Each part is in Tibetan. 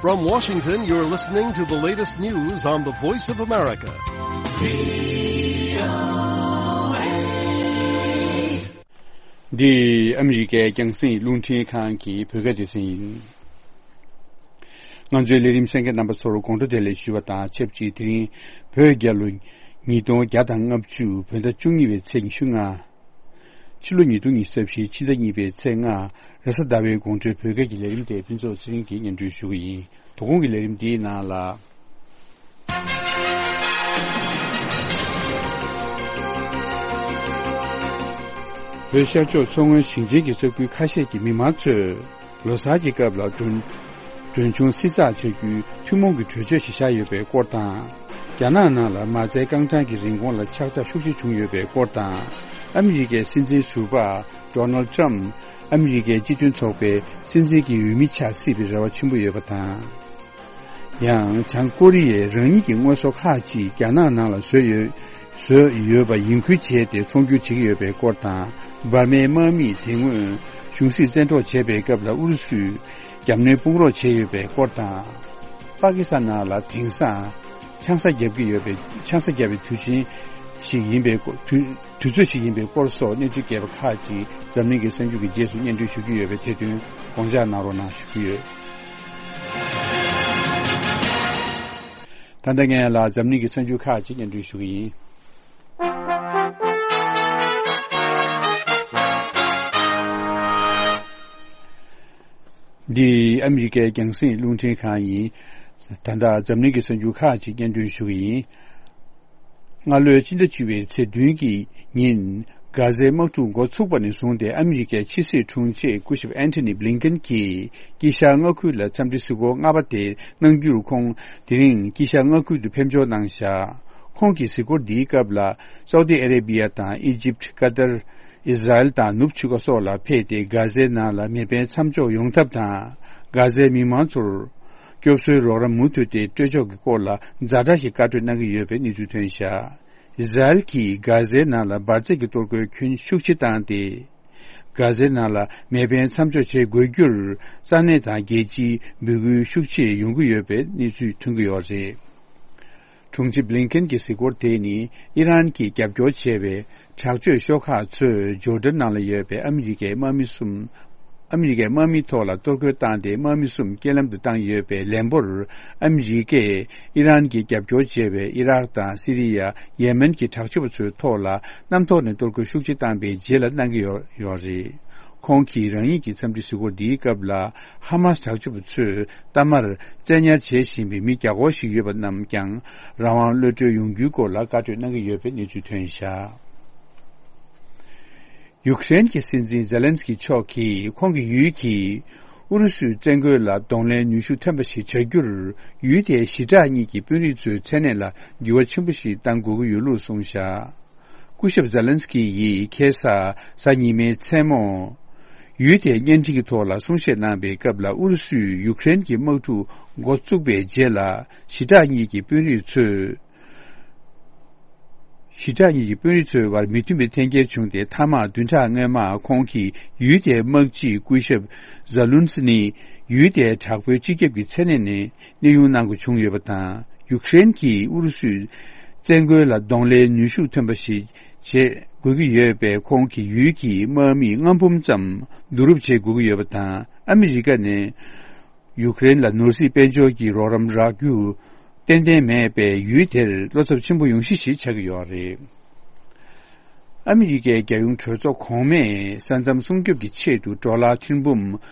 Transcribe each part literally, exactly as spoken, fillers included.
From Washington, you're listening to the latest news on the Voice of America. འདི་ཨ་མི་རི་ཀའི་རྒྱང་སྲིང་རླུང་འཕྲིན་ཁང་གི་བོད་སྐད་སྡེ་ཚན་ཡིན། ང་ཚོའི་ལས་རིམ་གསན་མཁན་རྣམ་པ་ཚོར་དགོང་དྲོ་བདེ་ལེགས་ཞུ་བ་དང་ཆབས་ཅིག་དེ་རིང་བོད་རྒྱལ་ལོ་ཉིས་སྟོང་བརྒྱ་དང་ལྔ་བཅུ་བོད་ཟླ་བཅུ་གཉིས་པའི་ཚེས་ཉི་ཤུ་ལྔ། ཕྱི་ལོ་ཉིས་སྟོང་ཉི་ཤུ་རྩ་བཞི་ཕྱི་ཟླ་གཉིས་པའི་ཚེས་ལྔ། རེས་གཟའ་ཟླ་བའི་དགོང་དྲོའི་བོད་སྐད་ཀྱི་ལས་རིམ་དེ་ཕུན་ཚོགས་ཚེ་རིང་གིས་སྙན་སྒྲོན་ཞུ་གི་ཡིན། དོ་དགོང་གི་ལས་རིམ་འདིའི་ནང་ལ། བོད་ཤར་ཕྱོགས་མཚོ་སྔོན་ཞིང་ཆེན་གྱི་ས་ཁུལ་ཁ་ཤས་ཀྱི་མི་མང་ཚོས། ལོ་གསར་གྱི་སྐབས་ལ་གྲོན་གྲོན་ཆུང་བསྲི་ཚགས་བྱ་རྒྱུའི་ཐུན་མོང་གི་གྲོས་ཆོད་ཞིག་བཞག་ཡོད་པའི་སྐོར་དང་། རྒྱ་ནག་ནང་ལ་མ་རྩའི་རྐང་གྲངས་ཀྱི་རིན་གོང་ལ་ཆག་ཆག་ཤུགས་ཆེ་བྱུང་ཡོད་པའི་སྐོར་དང་། ཨ་མི་རི་ཀའི་སྲིད་འཛིན་ཟུར་པ་ཌོ་ནལ་ཊམ་ཨ་མི་རི་ཀའི་སྤྱི་མཐུན་ཚོགས་པའི་སྲིད་འཛིན་གྱི་འོས་མི་ཆགས་སྲིད་པའི་རེ་བ་ཆེན་པོ་ཡོད་པ་དང་། ཡང་བྱང་ཀོ་རི་ཡས་རང་ཉིད་ཀྱི་དངོས་ཟོག་ཁག་ཅིག་རྒྱ་ནག་ནང་ལ་བཟོས་ཡོད། བཟོས་ཡོད་པ་ཡིན་ཁུལ་བྱས་ཏེ་ཚོང་སྒྱུར་བྱེད་ཀྱི་ཡོད་པའི་སྐོར་དང་། འབར་མའི་དམག་མིས་དེ་སྔོན་གཞུང་སྲིད་བཙན་འཕྲོག་བྱས་པའི་སྐབས་ལ་ཨུ་རུ་སུས་རྒྱབ་གནོན་དཔུང་རོགས་བྱས་ཡོད་པའི་སྐོར་དང་། པ་ཀི་སི་ཐན་ནང་ལ་དེང་སང་ཆང་ས་བརྒྱབ་ཀྱི་ཡོད་པའི་ཆང་ས་བརྒྱབ་པའི་དུས་ཆེན་ཞིག་ཡིན་པའི་སྐོར། དུས་དུས་ཚོད་ཞིག་ཡིན་པའི་སྐོར་སོགས་གནས་ཚུལ་རྒྱས་པ་ཁག་ཅིག་འཛམ་གླིང་གི་གསར་འགྱུར་གྱི་རྗེས་སུ་སྙན་སྒྲོན་ཞུ་རྒྱུ་ཡོད་པས་དེ་དོན་དགོངས་འཇགས་གནང་རོགས་གནང་ཞུ་རྒྱུ་ཡོད། ད་ལྟ་ངས་ལ་འཛམ་གླིང་གི་གསར་འགྱུར་ཁག་ཅིག་སྙན་སྒྲོན་ཞུ་གི་ཡིན། འདི་ཨ་མི་རི་ཀའི་རྒྱང་སྲིང་རླུང་འཕྲིན་ཁང་ཡིན། ད་ལྟ་འཛམ་གླིང་གི་གསར་འགྱུར་ཁག་ཅིག་སྙན་སྒྲོན་ཞུ་གི་ཡིན། སྔ་ལོའི་སྤྱི་ཟླ་བཅུ་པའི་ཚེས་བདུན་གྱི་ཉིན། གྷ་ཟའི་དམག་འཁྲུག་འགོ་ཚུགས་པ་ནས་བཟུང་སྟེ་ཨ་མི་རི་ཀའི་ཕྱི་སྲིད་དྲུང་ཆེ་སྐུ་ཞབས་ཨན་ཐོ་ནི་བྷི་ལིན་ཀེན་གྱིས་དཀྱིལ་ཤར་མངའ་ཁུལ་ལ་འཚམས་འདྲི་གཟིགས་སྐོར་ལྔ་པ་དེ་གནང་རྒྱུར། ཁོང་དེ་རིང་དཀྱིལ་ཤར་མངའ་ཁུལ་དུ་ཕེབས་འབྱོར་གནང་བཞག་ཁོང་གི་གཟིགས་སྐོར་འདིའི་སྐབས་ལ་སའུ་ཏི་ཨ་རེ་བྷི་ཡ་དང་ཨི་ཇིབ། ཀ་ཏར། ཨིས་ར་ཨེལ་དང་ནུབ་ཆུ་ཁ་སོགས་ལ་ཕེབས་ཏེ། གྷ་ཟའི་ནང་ལ་མེ་འཕེན་མཚམས་འཇོག་ཡོང་ཐབས་དང་། གྷ་ཛའི་མི་མང་ཚོར་སྐྱོབ་གསོའི་རོགས་རམ་མུ་མཐུད་དེ་སྤྲོད་ཕྱོགས་ཀྱི་སྐོར་ལ་ཛ་དྲག་གི་བཀའ་གྲོས་གནང་གི་ཡོད་པའི་གནས་ཚུལ་ཐོན་བཞག་ཨིས་ར་ཨེལ་གྱིས་གྷ་ཛའི་ནང་ལ་འབར་རྫས་ཀྱི་གཏོར་རྒོལ་ཁྱོན་ཤུགས་ཆེ་བཏང་སྟེ། གྷ་ཛའི་ནང་ལ་མེ་འཕེན་མཚམས་འཇོག་བྱེད་དགོས་རྒྱུར་ས་གནས་དང་རྒྱལ་སྤྱིའི་འབོད་སྐུལ་ཤུགས་ཆེ་ཡོང་གི་ཡོད་པའི་གནས་ཚུལ་ཐོན་གྱི་ཡོད་རེད། དྲུང་ཆེ་བྷི་ལིན་ཀེན་གྱི་གཟིགས་སྐོར་དེ་ནི་ཨི་རན་གྱིས་རྒྱབ་སྐྱོར་བྱས་པའི་དྲག་སྤྱོད་ཤོག་ཁག་ཚོས་ཇོར་ཌན་ནང་ལ་ཡོད་པའི་ཨ་མི་རི་ཀའི་དམག་མི་གསུམ། ཨ་མི་རི་ཀའི་དམག་མི་ཐོག་ལ་གཏོར་རྒོལ་བཏང་སྟེ་དམག་མི་གསུམ་རྐྱེན་ལམ་དུ་བཏང་ཡོད་པའི་ལན་པོར། ཨ་མི་རི་ཀས་ཨི་རན་གྱིས་རྒྱབ་སྐྱོར་བྱས་པའི་ཨི་རག་དང་སི་རི་ཡ། ཡེ་མེན་གྱི་དྲག་སྤྱོད་པ་ཚོའི་ཐོག་ལ་གནམ་ཐོག་ནས་གཏོར་རྒོལ་ཤུགས་ཆེ་བཏང་པའི་རྗེས་ལ་གནང་གི་ཡོད་ཡོད་རེད། ཁོང་གིས་རང་ཉིད་ཀྱི་འཚམས་འདྲི་གཟིགས་སྐོར་འདིའི་སྐབས་ལ། ཧ་མཱ་སི་དྲག་སྤྱོད་པ་ཚོས་གཏའ་མར་བཙན་ཉར་བྱེད་བཞིན་པའི་མི་བརྒྱ་སྐོར་ཞིག་ཡོད་པ་རྣམས་ཀྱང་རང་དབང་གློད་གྲོལ་ཡོང་རྒྱུའི་སྐོར་ལ་བཀའ་གྲོས་གནང་གི་ཡོད་པའི་གནས་ཚུལ་ཐོན་བཞག་ཡུཀ་རེན་གྱི་སྲིད་འཛིན་ཛེ་ལན་སི་ཀི་མཆོག་གིས་ཁོང་གི་ཡུལ་གྱིས་ཨུ་རུ་སུའི་བཙན་རྒོལ་ལ་གདོང་ལེན་ནུས་ཤུགས་ཐོན་པ་ཞིག་བྱ་རྒྱུར། ཡུལ་དེའི་ཞི་དྲག་གཉིས་ཀྱི་དཔོན་རིགས་ཚོའི་མཚན་གནས་ལ་འགྱུར་བ་ཆེན་པོ་ཞིག་གཏང་དགོས་ཀྱི་ཡོད་ལུགས་གསུངས་བཞག་སྐུ་ཞབས་ཛེ་ལན་སི་ཀི་ཡིས་ཁ་སང་གཟའ་ཉི་མའི་མཚན་མོ། ཡུལ་དེའི་བརྙན་འཕྲིན་གྱི་ཐོག་ལ་གསུང་བཤད་གནང་པའི་སྐབས་ལ། ཨུ་རུ་སུས་ཡུཀ་རེན་གྱི་དམག་འཁྲུག་འགོ་བཙུགས་པའི་རྗེས་ལ། ཞི་དྲག་གཉིས་ཀྱི་དཔོན་རིགས་ཚོས། ཞི་དྲག་གཉིས་ཀྱི་དཔོན་རིགས་ཚོའི་བར་མི་མཐུན་པའི་འཐེན་འཁྱེར་བྱུང་སྟེ། མཐའ་མ་བདུན་ཕྲག་སྔོན་མ་ཁོང་གིས་ཡུལ་དེའི་དམག་སྤྱི་སྐུ་ཞབས་ཛ་ལུན་སི་ནི་ཡུལ་དེའི་དྲག་པོའི་སྤྱི་ཁྱབ་ཀྱི་མཚན་གནས་ནས། གནས་དབྱུང་གནང་དགོས་བྱུང་ཡོད་པ་དང་། ཡུཀ་རེན་གྱིས་ཨུ་རུ་སུའི་བཙན་རྒོལ་ལ་གདོང་ལེན་ནུས་ཤུགས་ཐོན་པ་ཞིག་བྱེད་དགོས་ཀྱི་ཡོད་པས། ཁོང་གིས་ཡུལ་གྱི་དམག་མིའི་ལྔ་འབུམ་ཙམ་བསྡུ་རུབ་བྱེད་དགོས་ཀྱི་ཡོད་པ་དང་། ཨ་མི་རི་ཀ་ནས་ཡུཀ་རེན་ལ་ནོར་སྲིད་དཔལ་འབྱོར་གྱི་རོགས་རམ་རག་རྒྱུ་ཏན་ཏན་མེད་པས། ཡུལ་དེར་བློ་འཚབ་ཆེན་པོ་ཡོང་གཞི་ཞིག་ཆགས་ཀྱི་ཡོད་རེད། ཨ་མི་རི་ཀའི་རྒྱལ་ཡོངས་གྲོས་ཚོགས་གོང་མས་ས་མཚམས་སྲུང་སྐྱོབ་ཀྱི་ཆེད་དུ་ཌོ་ལར་ཐེར་འབུམ་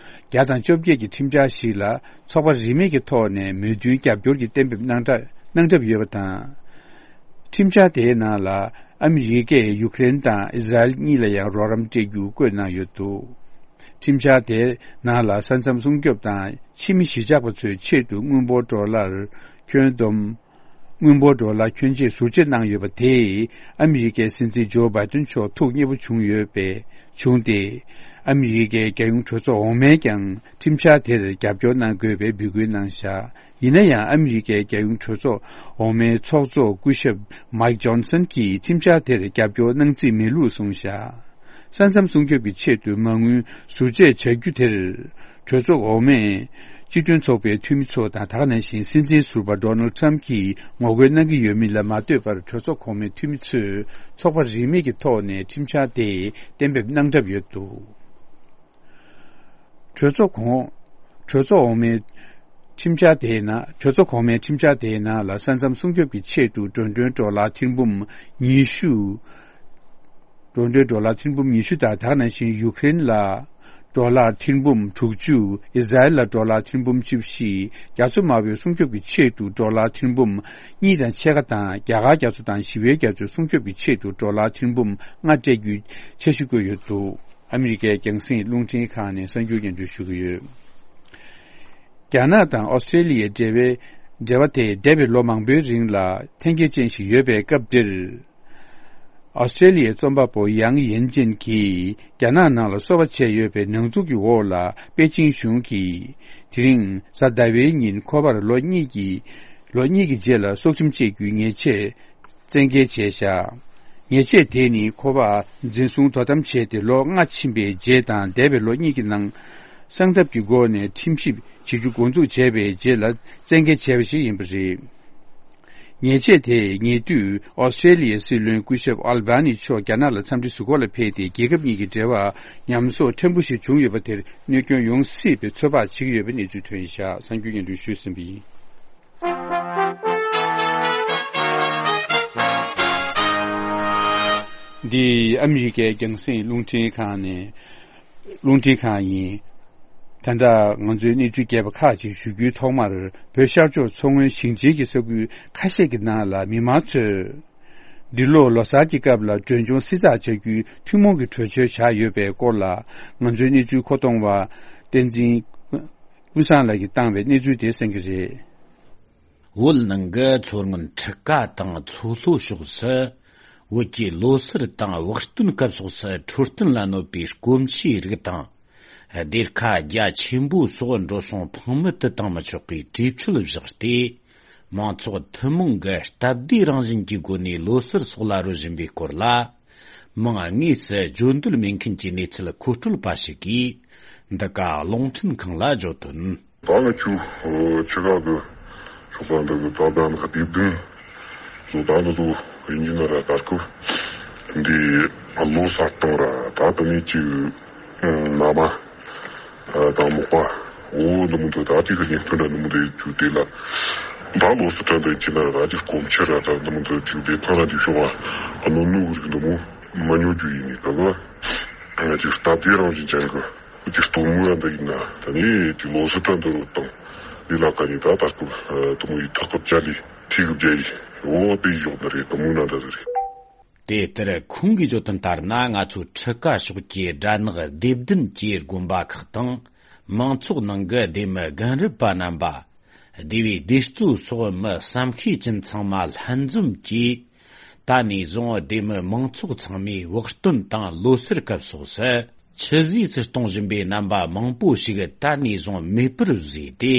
བརྒྱ་དང་བཅོ་བརྒྱད་ཀྱི་ཁྲིམས་འཆར་ཞིག་ལ་ཚོགས་པ་རིས་མེད་ཀྱི་ཐོག་ནས་མོས་མཐུན་རྒྱབ་སྐྱོར་གྱི་གཏན་འབེབས་གནང་གྲབས་གནང་གྲབས་ཡོད་པ་དང་། ཁྲིམས་འཆར་དེའི་ནང་ལ་ཨ་མི་རི་ཀས་ཡུཀ་རེན་དང་ཨིས་ར་ཨེལ་གཉིས་ལ་ཡང་རོགས་རམ་སྤྲད་རྒྱུ་བཀོད་གནང་ཡོད་འདུག་ཁྲིམས་འཆར་དེའི་ནང་ལ་ས་མཚམས་སྲུང་སྐྱོབ་དང་ཕྱི་མི་གཞིས་ཆགས་པ་ཚོའི་ཆེད་དུ་དངུལ་འབོར་ཌོ་ལར་ཁྱོན་བསྡོམས། དངུལ་འབོར་ཌོ་ལར་ཁྱོན་ཆེ་ཟུར་བཅད་གནང་ཡོད་པ་དེས་ཨ་མི་རི་ཀའི་སྲིད་འཛིན་ཇོ་བྷའི་ཏིན་མཆོག་ཐུགས་མཉེས་པོ་བྱུང་ཡོད་པས་བྱུང་སྟེ། ཨ་མི་རི་ཀའི་རྒྱལ་ཡོངས་གྲོས་ཚོགས་འོག་མས་ཀྱང་ཁྲིམས་འཆར་དེར་རྒྱབ་སྐྱོར་གནང་དགོས་པའི་འབོད་སྐུལ་གནང་བཞག་ཡིན་ན་ཡང་ཨ་མི་རི་ཀའི་རྒྱལ་ཡོངས་གྲོས་ཚོགས་འོག་མའི་ཚོགས་གཙོ་སྐུ་ཞབས་མཱིག་ཇོན་སན་གྱིས་ཁྲིམས་འཆར་དེར་རྒྱབ་སྐྱོར་གནང་རྩིས་མེད་ལུགས་གསུངས་བཞག་ས་མཚམས་སྲུང་སྐྱོབ་ཀྱི་ཆེད་དུ་མ་དངུལ་ཟུར་བཅད་བྱ་རྒྱུ་དེར་གྲོས་ཚོགས་འོག་མས་ སྤྱི་མཐུན་ཚོགས་པའི་འཐུས་མི་ཚོ་དང་། ད་ག་ནང་བཞིན་སྲིད་འཛིན་ཟུར་པ་ཌོ་ནལ་ཊམ་གྱིས་ངོ་རྒོལ་གནང་གི་ཡོད་མིན་ལ་མ་ལྟོས་པར། གྲོས་ཚོགས་གོང་མའི་འཐུས་མི་ཚོས་ཚོགས་པ་རིས་མེད་ཀྱི་ཐོག་ནས་ཁྲིམས་འཆར་དེ་གཏན་འབེབས་གནང་གྲབས་ཡོད་འདུག་གྲོས་ཚོགས་གོང་། གྲོས་ཚོགས་འོག་མའི་ཁྲིམས་འཆར་དེའི་ནང་། གྲོས་ཚོགས་གོང་མའི་ཁྲིམས་འཆར་དེའི་ནང་ལ། ས་མཚམས་སྲུང་སྐྱོབ་ཀྱི་ཆེད་དུ་འགྲོ་གྲོན་ཌོ་ལར་ཐེར་འབུམ་ཉི་ཤུ། འགྲོ་གྲོན་ཌོ་ལར་ཐེར་འབུམ་ཉི་ཤུ་དང་། ད་ག་ནང་བཞིན་ཡུ་ཀེ་རེན་ལ་ཌོ་ལར་ཐེར་འབུམ་དྲུག་ཅུ། ཨི་ཟ་རེལ་ལ་ཌོ་ལར་ཐེར་འབུམ་བཅུ་བཞི། རྒྱ་མཚོ་དམར་པོའི་སྲུང་སྐྱོབ་ཀྱི་ཆེད་དུ་ཌོ་ལར་ཐེར་འབུམ་གཉིས་དང་ཕྱེད་ཀ་དང་། རྒྱ་གར་རྒྱ་མཚོ་དང་ཞི་བའི་རྒྱ་མཚོའི་སྲུང་སྐྱོབ་ཀྱི་ཆེད་དུ་ཌོ་ལར་ཐེར་འབུམ་ལྔ་སྤྲད་རྒྱུའི་འཆར་གཞི་བཀོད་ཡོད་འདུག་ཨ་མི་རི་ཀའི་རྒྱང་སྲིང་རླུང་འཕྲིན་ཁང་ནས་གསར་འགྱུར་སྙན་སྒྲོན་ཞུ་གི་ཡོད། རྒྱ་ནག་དང་ཨོ་སི་ཀྲེ་ལི་ཡའི་འབྲེལ་བའི། འབྲེལ་བ་དེ་འདས་པའི་ལོ་མང་པོའི་རིང་ལ་འཐེན་འཁྱེར་ཅན་ཞིག་ཡོད་པའི་སྐབས་འདིར། ཨོ་སི་ཀྲེ་ལི་ཡའི་རྩོམ་པ་པོ་ཡང་ཡན་ཅིན་གྱིས་རྒྱ་ནག་ནང་ལ་སོ་པ་བྱས་ཡོད་པའི་ནང་འཛུལ་གྱི་འོག་ལ། པེ་ཅིང་གཞུང་གིས་དེ་རིང་གཟའ་ཟླ་བའི་ཉིན་ཁོ་པར་ལོ་གཉིས་ཀྱི། ལོ་གཉིས་ཀྱི་རྗེས་ལ་སྲོག་ཁྲིམས་གཅོད་རྒྱུའི་ཉེས་ཆད་བཙན་འགེལ་བྱས་བཞག་ཉེས་ཆད་དེ་ནི་ཁོ་པ་འཛིན་བཟུང་དོ་དམ་བྱས་ཏེ་ལོ་ལྔ་ཕྱིན་པའི་རྗེས་དང་། འདས་པའི་ལོ་གཉིས་ཀྱི་ནང་གསང་ཐབས་ཀྱི་སྒོ་ནས་ཁྲིམས་ཞིབ་བྱེད་རྒྱུ་འགོ་འཛུགས་བྱས་པའི་རྗེས་ལ་བཙན་འགེལ་བྱས་པ་ཞིག་ཡིན་པ་རེད། ཉེས་ཆད་དེ་ཉེ་དུས་ཨོ་སི་ཀྲེ་ལི་ཡའི་སྲིད་བློན་སྐུ་ཞབས་ཨལ་བྷ་ནི་མཆོག་རྒྱ་ནག་ལ་འཚམས་འདྲི་ཞུ་སྒོ་ལ་ཕེབས་ཏེ། རྒྱལ་ཁབ་གཉིས་ཀྱི་འབྲེལ་བ་ཉམས་གསོ་ཕྲན་བུ་ཞིག་བྱུང་ཡོད་པ་དེར་གནོད་སྐྱོན་ཡོང་སྲིད་པའི་ཚོད་དཔག་བྱེད་ཀྱི་ཡོད་པའི་གནས་ཚུལ་ཐོན་བཞག་གསར་འགྱུར་སྙན་སྒྲོན་ཞུས་ཟིན་པ་ཡིན། འདི་ཨ་མི་རི་ཀའི་རྒྱང་སྲིང་རླུང་འཕྲིན་ཁང་ནས། རླུང་འཕྲིན་ཁང་ཡིན། ད་ལྟ་ང་ཚོའི་གནས་ཚུལ་རྒྱས་པ་ཁག་ཅིག་ཞུ་རྒྱུའི་ཐོག་མར། བོད་ཤར་ཕྱོགས་མཚོ་སྔོན་ཞིང་ཆེན་གྱི་ས་ཁུལ་ཁ་ཤས་ཀྱི་ནང་ལ་མི་མང་ཚོས་འདི་ལོ་ལོ་གསར་གྱི་སྐབས་ལ་མགྲོན་ཆུང་བསྲི་ཚགས་བྱ་རྒྱུའི་ཐུན་མོང་གི་གྲོས་ཆོད་བཞག་ཡོད་པའི་སྐོར་ལ། ང་ཚོའི་གནས་ཚུལ་མཁོ་གཏོང་བ་བསྟན་འཛིན་ཀུན་བཟང་ལགས་ཀྱིས་བཏང་བའི་གནས་ཚུལ་དེ་གསན་གྱི་རེད། བོད་ནང་གི་མཚོ་སྔོན་ཁྲི་ཀ་དང་མཚོ་ལྷོ་ཕྱོགས་སུ། བོད་ཀྱི་ལོ་སར་དང་བག་སྟོན་སྐབས་སོགས་སུ་འཕྲོད་བསྟེན་ལ་གནོད་པའི་སྐོམ་ཆུའི་རིགས་དང་། སྡེར་ཁ་རྒྱ་ཆེན་པོ་སོགས་འགྲོ་སོང་ཕངས་མེད་དུ་བཏང་མི་ཆོག་པའི་གྲོས་ཆོད་བཞག་སྟེ། མང་ཚོགས་ཐུན་མོང་གི་སྟབས་བདེའི་རང་བཞིན་གྱི་སྒོ་ནས་ལོ་སར་སོགས་ལ་རོལ་བཞིན་པའི་སྐོར་ལ། མིང་དངོས་སུ་བརྗོད་འདོད་མེད་མཁན་གྱི་གནས་ཚུལ་མཁོ་སྤྲོད་པ་ཞིག་གིས། འདི་ག་རླུང་འཕྲིན་ཁང་ལ་བརྗོད་དོན། ད་ང་ཆུ་ཆུ་ཁ་གི་ཕྱོགས་ས་འདི་གི་ད་ལྟ་ནི་སྡེ་བདུན་བཟོ། ད་ནི་བཟོ་ཡིན་གྱི་ན་ར། ད་སྐབས་འདི་ལོ་གསར་གཏོང་ར། ད་ད་ནི་ཅིག་ན་མ་ད་མོག་པ་འོ་འདི་མོ་འདི་ད་ཅིག་གི་ཉིན་ཐོན་ར་འདི་མོ་འདི་ཆུ་དེ་ལ་ད་ལོ་སི་ཁྲ་འདི་ཅི་ན་ར། ད་ཅིག་སྐོམ་ཆུ་ར་ད་འདི་མོ་འདི་ཅིག་བདེ་ཐང་ར་འདི་ཤོག་པ། ཨ་ནོ་ནུ་གི་རིགས་འདི་མོ་མ་ཉོ་རྒྱུ་ཡིན་ནི། ད་གི་ཅིག་སྟབས་བདེ་རང་བཞིན་ཅན་གི་ཅིག་སྟོན་མོ་ཡང་འདི་ཡིན་ན། ད་ནི་ཅིག་ལོ་སི་ཁྲ་འདི་རུ་བཏང་འདི་ལ་ཀ་ནི་ད་ད་སྐབས་དུ་མོ་ཡི་ཐག་གི་བཅའ་ལི་ཐིག་གི་བཅའ་ཡི་འོ་དེ་ཡི་ཞོག་འདི་རེད། དུ་མོ་ན་འདྲ་ཟིག་རེད། དེ་ལྟར་ཁོང་གིས་བརྗོད་དོན་ལྟར་ན། ང་ཚོའི་ཁྲི་ཀ་ཕྱོགས་ཀྱི་སྦྲ་ནག་སྡེ་བདུན་གྱི་དགོན་པ་ཁག་དང་། མང་ཚོགས་ནང་གི་སྡེ་མི་རྒན་རབས་པ་རྣམ་པ། སྡེ་བའི་སྡེ་གཙོ་སོགས་མི་བསམ་ཤེས་ཅན་ཚང་མ་ལྷན་འཛོམས་ཀྱིས། ད་ནས་བཟུང་སྡེ་མི་མང་ཚོགས་ཚང་མས་བག་སྟོན་དང་ལོ་སར་སྐབས་སོགས་སུ། ཆུད་ཟོས་སུ་གཏོང་བཞིན་པའི་རྣམ་པ་མང་པོ་ཞིག་ད་ནས་བཟུང་མེད་པར་བཟོས་ཏེ།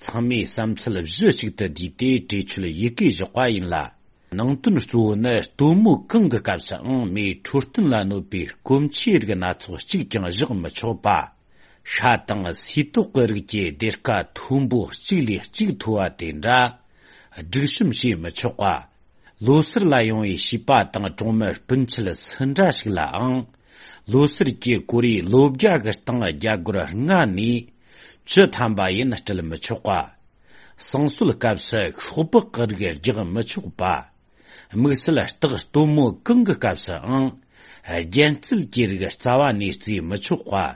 ཚང་མས་བསམ་ཚུལ་གཞི་གཅིག་ཏུ་བསྡུས་ཏེ་གྲོས་ཆོད་ཡི་གེ་བཞག་པ་ཡིན་ལ། ནང་དོན་གཙོ་བོ་ནི་སྟོན་མོ་གང་གི་སྐབས་སུའང་མིའི་འཕྲོད་བསྟེན་ལ་གནོད་པའི་སྐོམ་ཆུའི་རིགས་སྣ་ཚོགས་གཅིག་ཀྱང་བཞག་མི་ཆོག་པ། ཤ་དང་སིལ་ཏོག་གི་རིགས་ཀྱི་སྡེར་ཁ་མཐོན་པོ་གཅིག་ལས་གཅིག་མཐོ་བ་དེ་འདྲ་སྒྲིག་གཤོམ་བྱེད་མི་ཆོག་པ། ལོ་སར་ལ་ཡོང་བའི་བྱིས་པ་དང་གྲོང་མི་སྤུན་མཆེད་སུ་འདྲ་ཞིག་ལའང་། ལོ་སར་གྱི་གོ་རེའི་ལོ་བརྒྱ་གི་སྟེང་རྒྱ་སྒོར་ལྔ་ནས་བཅུ་ཐམ་པ་ཡིན་སྤྲད་མི་ཆོག་པ། བསང་གསོལ་སྐབས་སུ་ཤོག་སྦག་གི་རིགས་རྒྱག་མི་ཆོག་པ། དམིགས་བསལ་སྟག་སྟོན་མོ་གང་གི་སྐབས་སུའང་། རྒྱན་རྩེད་ཀྱི་རིགས་རྩ་བ་ནས་རྩེད་མི་ཆོག་པ།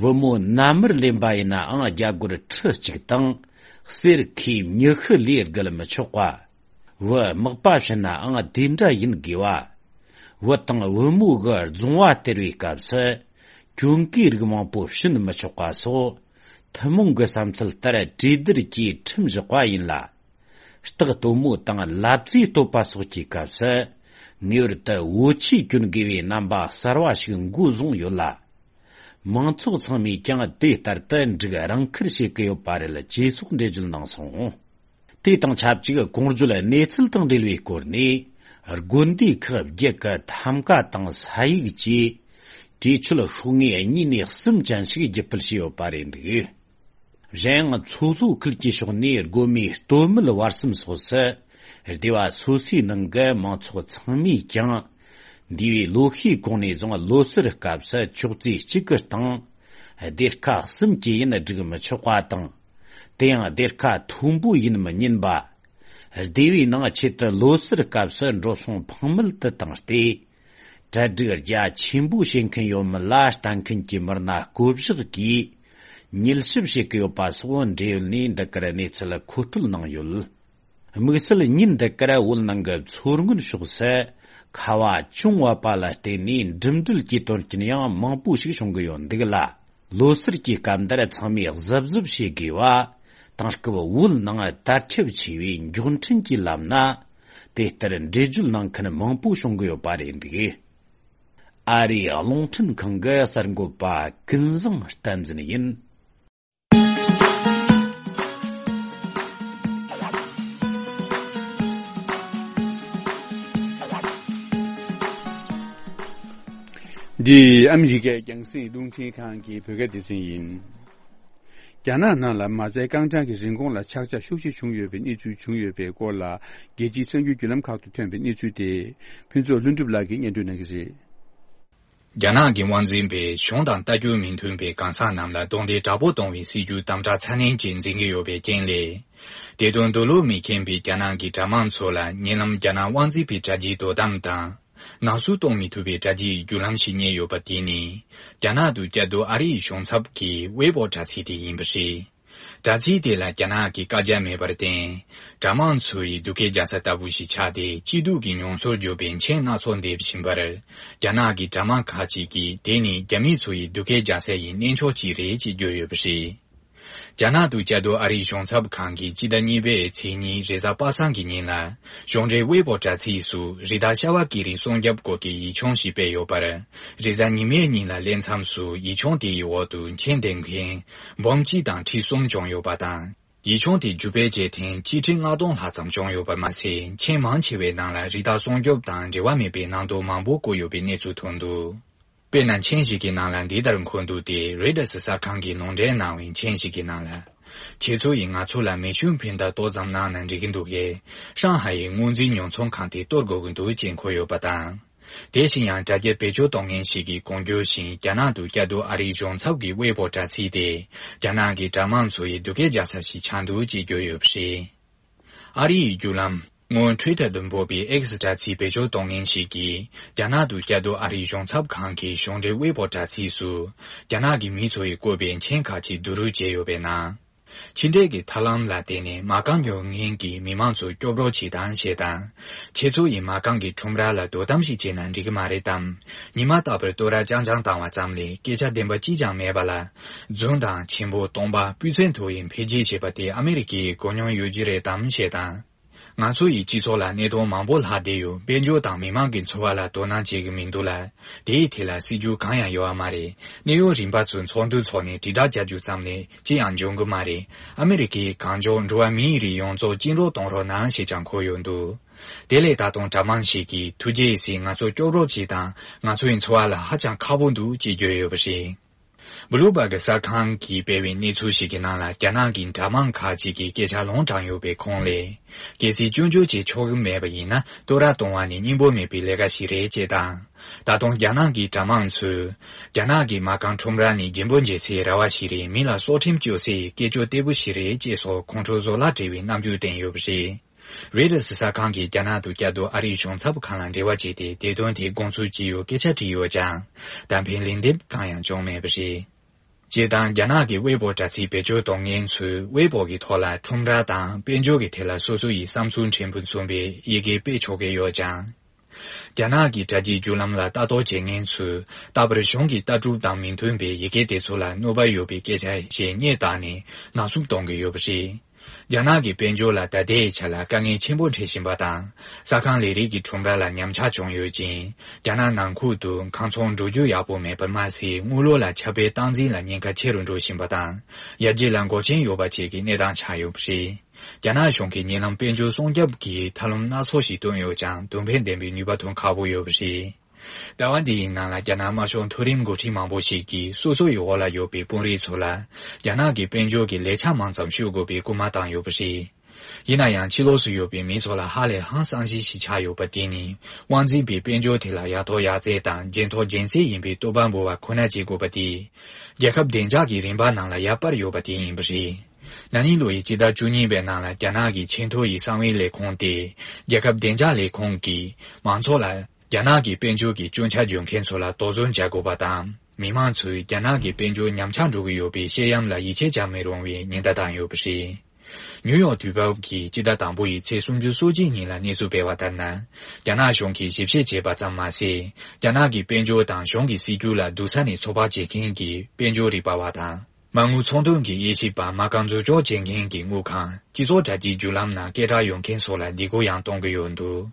བུ་མོ་མནའ་མར་ལེན་པ་ཡིན་ནའང་རྒྱ་སྒོར་ཁྲི་གཅིག་དང་། གསེར་ཁེ་ཉི་ཤུ་ལས་བརྒལ་མི་ཆོག་པ། བུ་མག་པ་བྱིན་ནའང་དེ་འདྲ་ཡིན་དགོས་པ། བུ་དང་བུ་མོ་གི་རྫོང་བ་སྟེར་བའི་སྐབས་སུ། གྱོན་གོས་རིགས་མང་པོ་བྱིན་མི་ཆོག་པ་སོགས། ཐུན་མོང་གི་བསམ་ཚུལ་ལྟར་གྲོས་བསྡུར་གྱིས་ཁྲིམས་བཞག་པ་ཡིན་ལ། སྟག་སྟོན་མོ་དང་ལབ་རྩེ་གཏོད་པ་སོགས་ཀྱི་སྐབས་སུ། ངེས་པར་དུ་བོ་ཆས་གྱོན་དགོས་པའི་རྣམ་པ་གསར་བ་ཞིག་འགོ་བཟུང་ཡོད་ལ། མང་ཚོགས་ཚང་མས་ཀྱང་དེ་ལྟར་དུ་འགྲིག་རང་ཁུར་བྱེད་ཀྱི་ཡོད་པ་རེད། ཅེས་སོགས་འགྲེལ་བརྗོད་གནང་སོང་། དེ་དང་ཆབས་ཅིག་གོང་བརྗོད་གནས་ཚུལ་དང་འབྲེལ་བའི་སྐོར་ནས། དགོན་སྡེ་ཁག་བརྒྱད་ཀྱི་ཐམ་ཀ་དང་ས་ཡིག་བཅས་གྲོས་ཆོད་ཤོག་ངོས་གཉིས་ནས་གསུམ་ཅན་ཞིག་བརྒྱུད་སྤེལ་བྱས་ཡོད་པ་རེད་འདུག་གཞན་ཡང་མཚོ་ལྷོ་ཁུལ་གྱི་ཕྱོགས་ནས་དགོན་མེད་སྟོད་སྨད་བར་གསུམ་སོགས་སུ། སྡེ་བ་སོ་སོའི་ནང་གི་མང་ཚོགས་ཚང་མས་ཀྱང་། འདས་པའི་ལོ་ཤས་གོང་ནས་བཟུང་ལོ་སར་སྐབས་སུ་ཅོག་ཙེ་གཅིག་གི་སྟེང་སྡེར་ཁ་གསུམ་གྱི་ཡིན་སྒྲིག་མི་ཆོག་པ་དང་། དེ་ཡང་སྡེར་ཁ་མཐོན་པོ་ཡིན་མི་ཉན་པ། སྡེ་བའི་ནང་ཆེད་དུ་ལོ་སར་སྐབས་སུ་འགྲོ་སོང་ཕངས་མེད་དུ་བཏང་སྟེ། གྲ་སྒྲིག་རྒྱ་ཆེན་པོ་བྱེད་མཁན་ཡོད་མེད་ལ་ལྟ་མཁན་གྱི་མི་སྣ་བསྐོ་གཞག་གིས་མྱུལ་ཞིབ་བྱེད་ཀྱི་ཡོད་པ་སོགས་འབྲེལ་ཡོད་ནས་འདི་གར་གནས་ཚུལ་མཁོ་སྤྲོད་གནང་ཡོད། དམིགས་བསལ་ཉིན་འདི་གར་བོད་ནང་གི་མཚོ་སྔོན་ཕྱོགས་སུ་ཁ་བ་ཅུང་བབས་པ་ལ་བརྟེན་ནས་འགྲིམ་འགྲུལ་གྱི་དོན་རྐྱེན་ཡང་མང་པོ་ཞིག་བྱུང་གི་ཡོད་འདུག་ལ། ལོ་སར་གྱི་སྐབས་འདིར་ཚང་མས་གཟབ་གཟབ་བྱེད་དགོས་པ། དེང་སྐབས་བོད་ནང་དར་ཁྱབ་ཆེ་བའི་མགྱོགས་འཕྲིན་གྱི་ལམ་སྣ་དེ་ལྟར་འགྲེལ་བརྗོད་གནང་མཁན་མང་པོ་བྱུང་གི་ཡོད་པ་རེད་འདུག། ཨ་རིའི་རླུང་འཕྲིན་ཁང་གི་གསར་འགོད་པ་ཀུན་བཟང་བསྟན་འཛིན་ཡིན། འདི་ཨ་མི་རི་ཀའི་རྒྱང་སྲིང་རླུང་འཕྲིན་ཁང་གི་བོད་སྐད་སྡེ་ཚན་ཡིན། རྒྱ་ནག་ནང་ལ་མ་རྩའི་རྐང་གྲངས་ཀྱི་རིན་གོང་ལ་ཆག་ཆག་ཤུགས་ཆེ་བྱུང་ཡོད་པའི་གནས་ཚུལ་བྱུང་ཡོད་པའི་སྐོར་ལ། རྒྱལ་སྤྱིའི་གསར་འགྱུར་བརྒྱུད་ལམ་ཁག་ཏུ་ཐོན་པའི་གནས་ཚུལ་དེ། ཕུན་ཚོགས་ལྷུན་གྲུབ་ལགས་ཀྱིས་སྙན་སྒྲོན་གནང་གི་རེད། རྒྱ་ནག་གི་དབང་འཛིན་པས་གཞུང་དང་ལྟ་རྒྱུ་མི་མཐུན་པའི་གང་ཟག་རྣམས་ལ་རྡུང་རྡེག་དྲག་པོ་གཏོང་བའི་སྲིད་ཇུས་དམ་དྲག་ཚ་ནན་ཅིག་འཛིན་གྱི་ཡོད་པའི་རྐྱེན་ལས། དེ་དོན་འདོད་བློ་མི་ཁེངས་པའི་རྒྱ་ནག་གི་དྲ་དམངས་ཚོ་ལ་ཉེ་ལམ་རྒྱ་ནག་དབང་འཛིན་པའི་དྲ་རྒྱའི་དོ་དམ་དང་། ནག་གསུག་གཏོང་མི་ཐུབ་པའི་དྲ་རྒྱའི་བརྒྱུད་ལམ་ཞིག་རྙེད་ཡོད་པ་དེ་ནི། རྒྱ་ནག་ཏུ་བསྐྱར་དུ་ཨ་རིའི་གཞུང་ཚབ་ཀྱི་ཝེ་པོ་དྲ་ཚིགས་དེ་ཡིན་པ་རེད། དྲ་ཚིགས་དེ་ལ་རྒྱ་ནག་གི་བཀའ་རྒྱ་མེད་པར་བརྟེན། དྲ་དམངས་ཚོ་ཡི་སྡུག་སྐད་རྒྱག་ས་ལྟ་བུ་ཞིག་ཆགས་ཏེ། སྐྱིད་སྡུག་གི་མྱོང་ཚོར་བརྗོད་པའི་མཆན་སྣ་ཚོགས་འདེབས་བཞིན་པར། རྒྱ་ནག་གི་དྲ་དམངས་ཁག་ཅིག་གིས་དེ་ནི་རྒྱ་མི་ཚོ་ཡི་སྡུག་སྐད་རྒྱག་ས་ཡི་གནས་མཆོག་ཅིག་རེད་ཅེས་བརྗོད་ཡོད་པ་རེད། རྒྱ་ནག་ཏུ་བསྐྱར་དུ་ཨ་རིའི་གཞུང་ཚབ་ཁང་གིས་སྤྱི་ཟླ་གཉིས་པའི་ཚེས་གཉིས་རེས་གཟའ་པ་སངས་ཀྱི་ཉིན་ལ། གཞུང་འབྲེལ་ཝེ་པོ་དྲ་ཚིགས་སུ་རི་དྭགས་ཤྭ་བ་སྐེ་རིང་སྲུང་སྐྱོབ་སྐོར་གྱི་ཡིག་ཆུང་ཞིག་སྤེལ་ཡོད་པར། རེས་གཟའ་ཉི་མའི་ཉིན་ལ་སླེབས་མཚམས་སུ་ཡིག་ཆུང་དེ་ཡི་འོག་ཏུ་མཆན་འདེབས་མཁན་འབུམ་གཅིག་དང་ཁྲི་གསུམ་བྱུང་ཡོད་པ་དང་། ཡིག་ཆུང་དེ་བརྒྱུད་སྤེལ་བྱས་ཐེངས་གཅིག་ཁྲི་ལྔ་སྟོང་ལྷག་ཙམ་བྱུང་ཡོད་པར་མ་ཟད། མཆན་མང་ཆེ་བའི་ནང་ལ་རི་དྭགས་སྲུང་སྐྱོབ་དང་འབྲེལ་བ་མེད་པའི་ནང་དོན་མང་པོ་བཀོད་ཡོད་པའི་གནས་ཚུལ་ཐོན་འདུག། དཔེར་ན། མཆན་ཞིག་གི་ནང་ལ་འདི་ལྟར་འཁོད་འདུག་སྟེ། རོའི་ཊར་སི་གསར་ཁང་གིས་ལུང་འདྲེན་གནང་བའི་མཆན་ཞིག་གི་ནང་ལ། ཁྱེད་ཚོ་ཡིས་ང་ཚོ་ལ་མེ་ཤུགས་འཕེན་རྡོག་ཏོག་ཙམ་གནང་ན་འགྲིག་གི་འདུག་གས། ཧྲང་ཧའེ་ཡི་དངོས་འཛིན་ཉོ་ཚོང་ཁང་དེ་གཏོར་དགོས་ཀྱི་འདུག་ཅེས་འཁོད་ཡོད་པ་དང་། དེ་བཞིན་ཡང་དྲ་རྒྱ་བེད་སྤྱོད་གཏོང་མཁན་ཞིག་གིས་གོང་བརྗོད་བཞིན། རྒྱ་ནག་ཏུ་བསྐྱར་དུ་ཨ་རིའི་གཞུང་ཚབ་ཀྱི་ཝེ་པོ་དྲ་ཚིགས་དེ། རྒྱ་ནག་གི་དྲ་དམངས་ཚོ་ཡི་སྡུག་སྐད་རྒྱག་ས་ཞིག་ཆགས་འདུག་ཅེས་བརྗོད་ཡོད་པ་རེད། ཨ་རི་ཡི་བརྒྱུད་ལམ་སྔོན་ཊུའི་ཊར་དུ་འབོད་པའི་ཨེག་སི་དྲ་ཚིགས་བེད་སྤྱོད་གཏོང་མཁན་ཞིག་གིས། རྒྱ་ནག་ཏུ་བསྐྱར་དུ་ཨ་རིའི་གཞུང་ཚབ་ཁང་གི་གཞུང་འབྲེལ་ཝེ་པོ་དྲ་ཚིགས་སུ། རྒྱ་ནག་གི་མི་ཚོ་ཡིས་བཀོད་པའི་མཆན་ཁག་ཅིག་བསྡུ་རུབ་བྱས་ཡོད་པའི་ནང་། ཕྱི་འབྲེལ་གྱི་ཐབས་ལམ་ལ་བརྟེན་ནས་མ་རྐང་ཉོ་མཁན་གྱི་མི་མང་ཚོ་སྐྱོབ་རོགས་བྱེད་དང་ཞེས་དང་། ཁྱེད་ཚོ་ཡིས་མ་རྐང་གི་ཁྲོམ་ར་ལ་དོ་དམ་ཞིག་བྱས་ན་འགྲིག་གི་མ་རེད་དམ། ཉི་མ་རྟག་པར་སྟོད་ར་རྐྱང་རྐྱང་བཏང་བ་ཙམ་ལས་སྐད་ཆ་བདེན་པ་གཅིག་ཀྱང་མེད་པ་ལ། རྫུན་དང་ཆེན་པོ་སྟོང་པ་སྤུས་ཚད་མཐོ་བའི་འཕེལ་རྒྱས་བྱས་པ་དེ་ཨ་མི་རི་ཀའི་གོ་མྱོང་ཡོད་ཀྱི་རེད་དམ་ཞེས་དང་། ང་ཚོ་ཡི་སྤྱི་ཚོགས་ལ་གནད་དོན་མང་པོ་ལྷག་བསྡད་ཡོད། དཔལ་འབྱོར་དང་མི་མང་གི་འཚོ་བ་ལ་དོ་སྣང་བྱེད་ཀྱི་མི་འདུག་ལ། དེའི་ཐད་ལ་སྲིད་ཇུས་གང་ཡང་ཡོད་པ་མ་རེད། གནད་ཡོད་རིམ་པ་ཚོའི་ཚོགས་འདུ་འཚོགས་ནས་དྲིལ་བསྒྲགས་རྒྱག་རྒྱུ་ཙམ་ལས་ཅི་ཡང་འབྱུང་གི་མ་རེད། ཨ་མི་རི་ཀའི་གང་མགྱོགས་འགྲོ་བ་མིའི་རིགས་ཡོངས་རྫོགས་བཅིངས་འགྲོལ་གཏོང་རོགས་གནང་ཞེས་ཀྱང་འཁོད་ཡོད་འདུག། དེ་ལས་ད་དུང་དྲ་དམངས་ཤིག་གིས་ཐུགས་རྗེ་གཟིགས། ང་ཚོ་སྐྱོབ་རོགས་གྱིས་དང་། ང་ཚོའི་འཚོ་བ་ལ་ཧ་ཅང་ཁག་པོ་འདུག་ཅེས་བརྗོད་ཡོད་པ་རེད། བྷུ་ལུ་བར་གི་གསར་ཁང་གིས་སྤེལ་བའི་གནས་ཚུལ་ཞིག་གི་ནང་ལ། རྒྱ་ནག་གི་དྲ་དམངས་ཁག་ཅིག་གིས་སྐད་ཆ་ལུང་དྲངས་ཡོད་པའི་ཁོངས་ལས། གལ་སྲིད་སྐྱོན་བརྗོད་བྱེད་ཆོག་གི་མེད་པ་ཡིན་ན། གཏོར་ར་གཏོང་བ་ནི་སྙིང་པོ་མེད་པའི་ལས་ཀ་ཞིག་རེད་ཅེས་དང་། ད་དུང་རྒྱ་ནག་གི་དྲ་དམངས་ཚོས། རྒྱ་ནག་གི་མ་རྐང་ཁྲོམ་ར་ནི་རྒྱུན་པོ་འབྱེད་སའི་ར་བ་ཞིག་རེད། མི་ལ་སྲོག་ཁྲིམས་གཅོད་སའི་སྐད་ཅོར་ལྟ་བུ་ཞིག་རེད་ཅེས་སོགས་ཁོང་ཁྲོ་བཟོ་གླགས་འགྲེལ་བའི་རྣམ་འགྱུར་བསྟན་ཡོད་པ་རེད། རོའི་ཊར་སི་གསར་ཁང་གིས་རྒྱ་ནག་ཏུ་བསྐྱར་དུ་ཨ་རིའི་གཞུང་ཚབ་ཁང་ལ་འབྲེལ་བ་བྱས་ཏེ། དེ་དོན་དེ་དགོངས་ཚུལ་ཅི་ཡོད་སྐད་ཆ་དྲིས་ཡོད་ཀྱང་། གཏམ་ཕན་ལན་འདེབས་གང་ཡང་བྱུང་མེད་པ་རེད། སྤྱིར་བཏང་རྒྱ་ནག་གི་ཝེ་པོ་དྲ་ཚིགས་བེད་སྤྱོད་གཏོང་མཁན་ཚོས་ཝེ་པོ་གི་ཐོག་ལ་ཁྲོམ་ར་དང་དཔལ་འབྱོར་གྱི་ཐད་ལ་སོ་སོ་ཡི་བསམ་ཚུལ་ཕྲན་བུ་མཚོན་པའི་ཡི་གེ་སྤེལ་ཆོག་གི་ཡོད་ཀྱང་། རྒྱ་ནག་གི་དྲ་རྒྱའི་བརྒྱུད་ལམ་ལ་ལྟ་རྟོག་བྱེད་མཁན་ཚོས། རྟག་པར་གཞུང་གི་ལྟ་གྲུབ་དང་མི་མཐུན་པའི་ཡི་གེ་དེ་ཚོ་ལ་གནོད་པ་ཡོད་པའི་སྐད་ཆ་ཞེས་སྙད་བཏགས་ནས་ནག་བསུབ་གཏོང་གི་ཡོད་པ་རེད། རྒྱ་ནག་གི་དཔལ་འབྱོར་ལ་ད་ལྟའི་ཆ་ལ་དཀའ་ངལ་ཆེན་པོ་འཕྲད་བཞིན་པ་དང་། གསར་ཁང་ལས་རིགས་ཀྱི་ཁྲོམ་ར་ལ་ཉམས་ཆག་བྱུང་ཡོད་ཅིང་། རྒྱ་ནག་ནང་ཁུལ་དུ་ཁང་ཚོང་འགྲོ་རྒྱུ་ཡག་པོ་མེད་པར་མ་ཟད། དངུལ་ལོར་ལ་ཁྱབ་སྤེལ་སྟངས་འཛིན་ལ་ཉེན་ཁ་ཆེ་རུ་འགྲོ་བཞིན་པ་དང་། ཡར་རྒྱས་ལ་འགོག་རྐྱེན་ཡོད་པ་བཅས་ཀྱི་གནས་སྟངས་ཆགས་ཡོད་པ་རེད། རྒྱ་ནག་གཞུང་གིས་ཉེ་ལམ་དཔལ་འབྱོར་སྲུང་སྐྱོབ་ཀྱི་ཐབས་ལམ་སྣ་ཚོགས་ཤིག་བཏོན་ཡོད་ཀྱང་། དོན་ཕན་ལྡན་པའི་ནུས་པ་ཐོན་ཁག་པོ་ཡོད་པ་རེད། ཟླ་བ་འདིའི་ནང་ལ་རྒྱ་ནག་དམར་ཤོག་མཐོ་རིམ་འགོ་ཁྲིད་མང་པོ་ཞིག་གིས་སོ་སོ་ཡི་འོག་ལ་ཡོད་པའི་དཔོན་རིགས་ཚོ་ལ་རྒྱ་ནག་གི་དཔལ་འབྱོར་གྱི་ལས་འཆར་མང་ཙམ་ཤོད་དགོས་པའི་སྐུལ་མ་བཏང་ཡོད་པ་རེད། ཡིན་ན་ཡང་ཕྱི་ལོགས་སུ་ཡོད་པའི་མི་ཚོ་ལ་ཧ་ལས་ཧང་སང་ཤི་ཞིག་ཆགས་ཡོད་པ་དེ་ནི། དབང་འཛིན་པའི་དཔལ་འབྱོར་དེ་ལ་ཡག་ཐོག་ཡག་བརྩེགས་དང་འཇོན་ཐོག་འཇོན་བརྩེགས་ཡིན་པའི་བསྟོད་པ་འབུལ་བ་ཁོ་ན་བྱེད་དགོས་པ་དེས། རྒྱལ་ཁབ་བདེ་འཇགས་ཀྱི་རིམ་པ་ནང་ལ་ཡར་སྤར་ཡོད་པ་དེ་ཡིན་པ་རེད། ན་ནིང་ལོ་ཡི་སྤྱི་ཟླ་བཅུ་གཉིས་པའི་ནང་ལ་རྒྱ་ནག་གི་ཆེས་མཐོ་ཡི་གསང་བའི་ལས་ཁུངས་ཏེ། རྒྱལ་ཁབ་བདེ་འཇགས་ལས་ཁུངས་ཀྱིས་མང་ཚོགས་ལ། རྒྱ་ནག་གི་དཔལ་འབྱོར་གྱི་སྐྱོན་ཆ་འཇོག་མཁན་ཚོ་ལ་དོགས་ཟོན་བྱ་དགོས་པ་དང་། མི་མང་ཚོས་རྒྱ་ནག་གི་དཔལ་འབྱོར་ཉམས་ཆག་འགྲོ་གི་ཡོད་པའི་བཤད་ཡམ་ལ་ཡིད་ཆེས་བྱ་མི་རུང་བའི་ཉེན་བརྡ་བཏང་ཡོད་པ་རེད། ནིའུ་ཡོག་དུས་བབ་ཀྱིས་སྤྱི་ཟླ་དང་པོ་ཡི་ཚེས་སུམ་ཅུ་སོ་གཅིག་ཉིན་ལ་གནས་ཚུལ་སྤེལ་བ་ལྟར་ན། རྒྱ་ནག་གཞུང་གིས་ཞིབ་བཤེར་བྱས་པ་ཙམ་མ་ཟད། རྒྱ་ནག་གི་དཔལ་འབྱོར་དང་གཞུང་གི་སྲིད་ཇུས་ལ་སྡུག་ས་ནས་ཚོད་དཔག་བྱེད་མཁན་གྱི་དཔལ་འབྱོར་རིག་པ་བ་དང་། མ་དངུལ་ཚོང་དོན་གྱི་དབྱེ་ཞིབ་པ་མ་རྐང་འཛུགས་སྐྱོང་བྱེད་མཁན་གྱི་དངུལ་ཁང་། སྤྱི་ཚོགས་དྲ་རྒྱའི་བརྒྱུད་ལམ་ནང་སྐད་གྲགས་ཡོད་མཁན་སོགས་ལ་སྡིགས་སྐུལ་ཡང་གཏོང་གི་ཡོད་འདུག་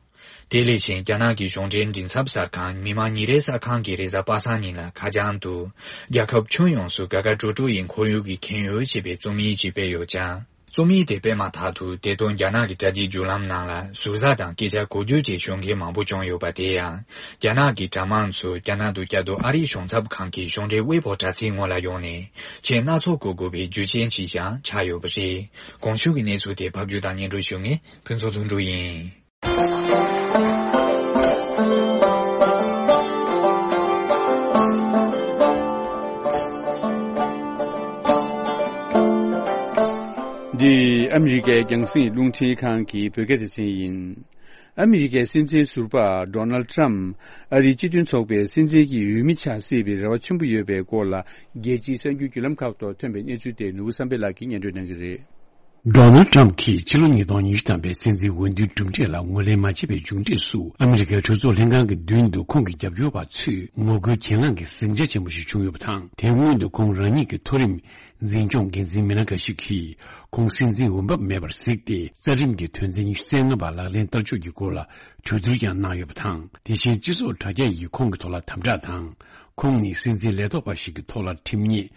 དེ་ལས་གཞན། རྒྱ་ནག་གི་གཞུང་འབྲེལ་མགྲིན་ཚབ་གསར་ཁང་མི་དམངས་ཉིན་རེའི་གསར་ཁང་གིས་རེས་གཟའ་པ་སངས་ཉིན་ལ་ཁ་བྱང་དུ། རྒྱལ་ཁབ་ཁྱོན་ཡོངས་སུ་དགའ་དགའ་སྤྲོ་སྤྲོ་ཡི་ཁོར་ཡུག་གི་ཁྱོན་ཡོད་ཅེས་པའི་རྩོམ་ཡིག་ཅིག་སྤེལ་ཡོད་ཀྱང་། རྩོམ་ཡིག་དེ་སྤེལ་མ་ཐག་ཏུ་དེ་དོན་རྒྱ་ནག་གི་དྲ་རྒྱའི་བརྒྱུད་ལམ་ནང་ལ་ཟུར་ཟ་དང་སྐད་ཆ་གོ་བསྒྱུར་བཅས་ཞུ་མཁན་མང་པོ་བྱུང་ཡོད་པ་དེ་ཡང་། རྒྱ་ནག་གི་དྲ་དམངས་ཚོས་རྒྱ་ནག་ཏུ་བསྐྱར་དུ་ཨ་རིའི་གཞུང་ཚབ་ཁང་གི་གཞུང་འབྲེལ་ཝེ་པོ་དྲ་ཚིགས་ངོས་ལ་ཡོང་ནས་མཆན་སྣ་ཚོགས་འགོད་དགོས་པའི་རྒྱུ་རྐྱེན་ཞིག་ཀྱང་ཆགས་ཡོད་པ་རེད། གོང་ཞུས་ཀྱི་གནས་ཚུལ་དེ་ཕབ་སྒྱུར་དང་སྙན་སྒྲོན་ཞུ་མཁན་ཕུན་ཚོགས་ལྷུན་གྲུབ་ཡིན། འདི་ཨ་མི་རི་ཀའི་རྒྱང་སྲིང་རླུང་འཕྲིན་ཁང་གི་བོད་སྐད་སྡེ་ཚན་ཡིན། ཨ་མི་རི་ཀའི་སྲིད་འཛིན་ཟུར་པ་ཌོ་ནལ་ཊམ་ཨ་རིའི་སྤྱི་མཐུན་ཚོགས་པའི་སྲིད་འཛིན་གྱི་འོས་མི་ཆགས་སྲིད་པའི་རེ་བ་ཆེན་པོ་ཡོད་པའི་སྐོར་ལ། རྒྱལ་སྤྱིའི་གསར་འགྱུར་བརྒྱུད་ལམ་ཁག་ཐོག་ཐོན་པའི་གནས་ཚུལ་དེ་ནོར་བུ་བསམ་འཕེལ་ལགས་ཀྱིས་སྙན་སྒྲོན་གནང་གི་རེད། ཌོ་ནལ་ཊམ་གྱིས་ཕྱི་ལོ་ཉིས་སྟོང་ཉི་ཤུ་ཐམ་པའི་སྲིད་འཛིན་འོས་བསྡུའི་གྲུབ་འབྲས་ལ་ངོས་ལེན་མ་བྱས་པའི་མཇུག་འབྲས་སུ། ཨ་མི་རི་ཀའི་གྲོས་ཚོགས་ལྷན་ཁང་གི་མདུན་དུ་ཁོང་གི་རྒྱབ་སྐྱོར་བ་ཚོས་ངོ་རྒོལ་གྱེན་ལངས་ཀྱི་ཟིང་ཆ་ཆེན་པོ་ཞིག་བྱུང་ཡོད་པ་དང་། དེའི་སྔོན་དུ་ཁོང་རང་ཉིད་ཀྱི་མཐོ་རིམ་འཛིན་སྐྱོང་འགན་འཛིན་མི་སྣ་འགའ་ཞིག་གིས་ཁོང་སྲིད་འཛིན་འོས་འབབ་མེད་པར་གཟིགས་ཏེ། རྩ་ཁྲིམས་ཀྱི་དོན་ཚན་ཉི་ཤུ་རྩ་ལྔ་པ་ལག་ལེན་བསྟར་ཕྱོགས་ཀྱི་སྐོར་ལ་གྲོས་བསྡུར་ཀྱང་གནང་ཡོད་པ་དང་། དེ་བཞིན་སྤྱི་ཚོགས་དྲ་རྒྱ་ཡིས་ཁོང་གི་ཐོག་ལ་དམ་དྲག་དང་། ཁོང་ནི་སྲིད་འཛིན་ལས་ཐོག་པ་ཞིག་གི་ཐོག་ལ་ཁྲིམས་ཉེས།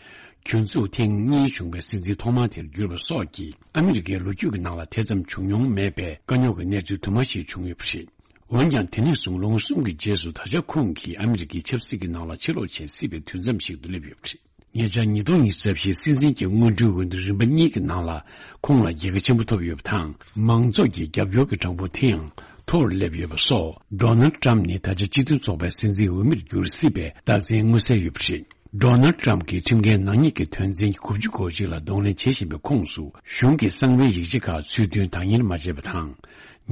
སྐྱོན་འཛུགས་ཐེངས་གཉིས་བྱུང་བའི་སྲིད་འཛིན་ཐོག་མ་དེར་གྱུར་པ་སོགས་ཀྱིས་ཨ་མི་རི་ཀའི་ལོ་རྒྱུས་ཀྱི་ནང་ལ་དེ་ཙམ་བྱུང་མྱོང་མེད་པའི་དཀའ་རྙོག་གི་གནས་ཚུལ་དུ་མ་ཞིག་བྱུང་ཡོད་པ་རེད། འོན་ཀྱང་། དེ་ནས་བཟུང་ལོ་ངོ་གསུམ་གྱི་རྗེས་སུ་ད་ཆ་ཁོང་གིས་ཨ་མི་རི་ཀའི་ཆབ་སྲིད་ཀྱི་ནང་ལ་ཕྱིར་ལོག་བྱེད་སྲིད་པའི་དུས་མཚམས་ཤིག་ཏུ་སླེབས་ཡོད་པ་རེད། ཉེ་ཆར་ཉིས་སྟོང་ཉི་ཤུ་རྩ་བཞིའི་སྲིད་འཛིན་གྱི་སྔོན་འགྲོའི་འོས་བསྡུ་རིམ་པ་གཉིས་ཀྱི་ནང་ལ་ཁོང་ལ་རྒྱལ་ཁ་ཆེན་པོ་ཐོབ་ཡོད་པ་དང་། མང་ཚོགས་ཀྱི་རྒྱབ་སྐྱོར་གྱི་གྲངས་འབོར་དེ་ཡང་མཐོ་རུ་སླེབས་ཡོད་པ་སོགས། ཌོ་ནལ་ཊམ་ནི་ད་ཆ་སྤྱི་མཐུན་ཚོགས་པའི་སྲིད་འཛིན་འོས་མིར་འགྱུར་སྲིད་པའི་རྟགས་མཚན་མངོན་གསལ་ཡོད་པ་རེད། ཌོ་ནལ་ཊམ་གྱིས་ཁྲིམས་འགལ་ནག་ཉེས་ཀྱི་དོན་ཚན་དགུ་བཅུ་གོ་གཅིག་ལ་གདོང་ལེན་བྱེད་བཞིན་པའི་ཁོངས་སུ། གཞུང་གི་གསང་བའི་ཡིག་ཆ་ཁག་ཚུར་འདོན་དང་ལེན་མ་བྱས་པ་དང་།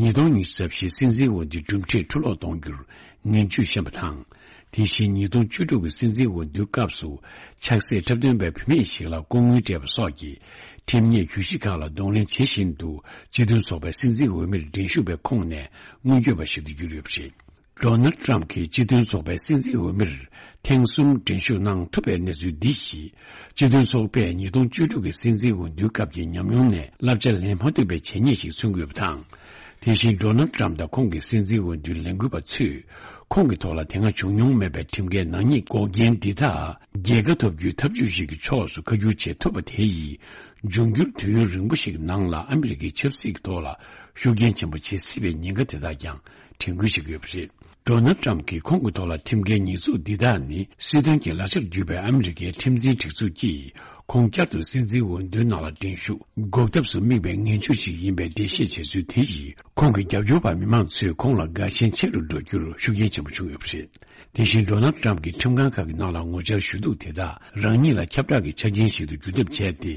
ཉིས་སྟོང་ཉི་ཤུ་རྩ་བཞིའི་སྲིད་འཛིན་འོས་བསྡུའི་གྲུབ་འབྲས་འཕྲུ་སློག་གཏོང་རྒྱུར་ངན་ཇུས་བཤད་པ་དང་། དེ་བཞིན་ཉིས་སྟོང་བཅུ་དྲུག་གི་སྲིད་འཛིན་འོས་བསྡུའི་སྐབས་སུ་ཆགས་སྲེད་འཁྲབ་སྟོན་པའི་བུད་མེད་ཞིག་ལ་ལྐོག་དངུལ་སྤྲད་པ་སོགས་ཀྱི་ཁྲིམས་ཉེས་གྱོད་གཞི་ཁག་ལ་གདོང་ལེན་བྱེད་བཞིན་དུ། སྤྱི་མཐུན་ཚོགས་པའི་སྲིད་འཛིན་འོས་མིར་འགྲན་ཞུགས་པའི་ཁོངས་ནས་དངོས་འབྱོར་བ་ཞིག་ཏུ་གྱུར་ཡོད་པ་རེད། ཌོ་ནལ་ཊམ་གྱིས་སྤྱི་མཐུན་ཚོགས་པའི་སྲིད་འཛིན་འོས་མིར་ཐེངས་གསུམ་འགྲན་ཞུགས་གནང་ཐུབ་པའི་གནས་ཚུལ་འདི་ཡིས། སྤྱི་མཐུན་ཚོགས་པས་ཉིས་སྟོང་བཅུ་དྲུག་གི་སྲིད་འཛིན་འོས་བསྡུའི་སྐབས་ཀྱི་ཉམས་མྱོང་ནས་བསླབ་བྱ་ལེན་མ་ཐུབ་པའི་བྱས་ཉེས་ཤིག་མཚོན་དགོས་པ་དང་། དེ་བཞིན་ཌོ་ནལ་ཊམ་དང་ཁོང་གི་སྲིད་འཛིན་འོས་བསྡུའི་ལས་འགུལ་བ་ཚོས་ཁོང་གི་ཐོག་ལ་དེ་སྔ་བྱུང་མྱོང་མེད་པའི་ཁྲིམས་འགལ་ནག་ཉེས་འགོག་རྐྱེན་འདི་དག་རྒྱལ་ཁ་ཐོབ་རྒྱུའི་ཐབས་ཇུས་ཤིག་གི་ཕྱོགས་སུ་ཁ་བསྒྱུར་བྱེད་ཐུབ་པ་དེ་ཡིས། འབྱུང་འགྱུར་དུས་ཡུན་རིང་པོ་ཞིག་ནང་ལ་ཨ་མི་རི་ཀའི་ཆབ་སྲིད་ཀྱི་ཐོག་ལ་ཤུགས་རྐྱེན་ཆེན་པོ་བྱེད་སྲིད་པའི་ཉེན་ཁ་དེ་དག་ཀྱང་དྲན་སྐུལ་བྱེད་ཀྱི་ཡོད་པ་རེད། ཌོ་ནལ་ཊམ་གྱིས་ཁོང་གི་ཐོག་ལ་ཁྲིམས་འགལ་ཉེས་འཛུགས་འདི་དག་ནི། སྲིད་དོན་གྱི་ལག་ཆར་གྱུར་པའི་ཨ་མི་རི་ཀའི་ཁྲིམས་འཛིན་སྒྲིག་འཛུགས་ཀྱིས་ཁོང་བསྐྱར་དུ་སྲིད་འཛིན་འོས་བསྡུའི་ནང་ལ་འགྲན་ཞུགས་འགོག་ཐབས་སུ་དམིགས་པའི་ངན་ཇུས་ཤིག་ཡིན་པའི་འགྲེལ་བཤད་བྱས་ཚུལ་དེ་ཡིས། ཁོང་གི་རྒྱབ་སྐྱོར་བ་མི་མང་ཚོས་ཁོང་ལ་དགའ་ཞེན་ཆེ་རུ་འགྲོ་རྒྱུར་ཤུགས་རྐྱེན་ཆེན་པོ་བྱུང་ཡོད་པ་རེད། དེ་བཞིན་ཌོ་ནལ་ཊམ་གྱིས་ཁྲིམས་ཁང་ཁག་གི་ནང་ལ་ངོ་བཅར་ཞུ་གཏུག་དེ་དག་རང་ཉིད་ལ་ཁྱབ་བསྒྲགས་ཀྱི་ཆ་རྐྱེན་ཞིག་ཏུ་འགྱུར་ཐབས་བྱས་ཏེ།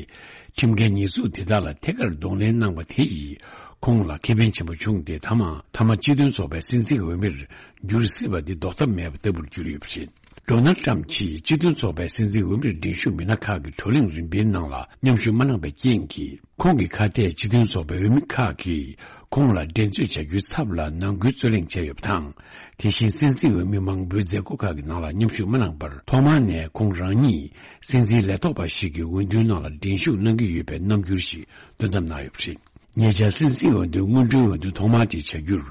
ཁྲིམས་འགལ་ཉེས་འཛུགས་དེ་དག་ལ་ཐད་ཀར་གདོང་ལེན་གནང་བ་དེ་ཡིས། ཁོང་ལ་ཁེ་ཕན་ཆེན་པོ་བྱུང་སྟེ། མཐའ་མ་མཐའ་མ་སྤྱི་མཐུན་ཚོགས་པའི་སྲིད་འཛིན་འོས་མིར་འགྱུར་སྲིད་པ་འདི་ཟློག་ཐབས་མེད་པ་ལྟ་བུར་གྱུར་ཡོད་པ་རེད། ཌོ་ནལ་ཊམ་གྱིས་སྤྱི་མཐུན་ཚོགས་པའི་སྲིད་འཛིན་འོས་མིར་འགྲན་ཞུགས་མི་སྣ་ཁག་གི་བགྲོ་གླེང་རིམ་པའི་ནང་ལ་མཉམ་ཞུགས་མ་གནང་པའི་རྐྱེན་གྱིས། ཁོང་གི་ཁ་གཏད་སྤྱི་མཐུན་ཚོགས་པའི་འོས་མི་ཁག་གིས་ཁོང་ལ་འགྲན་རྩོད་བྱ་རྒྱུའི་ཚབ་ལ་ནང་ཁུལ་རྩོད་གླེང་བྱས་ཡོད་པ་དང་། དེ་བཞིན་སྲིད་འཛིན་འོས་མི་མང་པོའི་མཛད་སྒོ་ཁག་གི་ནང་ལ་མཉམ་ཞུགས་མ་གནང་བར། ཐོག་མར་ནས་ཁོང་རང་ཉིད་སྲིད་འཛིན་ལས་ཐོག་པ་ཞིག་གི་འོས་བསྡུའི་ནང་ལ་འགྲན་ཞུགས་གནང་གི་ཡོད་པའི་རྣམ་འགྱུར་ཞིག་སྟོན་ཐབས་གནང་ཡོད་པ་རེད། ཉེ་ཆར་སྲིད་འཛིན་འོས་བསྡུའི་སྔོན་འགྲོའི་འོས་བསྡུ་ཐོག་མ་དེ་བྱ་རྒྱུར་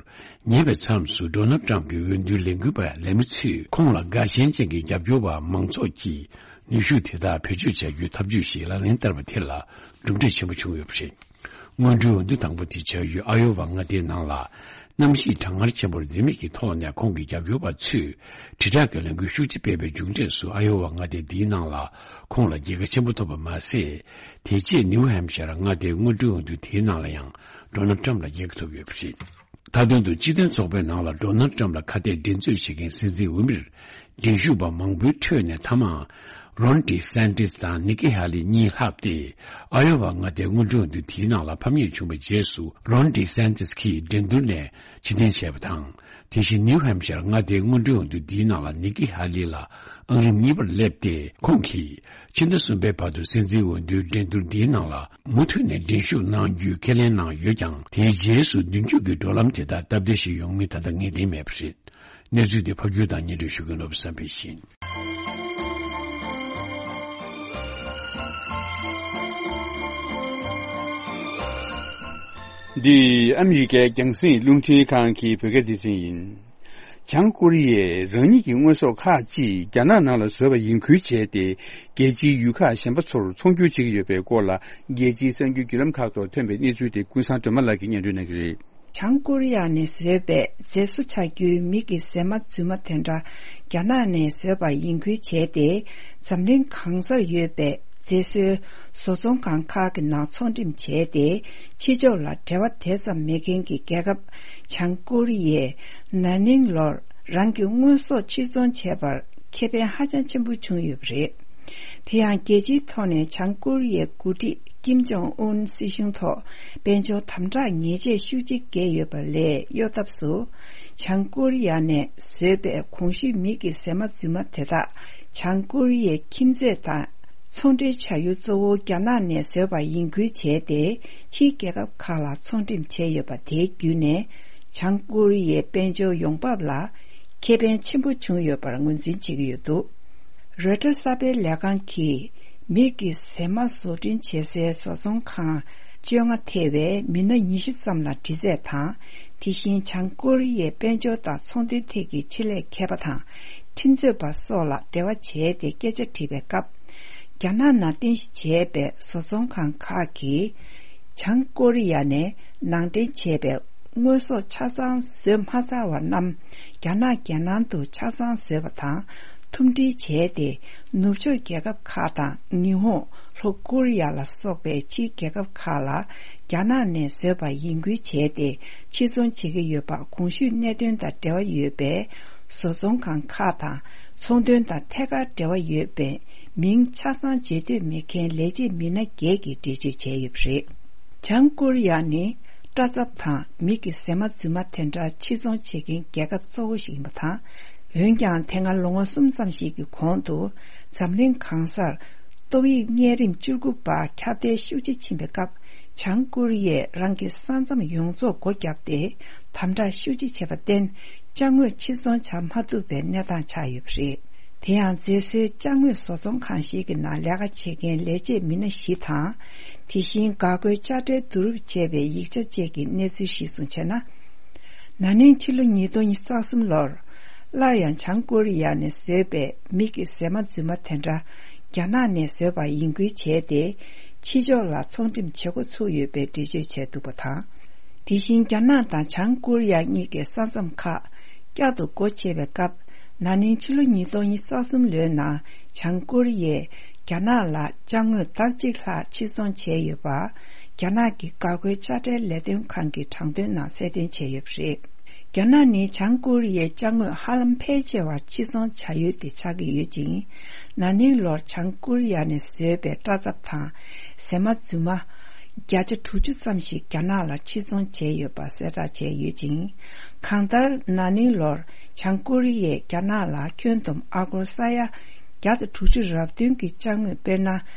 ཉེ་བའི་མཚམས་སུ། ཌོ་ནལ་ཊམ་གྱི་འོས་བསྡུའི་ལས་འགུལ་བ་ལས་མི་ཚོས་ཁོང་ལ་དགའ་ཞེན་ཅན་གྱི་རྒྱབ་སྐྱོར་བ་མང་ཚོགས་ཀྱིས་ནུས་ཤུགས་དེ་དག་བེད་སྤྱོད་བྱ་རྒྱུའི་ཐབས་ཇུས་ཤིག་ལག་ལེན་བསྟར་བ་དེ་ལ་གྲུབ་འབྲས་ཆེན་པོ་བྱུང་ཡོད་པ་རེད། སྔོན་འགྲོའི་འོས་བསྡུ་དང་པོ་དེ་བྱ་ཡུལ་ཨ་ཡོ་ཝ་མངའ་སྡེའི་ནང་ལ། གནམ་གཤིས་གྲང་ངར་ཆེན་པོར་འཛེམ་མེད་ཀྱི་ཐོག་ནས་ཁོང་གི་རྒྱབ་སྐྱོར་བ་ཚོས་དྲིལ་བསྒྲགས་ཀྱི་ལས་འགུལ་ཤུགས་ཆེ་སྤེལ་བའི་མཇུག་འབྲས་སུ། ཨ་ཡོ་ཝ་མངའ་སྡེ་འདིའི་ནང་ལ་ཁོང་ལ་རྒྱལ་ཁ་ཆེན་པོ་ཐོབ་པ་མ་ཟད། དེ་རྗེས་ནིའུ་ཧེམ་ཤར་མངའ་སྡེའི་སྔོན་འགྲོའི་འོས་བསྡུ་དེའི་ནང་ལ་ཡང་ཌོ་ནལ་ཊམ་ལ་རྒྱལ་ཁ་ཐོབ་ཡོད་པ་རེད། མཐའ་དོན་དུ་སྤྱི་མཐུན་ཚོགས་པའི་ནང་ལ་ཌོ་ནལ་ཊམ་ལ་ཁ་གཏད་འགྲན་རྩོད་བྱེད་མཁན་སྲིད་འཛིན་འོས་མིར་འགྲན་ཞུགས་པ་མང་པོའི་ཁྲོད་ནས་མཐའ་མར་རོན་ཌི་སན་ཏིས་དང་ནི་ཀི་ཧ་ལི་གཉིས་ལྷག་སྟེ། ཨ་ཡོ་ཝ་མངའ་སྡེའི་སྔོན་འགྲོའི་འོས་བསྡུ་དེའི་ནང་ལ་ཕམ་ཉེས་བྱུང་བའི་རྗེས་སུ། རོན་ཌི་སན་ཏིས་ཀྱིས་འགྲན་བསྡུར་ནས་ཕྱིར་འཐེན་བྱས་པ་དང་། དེ་བཞིན་ནིའུ་ཧེམ་ཤར་མངའ་སྡེའི་སྔོན་འགྲོའི་འོས་བསྡུ་འདིའི་ནང་ལ་ནི་ཀི་ཧ་ལི་ལ་ཨང་རིམ་གཉིས་པར་སླེབས་ཏེ། ཁོང་གིས་ཕྱི་ཟླ་གསུམ་པའི་བར་དུ་སྲིད་འཛིན་འོས་བསྡུའི་འགྲན་བསྡུར་འདིའི་ནང་ལ་མུ་མཐུད་ནས་འགྲན་ཞུགས་གནང་རྒྱུའི་ཁས་ལེན་གནང་ཡོད་ཀྱང་། དེའི་རྗེས་སུ་མདུན་སྐྱོད་ཀྱི་འགྲོ་ལམ་དེ་དག་སྟབས་བདེ་ཞིག་ཡོང་མིན་ད་ལྟ་ངེས་གཏན་མེད་པ་རེད། གནས་ཚུལ་དེ་ཕབ་སྒྱུར་དང་སྙན་སྒྲོན་ཞུ་མཁན་ནོར་བུ་བསམ་འཕེལ་ཡིན། འདི་ཨ་མི་རི་ཀའི་རྒྱང་སྲིང་རླུང་འཕྲིན་ཁང་གི་བོད་སྐད་སྡེ་ཚན་ཡིན། བྱང་ཀོ་རི་ཡས་རང་ཉིད་ཀྱི་དངོས་ཟོག་ཁག་ཅིག་རྒྱ་ནག་ནང་ལ་བཟོས་པ་ཡིན་ཁུལ་བྱས་ཏེ། རྒྱལ་སྤྱིའི་ཡུལ་ཁག་གཞན་པ་ཚོར་ཚོང་སྒྱུར་བྱེད་ཀྱི་ཡོད་པའི་སྐོར་ལ། རྒྱལ་སྤྱིའི་གསར་འགྱུར་བརྒྱུད་ལམ་ཁག་ཐོག་ཐོན་པའི་གནས་ཚུལ་དེ་ཀུན་བཟང་སྒྲོལ་མ་ལགས་ཀྱིས་སྙན་སྒྲོན་གནང་གི་རེད། བྱང་ཀོ་རི་ཡ་ནས་བཟོས་པའི་མཛེས་བཟོ་བྱ་རྒྱུའི་མིག་གི་གཟེར་མ་རྫུན་མ་དེ་འདྲ་རྒྱ་ནག་ནས་བཟོས་པ་ཡིན་ཁུལ་བྱས་ཏེ། འཛམ་གླིང་གང་སར་ཡོད་པའི་མཛེས་བཟོའི་བཟོ་ཚོང་ཁང་ཁག་གི་ནང་ཚོང་འགྲེམས་བྱས་ཏེ། ཕྱི་ཕྱོགས་ལ་འབྲེལ་བ་དེ་ཙམ་མེད་མཁན་གྱི་རྒྱལ་ཁབ་བྱང་ཀོ་རི་ཡས་ན་ནིང་ལོར་རང་གི་དངོས་ཟོག་ཕྱིར་ཚོང་བྱས་པར་ཁེ་ཕན་ཧ་ཅང་ཆེན་པོ་བྱུང་ཡོད་པ་རེད། དེ་ཡང་རྒྱལ་སྤྱིའི་ཐོག་ནས་བྱང་ཀོ་རི་ཡའི་འགོ་ཁྲིད་ཀིམ་ཇོང་ཨུན་སྲིད་གཞུང་ཐོག་དཔལ་འབྱོར་དམ་དྲག་ཉེས་ཆད་ཤུགས་ཆེ་བཀལ་ཡོད་པ་ལས་གཡོལ་ཐབས་སུ། བྱང་ཀོ་རི་ཡ་ནས་བཟོས་པའི་གོང་ཞུས་མིག་གི་གཟེར་མ་རྫུན་མ་དེ་དག་བྱང་ཀོ་རི་ཡའི་ཁྱིམ་མཚེས་དང་ཚོང་འབྲེལ་བྱ་ཡུལ་གཙོ་བོ་རྒྱ་ནག་ནས་བཟོས་པ་ཡིན་ཁུལ་བྱས་ཏེ། ཕྱིའི་རྒྱལ་ཁབ་ཁག་ལ་ཚོང་འགྲེམས་བྱས་ཡོད་པ་དེའི་བརྒྱུད་ནས། བྱང་ཀོ་རི་ཡའི་དཔལ་འབྱོར་ཡོང་འབབ་ལ་ཁེ་ཕན་ཆེན་པོ་བྱུང་ཡོད་པར་ངོས་འཛིན་བྱེད་ཀྱི་ཡོད་འདུག་རོའི་ཊར་གསར་སྤེལ་ལས་ཁང་གིས་མིག་གི་གཟེར་མ་བཟོ་སྐྲུན་བྱེད་སའི་བཟོ་ཚོང་ཁང་བཅོ་ལྔ་ཐེ་བའི་མི་སྣ་ཉི་ཤུ་ཙམ་ལ་འདྲི་རྩད་དང་། དེ་བཞིན་བྱང་ཀོ་རི་ཡའི་དཔལ་འབྱོར་དང་ཚོང་དོན་ཐད་ཀྱི་ཆེད་ལས་མཁས་པ་དང་ཁྲིམས་རྩོད་པ་སོགས་ལ་འབྲེལ་བ་བྱས་ཏེ་སྐད་ཆ་དྲིས་པའི་སྐབས། རྒྱ་ནག་ནང་རྟེན་གཞི་བྱས་པའི་བཟོ་ཚོང་ཁང་ཁག་གིས་བྱང་ཀོ་རི་ཡ་ནས་ནང་འདྲེན་བྱས་པའི་དངོས་ཟོག་ཆ་ཚང་བཟོས་མ་ཚར་བ་རྣམས་རྒྱ་ནག་རྒྱལ་ནང་དུ་ཆ་ཚང་བཟོས་པ་དང་མཐུན་སྒྲིལ་བྱས་ཏེ། ནུབ་ཕྱོགས་རྒྱལ་ཁབ་ཁག་དང་ཉི་ཧོང་། ལྷོ་ཀོ་རི་ཡ་ལ་སོགས་པའི་ཕྱིའི་རྒྱལ་ཁབ་ཁག་ལ་རྒྱ་ནག་ནས་བཟོས་པ་ཡིན་ཁུལ་བྱས་ཏེ་ཕྱིར་ཚོང་བྱེད་ཀྱི་ཡོད་པ་གོང་ཞུས་གནད་དོན་དང་འབྲེལ་བ་ཡོད་པའི་བཟོ་ཚོང་ཁང་ཁག་དང་ཚོང་དོན་དང་ཐད་ཀར་འབྲེལ་བ་ཡོད་པའི་མིང་ཆ་ཚང་བརྗོད་འདོད་མེད་མཁན་ལས་བྱེད་མི་སྣ་བརྒྱད་ཀྱིས་འགྲེལ་བརྗོད་བྱས་ཡོད་པ་རེད། བྱང་ཀོ་རི་ཡ་ནི་སྐྲ་རྩབ་དང་མིག་གི་གཟེར་མ་རྫུན་མ་དེ་འདྲ་ཕྱིར་ཚོང་བྱེད་མཁན་རྒྱལ་ཁབ་གཙོ་བོ་ཞིག་ཡིན་པ་དང་། འོན་ཀྱང་དེ་སྔ་ལོ་ངོ་གསུམ་ཙམ་ཞིག་གི་གོང་དུ་འཛམ་གླིང་གང་སར་ཏོག་དབྱིབས་གཉན་རིམས་བཅུ་དགུ་པ་ཁྱབ་གདལ་ཤུགས་ཆེ་ཕྱིན་པའི་སྐབས། བྱང་ཀོ་རི་ཡས་རང་གི་ས་མཚམས་ཡོངས་རྫོགས་སྒོ་བརྒྱབ་སྟེ་དམ་དྲག་ཤུགས་ཆེ་བྱས་པར་བརྟེན། ཅ་དངོས་ཕྱིར་ཚོང་བྱ་མ་ཐུབ་པའི་གནས་སྟངས་ཆགས་ཡོད་པ་རེད། དེ་ཡང་མཛེས་བཟོའི་ཅ་དངོས་བཟོ་ཚོང་ཁང་ཞིག་གི་ནང་ལས་ཀ་བྱེད་མཁན་ལས་བྱེད་མི་སྣ་བཞི་དང་། དེ་བཞིན་འགག་སྒོའི་དཔྱ་ཁྲལ་བསྡུ་རུབ་བྱས་པའི་ཡིག་ཆ་བཅས་ཀྱི་གནས་ཚུལ་གཞིར་བཟུང་བྱས་ན། ན་ནིང་ཕྱི་ལོ་ཉིས་སྟོང་ཉི་ཤུ་རྩ་གསུམ་ལོར། སླར་ཡང་བྱང་ཀོ་རི་ཡ་ནས་བཟོས་པའི་མིག་གི་གཟེར་མ་རྫུན་མ་དེ་འདྲ་རྒྱ་ནག་ནས་བཟོས་པ་ཡིན་ཁུལ་བྱས་ཏེ། ཕྱི་ཕྱོགས་ལ་ཚོང་འགྲེམས་བྱེད་འགོ་ཚུགས་ཡོད་པའི་འགྲེལ་བརྗོད་བྱས་འདུག་པ་དང་། དེ་བཞིན་རྒྱ་ནག་དང་བྱང་ཀོ་རི་ཡ་གཉིས་ཀའི་ས་མཚམས་ཁག་བསྐྱར་དུ་སྒོ་ཕྱེ་བའི་སྐབས། ན་ནིང་ཕྱི་ལོ་ཉིས་སྟོང་ཉི་ཤུ་རྩ་གསུམ་ལོའི་ནང་བྱང་ཀོ་རི་ཡས་རྒྱ་ནག་ལ་ཅ་དངོས་དག་གཅིག་ལྷག་ཕྱིར་ཚོང་བྱས་ཡོད་པ། རྒྱ་ནག་གི་འགག་སྒོའི་དཔྱ་ཁྲལ་ལས་དོན་ཁང་གི་དྲང་དོན་ནང་གསལ་སྟོན་བྱས་ཡོད་པ་རེད། རྒྱ་ནག་ནི་བྱང་ཀོ་རི་ཡའི་ཅ་དངོས་ཧ་ལམ་ཕལ་ཆེ་བ་ཕྱིར་ཚོང་བྱ་ཡུལ་དེ་ཆགས་ཀྱི་ཡོད་ཅིང་། ན་ནིང་ལོར་བྱང་ཀོ་རི་ཡ་ནས་བཟོས་པའི་སྐྲ་རྩབ་དང་། གཟེར་མ་རྫུན་མ་བརྒྱ་ཆ་དྲུག་ཅུ་ཙམ་ཞིག་རྒྱ་ནག་ལ་ཕྱིར་ཚོང་བྱས་ཡོད་པ་གསལ་བསྒྲགས་བྱས་ཡོད་ཅིང་། གང་ལྟར་ན་ནིང་ལོར་བྱང་ཀོ་རི་ཡས་རྒྱ་ནག་ལ་ཁྱོན་བསྡོམས་ཨ་སྒོར་ས་ཡ་བརྒྱ་དང་དྲུག་ཅུ་རབ་བདུན་གྱི་ཅ་དངོས། དཔེར་ན།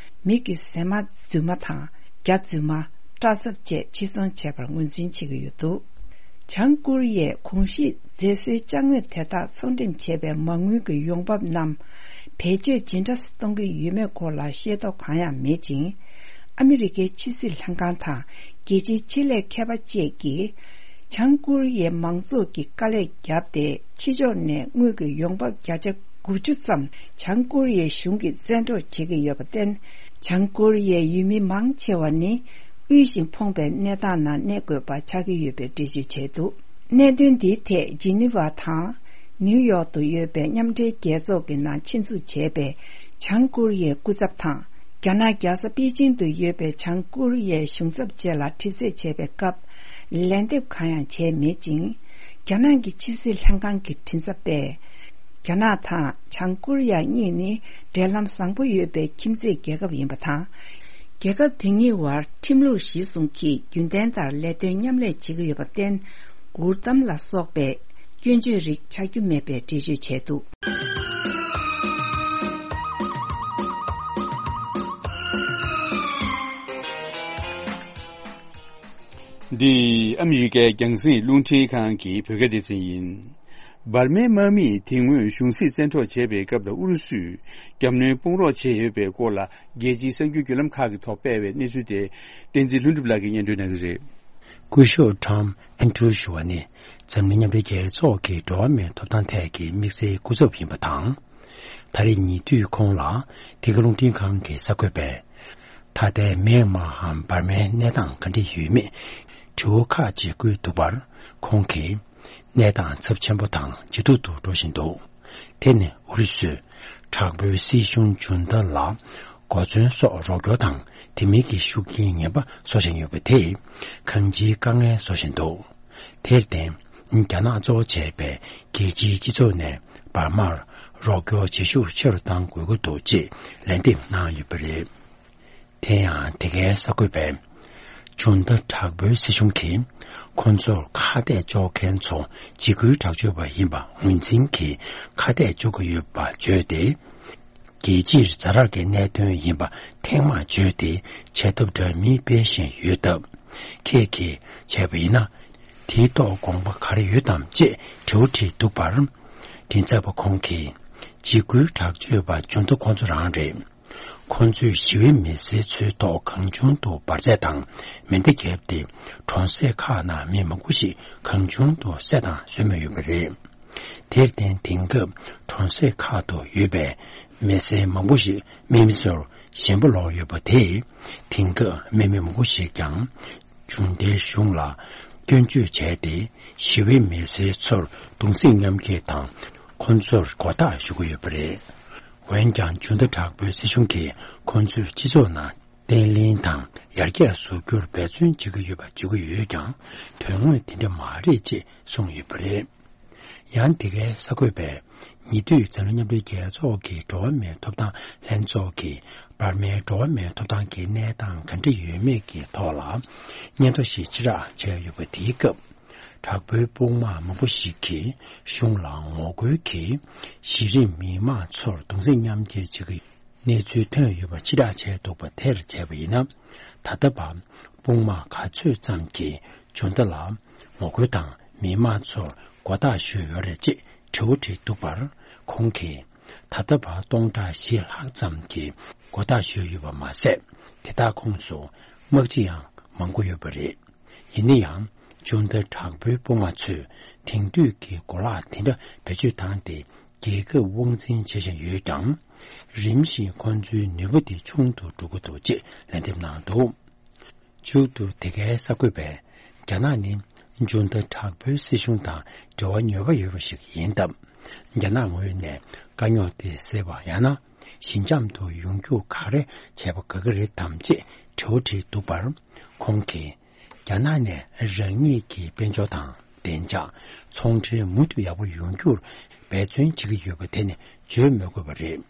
མིག་གི་གཟེར་མ་རྫུན་མ་དང་། རྒྱ་རྫུན་མ། སྐྲ་རྩབ་བཅས་ཕྱིར་ཚོང་བྱས་པར་ངོས་འཛིན་བྱེད་ཀྱི་ཡོད་འདུག་བྱང་ཀོ་རི་ཡས་གོང་ཞུས་མཛེས་བཟོའི་ཅ་དངོས་དེ་དག་ཚོང་འགྲེམས་བྱས་པའི་མ་དངུལ་གྱི་ཡོང་འབབ་རྣམས་བེད་སྤྱོད་ཇི་འདྲ་གཏོང་གི་ཡོད་མེད་སྐོར་ལ་ཤེས་རྟོགས་གང་ཡང་མེད་ཅིང་། ཨ་མི་རི་ཀའི་ཕྱི་སྲིད་ལྷན་ཁང་དང་རྒྱལ་སྤྱིའི་ཆེད་ལས་མཁས་པ་བཅས་ཀྱིས། བྱང་ཀོ་རི་ཡའི་མང་ཚོགས་ཀྱིས་དཀའ་ལས་བརྒྱབ་སྟེ། ཕྱི་ཕྱོགས་ནས་དངུལ་གྱི་ཡོང་འབབ་བརྒྱ་ཆ་དགུ་བཅུ་ཙམ་བྱང་ཀོ་རི་ཡའི་གཞུང་གིས་བཙན་འཕྲོག་བྱེད་ཀྱི་ཡོད་པར་བརྟེན། བྱང་ཀོ་རི་ཡའི་ཡུལ་མི་མང་ཆེ་བ་ནི་དབུལ་ཞིང་ཕོངས་པའི་གནས་སྟངས་ནང་གནས་དགོས་པ་ཆགས་ཀྱི་ཡོད་པའི་འགྲེལ་བརྗོད་བྱས་འདུག་གནད་དོན་འདིའི་ཐད་ཇི་ནི་ཝ་དང་ནིའུ་ཡོག་ཏུ་ཡོད་པའི་མཉམ་འབྲེལ་རྒྱལ་ཚོགས་ཀྱི་ནང་ཆེད་འཛུགས་བྱས་པའི་བྱང་ཀོ་རི་ཡའི་སྐུ་ཚབ་དང་། རྒྱ་ནག་རྒྱལ་ས་པེ་ཅིང་དུ་ཡོད་པའི་བྱང་ཀོ་རི་ཡའི་གཞུང་ཚབ་བཅས་ལ་དྲི་རྩད་བྱས་པའི་སྐབས། ལན་འདེབས་གང་ཡང་བྱས་མེད་ཅིང་། རྒྱ་ནག་གི་ཕྱི་སྲིད་ལྷན་ཁང་གི་མགྲིན་ཚབ་པས། རྒྱ་ནག་དང་བྱང་ཀོ་རི་ཡ་གཉིས་ནི་འབྲེལ་ལམ་བཟང་པོ་ཡོད་པའི་ཁྱིམ་མཚེས་རྒྱལ་ཁབ་ཡིན་པ་དང་། རྒྱལ་ཁབ་དེ་གཉིས་བར་ཁྲིམས་ལུགས་གཞིར་བཟུང་གིས་རྒྱུན་ལྡན་ལྟར་ལས་དོན་མཉམ་ལས་བྱེད་ཀྱི་ཡོད་པར་བརྟེན། མགུར་གཏམ་ལ་སོགས་པའི་སྐྱོན་བརྗོད་རིགས་ཆགས་རྒྱུ་མེད་པའི་འགྲེལ་བརྗོད་བྱས་འདུག། འདི་ཨ་མི་རི་ཀའི་རྒྱང་སྲིང་རླུང་འཕྲིན་ཁང་གི་བོད་སྐད་སྡེ་ཚན་ཡིན། འབར་མའི་དམག་མིས་དེ་སྔོན་གཞུང་སྲིད་བཙན་འཕྲོག་བྱས་པའི་སྐབས་ལ་ཨུ་རུ་སུས་རྒྱབ་གནོན་དཔུང་རོགས་བྱས་ཡོད་པའི་སྐོར་ལ། རྒྱལ་སྤྱིའི་གསར་འགྱུར་བརྒྱུད་ལམ་ཁག་གིས་ཐོག་སྤེལ་བའི་གནས་ཚུལ་དེ། བསྟན་འཛིན་ལྷུན་གྲུབ་ལགས་ཀྱིས་སྙན་སྒྲོན་གནང་གི་རེད། སྐུ་ཞབས་ཊམ་ཨན་ཌྲུ་ཞུ་བ་ནི། འཛམ་གླིང་མཉམ་འབྲེལ་རྒྱལ་ཚོགས་ཀྱི་འགྲོ་བ་མིའི་ཐོབ་ཐང་ཐད་ཀྱི་དམིགས་བསལ་སྐུ་ཚབ་ཡིན་པ་དང་། ད་རེས་ཉེ་དུས་ཁོང་ལ་འདི་ག་རླུང་འཕྲིན་ཁང་གི་གསར་འགོད་པས། ད་ལྟའི་མེན་མཱའམ་འབར་མའི་གནས་སྟངས་ག་འདྲ་ཡོད་མེད་དྲི་བ་ཁག་ཅིག་བཀོད་འདུག་པར། ཁོང་གིས། གནས་སྟངས་ཚབས་ཆེན་པོ་དང་ཇེ་སྡུག་ཏུ་འགྲོ་བཞིན་འདུག། དེ་ནི་ཨུ་རུ་སུས་དྲག་པོའི་སྲིད་གཞུང་ཇུན་ཏ་ལ་གོ་མཚོན་སོགས་རོགས་སྐྱོར་དང་དེ་མིན་གྱི་ཤུགས་རྐྱེན་ངན་པ་བཟོ་བཞིན་ཡོད་པ་དེས་གང་ཅིའི་དཀའ་ངལ་བཟོ་བཞིན་འདུག། དེར་བརྟེན། རྒྱ་ནག་གཙོ་བོ་བྱས་པའི་རྒྱལ་སྤྱིའི་སྤྱི་ཚོགས་ནས་འབར་མར་རོགས་སྐྱོར་བྱེད་ཤུགས་ཆེ་རུ་གཏང་དགོས་ཀྱི་འདུག་ཅེས་ལན་འདེབས་གནང་ཡོད་པ་རེད། དེ་ཡང་དེ་གའི་གསར་འགོད་པས། ཇུན་ཏ་དྲག་པོའི་སྲིད་གཞུང་གིས་ཁོ་ཚོར་ཁ་གཏད་གཅོག་མཁན་ཚོ་འཇིགས་སྐུལ་དྲག་སྤྱོད་པ་ཡིན་པ་ངོས་འཛིན་གྱིས་ཁ་གཏད་གཅོག་གི་ཡོད་པ་བརྗོད་དེ། རྒྱལ་སྤྱིར་ཛ་དྲག་གི་གནད་དོན་ཡིན་པ་ཐེངས་མང་བརྗོད་དེ་བྱེད་ཐབས་འདྲ་མིན་སྤེལ་བཞིན་ཡོད་སྟབས། ཁྱེད་ཀྱིས་བྱས་པ་ཡིན་ན། དེའི་ཐོག་དགོངས་པ་ག་རེ་ཡོད་དམ་ཅེས་དྲི་བ་དྲིས་འདུག་པར། མགྲིན་ཚབ་པ་ཁོང་གིས། འཇིགས་སྐུལ་དྲག་སྤྱོད་པ་ཇུན་ཏ་ཁོ་ཚོ་རང་རེད། ཁོ་ཚོས་ཞི་བའི་མི་སེར་ཚོའི་ཐོག་གང་བྱུང་དུ་འབར་རྫས་དང་མེ་མདའ་བརྒྱབ་སྟེ། གྲོང་གསེབ་ཁག་ནང་མི་མང་པོ་ཞིག་གང་བྱུང་དུ་བསད་དང་གསོད་མུས་ཡོད་པ་རེད། དེར་བརྟེན། དེང་སྐབས་གྲོང་གསེབ་ཁག་ཏུ་ཡོད་པའི་མི་སེར་མང་པོ་ཞིག་དམག་མི་ཚོར་ཞེན་པ་ལོག་ཡོད་པ་དེས། དེང་སྐབས་དམག་མི་མང་པོ་ཞིག་ཀྱང་ཇུན་ཏའི་གཞུང་ལ་སྐྱོན་བརྗོད་བྱས་ཏེ། ཞི་བའི་མི་སེར་ཚོར་གདུང་སེམས་མཉམ་སྐྱེད་དང་། ཁོ་ཚོར་མགོ་བཏགས་ཞུ་གི་ཡོད་པ་རེད། འོན་ཀྱང་། ཇུན་ཏ་དྲག་པོའི་སྲིད་གཞུང་གིས་ཁོ་ཚོའི་སྤྱི་ཚོགས་ནང་བརྟན་ལྷིང་དང་ཡར་རྒྱས་བཟོ་རྒྱུར་འབད་བརྩོན་བྱེད་ཀྱི་ཡོད་པ་བརྗོད་ཀྱི་ཡོད་ཀྱང་། དོན་དངོས་དེ་འདྲ་མ་རེད་ཅེས་གསུངས་ཡོད་པ་རེད། ཡང་། དེ་གའི་གསར་འགོད་པས། ཉེ་དུས་འཛམ་གླིང་མཉམ་འབྲེལ་རྒྱལ་ཚོགས་ཀྱི་འགྲོ་བ་མིའི་ཐོབ་ཐང་ལྷན་ཚོགས་ཀྱིས་འབར་མའི་འགྲོ་བ་མིའི་ཐོབ་ཐང་གི་གནས་སྟངས་ག་འདྲ་ཡོད་མེད་ཀྱི་ཐོག་ལ་སྙན་ཐོ་ཞིག་ཕྱིར་བསྒྲགས་བྱས་ཡོད་པ་དེའི་སྐབས། དྲག་པོའི་དཔུང་དམག་མང་པོ་ཞིག་གིས་གཞུང་ལ་ངོ་རྒོལ་གྱིས་གཞི་རིམ་མི་མང་ཚོར་གདུང་སེམས་མཉམ་སྐྱེད་བྱེད་ཀྱི་གནས་ཚུལ་ཐོན་ཡོད་པ་ཕྱིར་བསྒྲགས་བྱས་འདུག་པ་དེར་བྱས་པ་ཡིན་ན། ད་ལྟ་བར་དཔུང་དམག་ག་ཚོད་ཙམ་གྱིས་ཇུན་ཏ་ལ་ངོ་རྒོལ་དང་མི་མང་ཚོར་མགོ་བཏགས་ཞུས་ཡོད་རེད་ཅེས་དྲི་བ་དྲིས་འདུག་པར། ཁོང་གིས། ད་ལྟ་བར་སྟོང་ཕྲག་བཞི་ལྷག་ཙམ་གྱིས་མགོ་བཏགས་ཞུས་ཡོད་པ་མ་ཟད། དེ་དག་ཁོངས་སུ་དམག་སྤྱི་ཡང་མང་པོ་ཡོད་པ་རེད། ཡིན་ན་ཡང་། ཇུན་ཏ་དྲག་པོའི་དཔུང་དམག་ཚོས་དེང་དུས་ཀྱི་གོ་ལག་དེ་འདྲ་བེད་སྤྱོད་བཏང་སྟེ་རྒྱལ་ཁབ་དབང་འཛིན་བྱེད་བཞིན་ཡོད་ཀྱང་། རིམ་བཞིན་ཁོ་ཚོའི་ནུས་པ་དེ་ཆུང་དུ་འགྲོ་གི་འདུག་ཅེས་ལན་འདེབས་གནང་འདུག། མཇུག་ཏུ་དེ་གའི་གསར་འགོད་པས། རྒྱ་ནག་ནི་ཇུན་ཏ་དྲག་པོའི་སྲིད་གཞུང་དང་འབྲེལ་བ་ཉེ་བ་ཡོད་པ་ཞིག་ཡིན་སྟབས། རྒྱ་ནག་ངོས་ནས་དཀའ་རྙོག་དེ་སེལ་བ་ཡང་ན། ཞི་འཇམ་དུ་ཡོང་རྒྱུ་ག་རེ་བྱས་པ་དགའ་གི་རེད་དམ་ཅེས་དྲི་བ་དྲིས་འདུག་པར། ཁོང་གིས། རྒྱ་ནག་ནས་རང་ཉིད་ཀྱི་དཔལ་འབྱོར་དང་བདེ་འཇགས། ཚོང་འབྲེལ་མུ་མཐུད་ཡག་པོ་ཡོང་རྒྱུར་འབད་བརྩོན་བྱེད་ཀྱི་ཡོད་པ་དེ་ནི་བརྗོད་མི་དགོས་པ་རེད།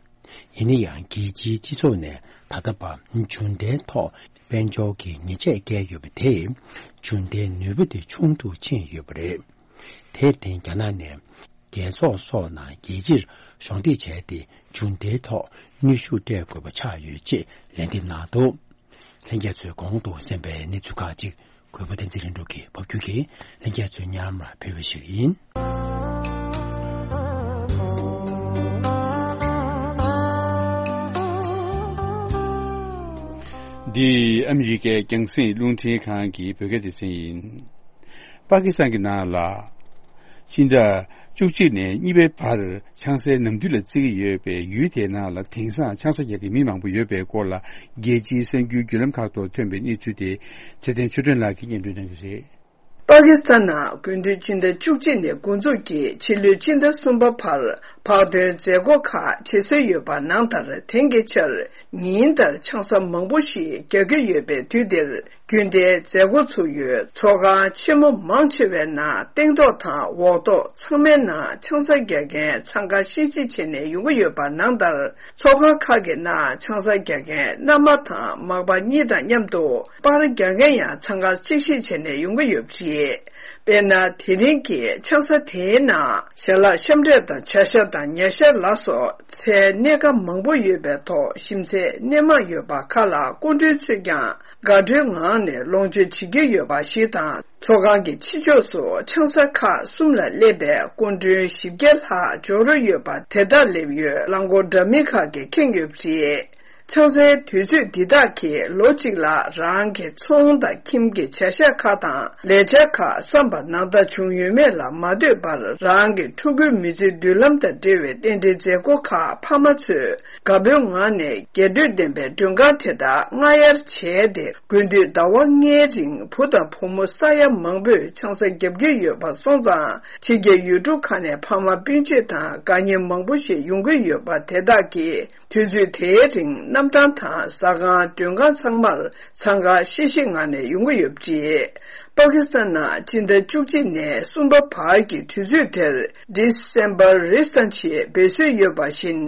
ཡིན་ན་ཡང་། རྒྱལ་སྤྱིའི་སྤྱི་ཚོགས་ནས་ད་ལྟ་བར་ཇུན་ཏའི་ཐོག་དཔལ་འབྱོར་གྱི་ཉེས་ཆད་བཀལ་ཡོད་པ་དེས་ཇུན་ཏའི་ནུས་པ་དེ་ཆུང་དུ་ཕྱིན་ཡོད་པ་རེད། དེར་བརྟེན། རྒྱ་ནག་ནས་རྒྱལ་ཚོགས་སོགས་ནང་རྒྱལ་སྤྱིར་གཞོགས་འདེགས་བྱས་ཏེ་ཇུན་ཏའི་ཐོག་གནོན་ཤུགས་སྤྲད་དགོས་པ་ཆགས་ཡོད་ཅེས་ལན་འདེབས་གནང་འདུག། ལྷན་རྒྱས་ཚོས་གོང་དུ་གསན་པའི་གནས་ཚུལ་ཁག་ཅིག་གུས་པ་བསྟན་འཛིན་ལྷུན་གྲུབ་ཀྱིས་ཕབ་སྒྱུར་གྱིས་ལྷན་རྒྱས་ཚོའི་སྙན་མར་ཕུལ་བ་ཞིག་ཡིན། འདི་ཨ་མི་རི་ཀའི་རྒྱང་སྲིང་རླུང་འཕྲིན་ཁང་གི་བོད་སྐད་སྡེ་ཚན་ཡིན། པ་ཀི་སི་ཐན་གྱི་ནང་ལ། སྤྱི་ཟླ་བཅུ་གཅིག་ནས་གཉིས་པའི་བར་ཆང་སའི་ནམ་དུས་ལ་བརྩི་གི་ཡོད་པའི་ཡུལ་དེའི་ནང་ལ་དེང་སང་ཆང་ས་རྒྱག་གི་མི་མང་པོ་ཡོད་པའི་སྐོར་ལ། རྒྱལ་སྤྱིའི་གསར་འགྱུར་བརྒྱུད་ལམ་ཁག་ཐོག་ཐོན་པའི་གནས་ཚུལ་དེ་ཚེ་བརྟན་ཆོས་སྒྲོན་ལགས་ཀྱིས་སྙན་སྒྲོན་གནང་གི་རེད། པ་ཀི་སི་ཐན་ནང་དགུན་དུས་སྤྱི་ཟླ་བཅུ་གཅིག་ནས་འགོ་འཛུགས་ཀྱིས་ཕྱི་ལོའི་སྤྱི་ཟླ་གསུམ་པ་བར་བག་སྟོན་མཛད་སྒོ་ཁག་བྱེད་སྲོལ་ཡོད་པ་ནང་ལྟར། དེང་གི་ཆར་ཉིན་ལྟར་ཆང་ས་མང་པོ་ཞིག་རྒྱག་གི་ཡོད་པའི་དུས་འདིར། རྒྱུན་ལྡན་མཛད་སྒོ་ཚུགས་ཡུལ་ཚོགས་ཁང་ཆེན་མོ་མང་ཆེ་བའི་ནང་སྟེང་ཐོག་དང་འོག་ཐོག་ཚང་མའི་ནང་ཆང་ས་རྒྱག་མཁན་འཚང་ཁ་ཤིག་ཤིག་བྱས་ནས་ཡོང་གི་ཡོད་པ་ནང་ལྟར། ཚོགས་ཁང་ཁག་གི་ནང་ཆང་ས་རྒྱག་མཁན་མནའ་མ་དང་མག་པ་གཉིས་དང་མཉམ་དུ་པར་རྒྱག་མཁན་ཡང་འཚང་ཁ་ཤིག་ཤིག་བྱས་ནས་ཡོང་གི་ཡོད་པ་རེད། དཔེར་ན། དེ་རིང་གི་ཆང་ས་དེའི་ནང་ཞལ་ལག་ཤམ་འབྲས་དང་བྱ་ཤ་དང་ཉ་ཤ་ལ་སོགས་ཚལ་སྣེ་ཁ་མང་པོ་ཡོད་པའི་ཐོག་ཞིམ་ཚད་སྣེ་མང་ཡོད་པ་ཁག་ལ་སྐུ་མགྲོན་ཚོས་ཀྱང་དགའ་སྤྲོའི་ངང་ནས་ལོངས་སྤྱོད་བྱེད་ཀྱི་ཡོད་པ་ཞིག་དང་། ཚོགས་ཁང་གི་ཕྱི་ཕྱོགས་སུ་ཆང་ས་ཁག་གསུམ་ལ་སླེབས་པའི་སྐུ་མགྲོན་བཞི་བརྒྱ་ལྷག་འབྱོར་ཡོད་པ་དེ་དག་སླེབས་ཡོད་རླངས་འཁོར་འདྲ་མིན་ཁག་གིས་ཁེངས་ཡོད་པ་རེད། ཆང་སའི་དུས་ཚོད་འདི་དག་གིས་ལོ་གཅིག་ལ་རང་གི་ཚོང་དང་ཁྱིམ་གྱི་བྱ་གཞག་ཁག་དང་ལས་འཆར་ཁག་བསམ་པ་ནང་ལྟར་བྱུང་ཡོད་མེད་ལ་མ་ལྟོས་པར། རང་གི་ཕྲུ་གུའི་མི་ཚེའི་མདུན་ལམ་དང་འབྲེལ་བའི་རྟེན་འབྲེལ་མཛད་སྒོ་ཁག་ཕ་མ་ཚོས་དགའ་པོའི་ངང་ནས་རྒྱས་སྤྲོས་ལྡན་པའི་མགྲོན་ཁང་དེ་དག་སྔ་གཡར་བྱས་ཏེ། དགུན་དུས་ཟླ་བ་ལྔའི་རིང་བུ་དང་བུ་མོ་ས་ཡ་མང་པོས་ཆང་ས་བརྒྱབ་ཀྱི་ཡོད་པ་སོང་ཙང་། ཕྱི་རྒྱལ་ཡུལ་གྲུ་ཁག་ནས་ཕ་མ་སྤུན་མཆེད་དང་དགའ་ཉེ་མང་པོ་ཞིག་ཡོང་གི་ཡོད་པ་དེ་དག་གིས། དུས་ཚོད་དེའི་རིང་གནམ་ཐང་དང་ཟ་ཁང་མགྲོན་ཁང་ཚང་མར་འཚང་ཁ་ཤིག་ཤིག་ངང་ནས་ཡོང་གི་ཡོད་པ་རེད། པ་ཀི་སི་ཐན་ནང་སྤྱི་ཟླ་བཅུ་གཅིག་ནས་གསུམ་པ་བར་གྱི་དུས་ཚོད་དེར་December Reset ཞེས་འབོད་སྲོལ་ཡོད་པ་བཞིན།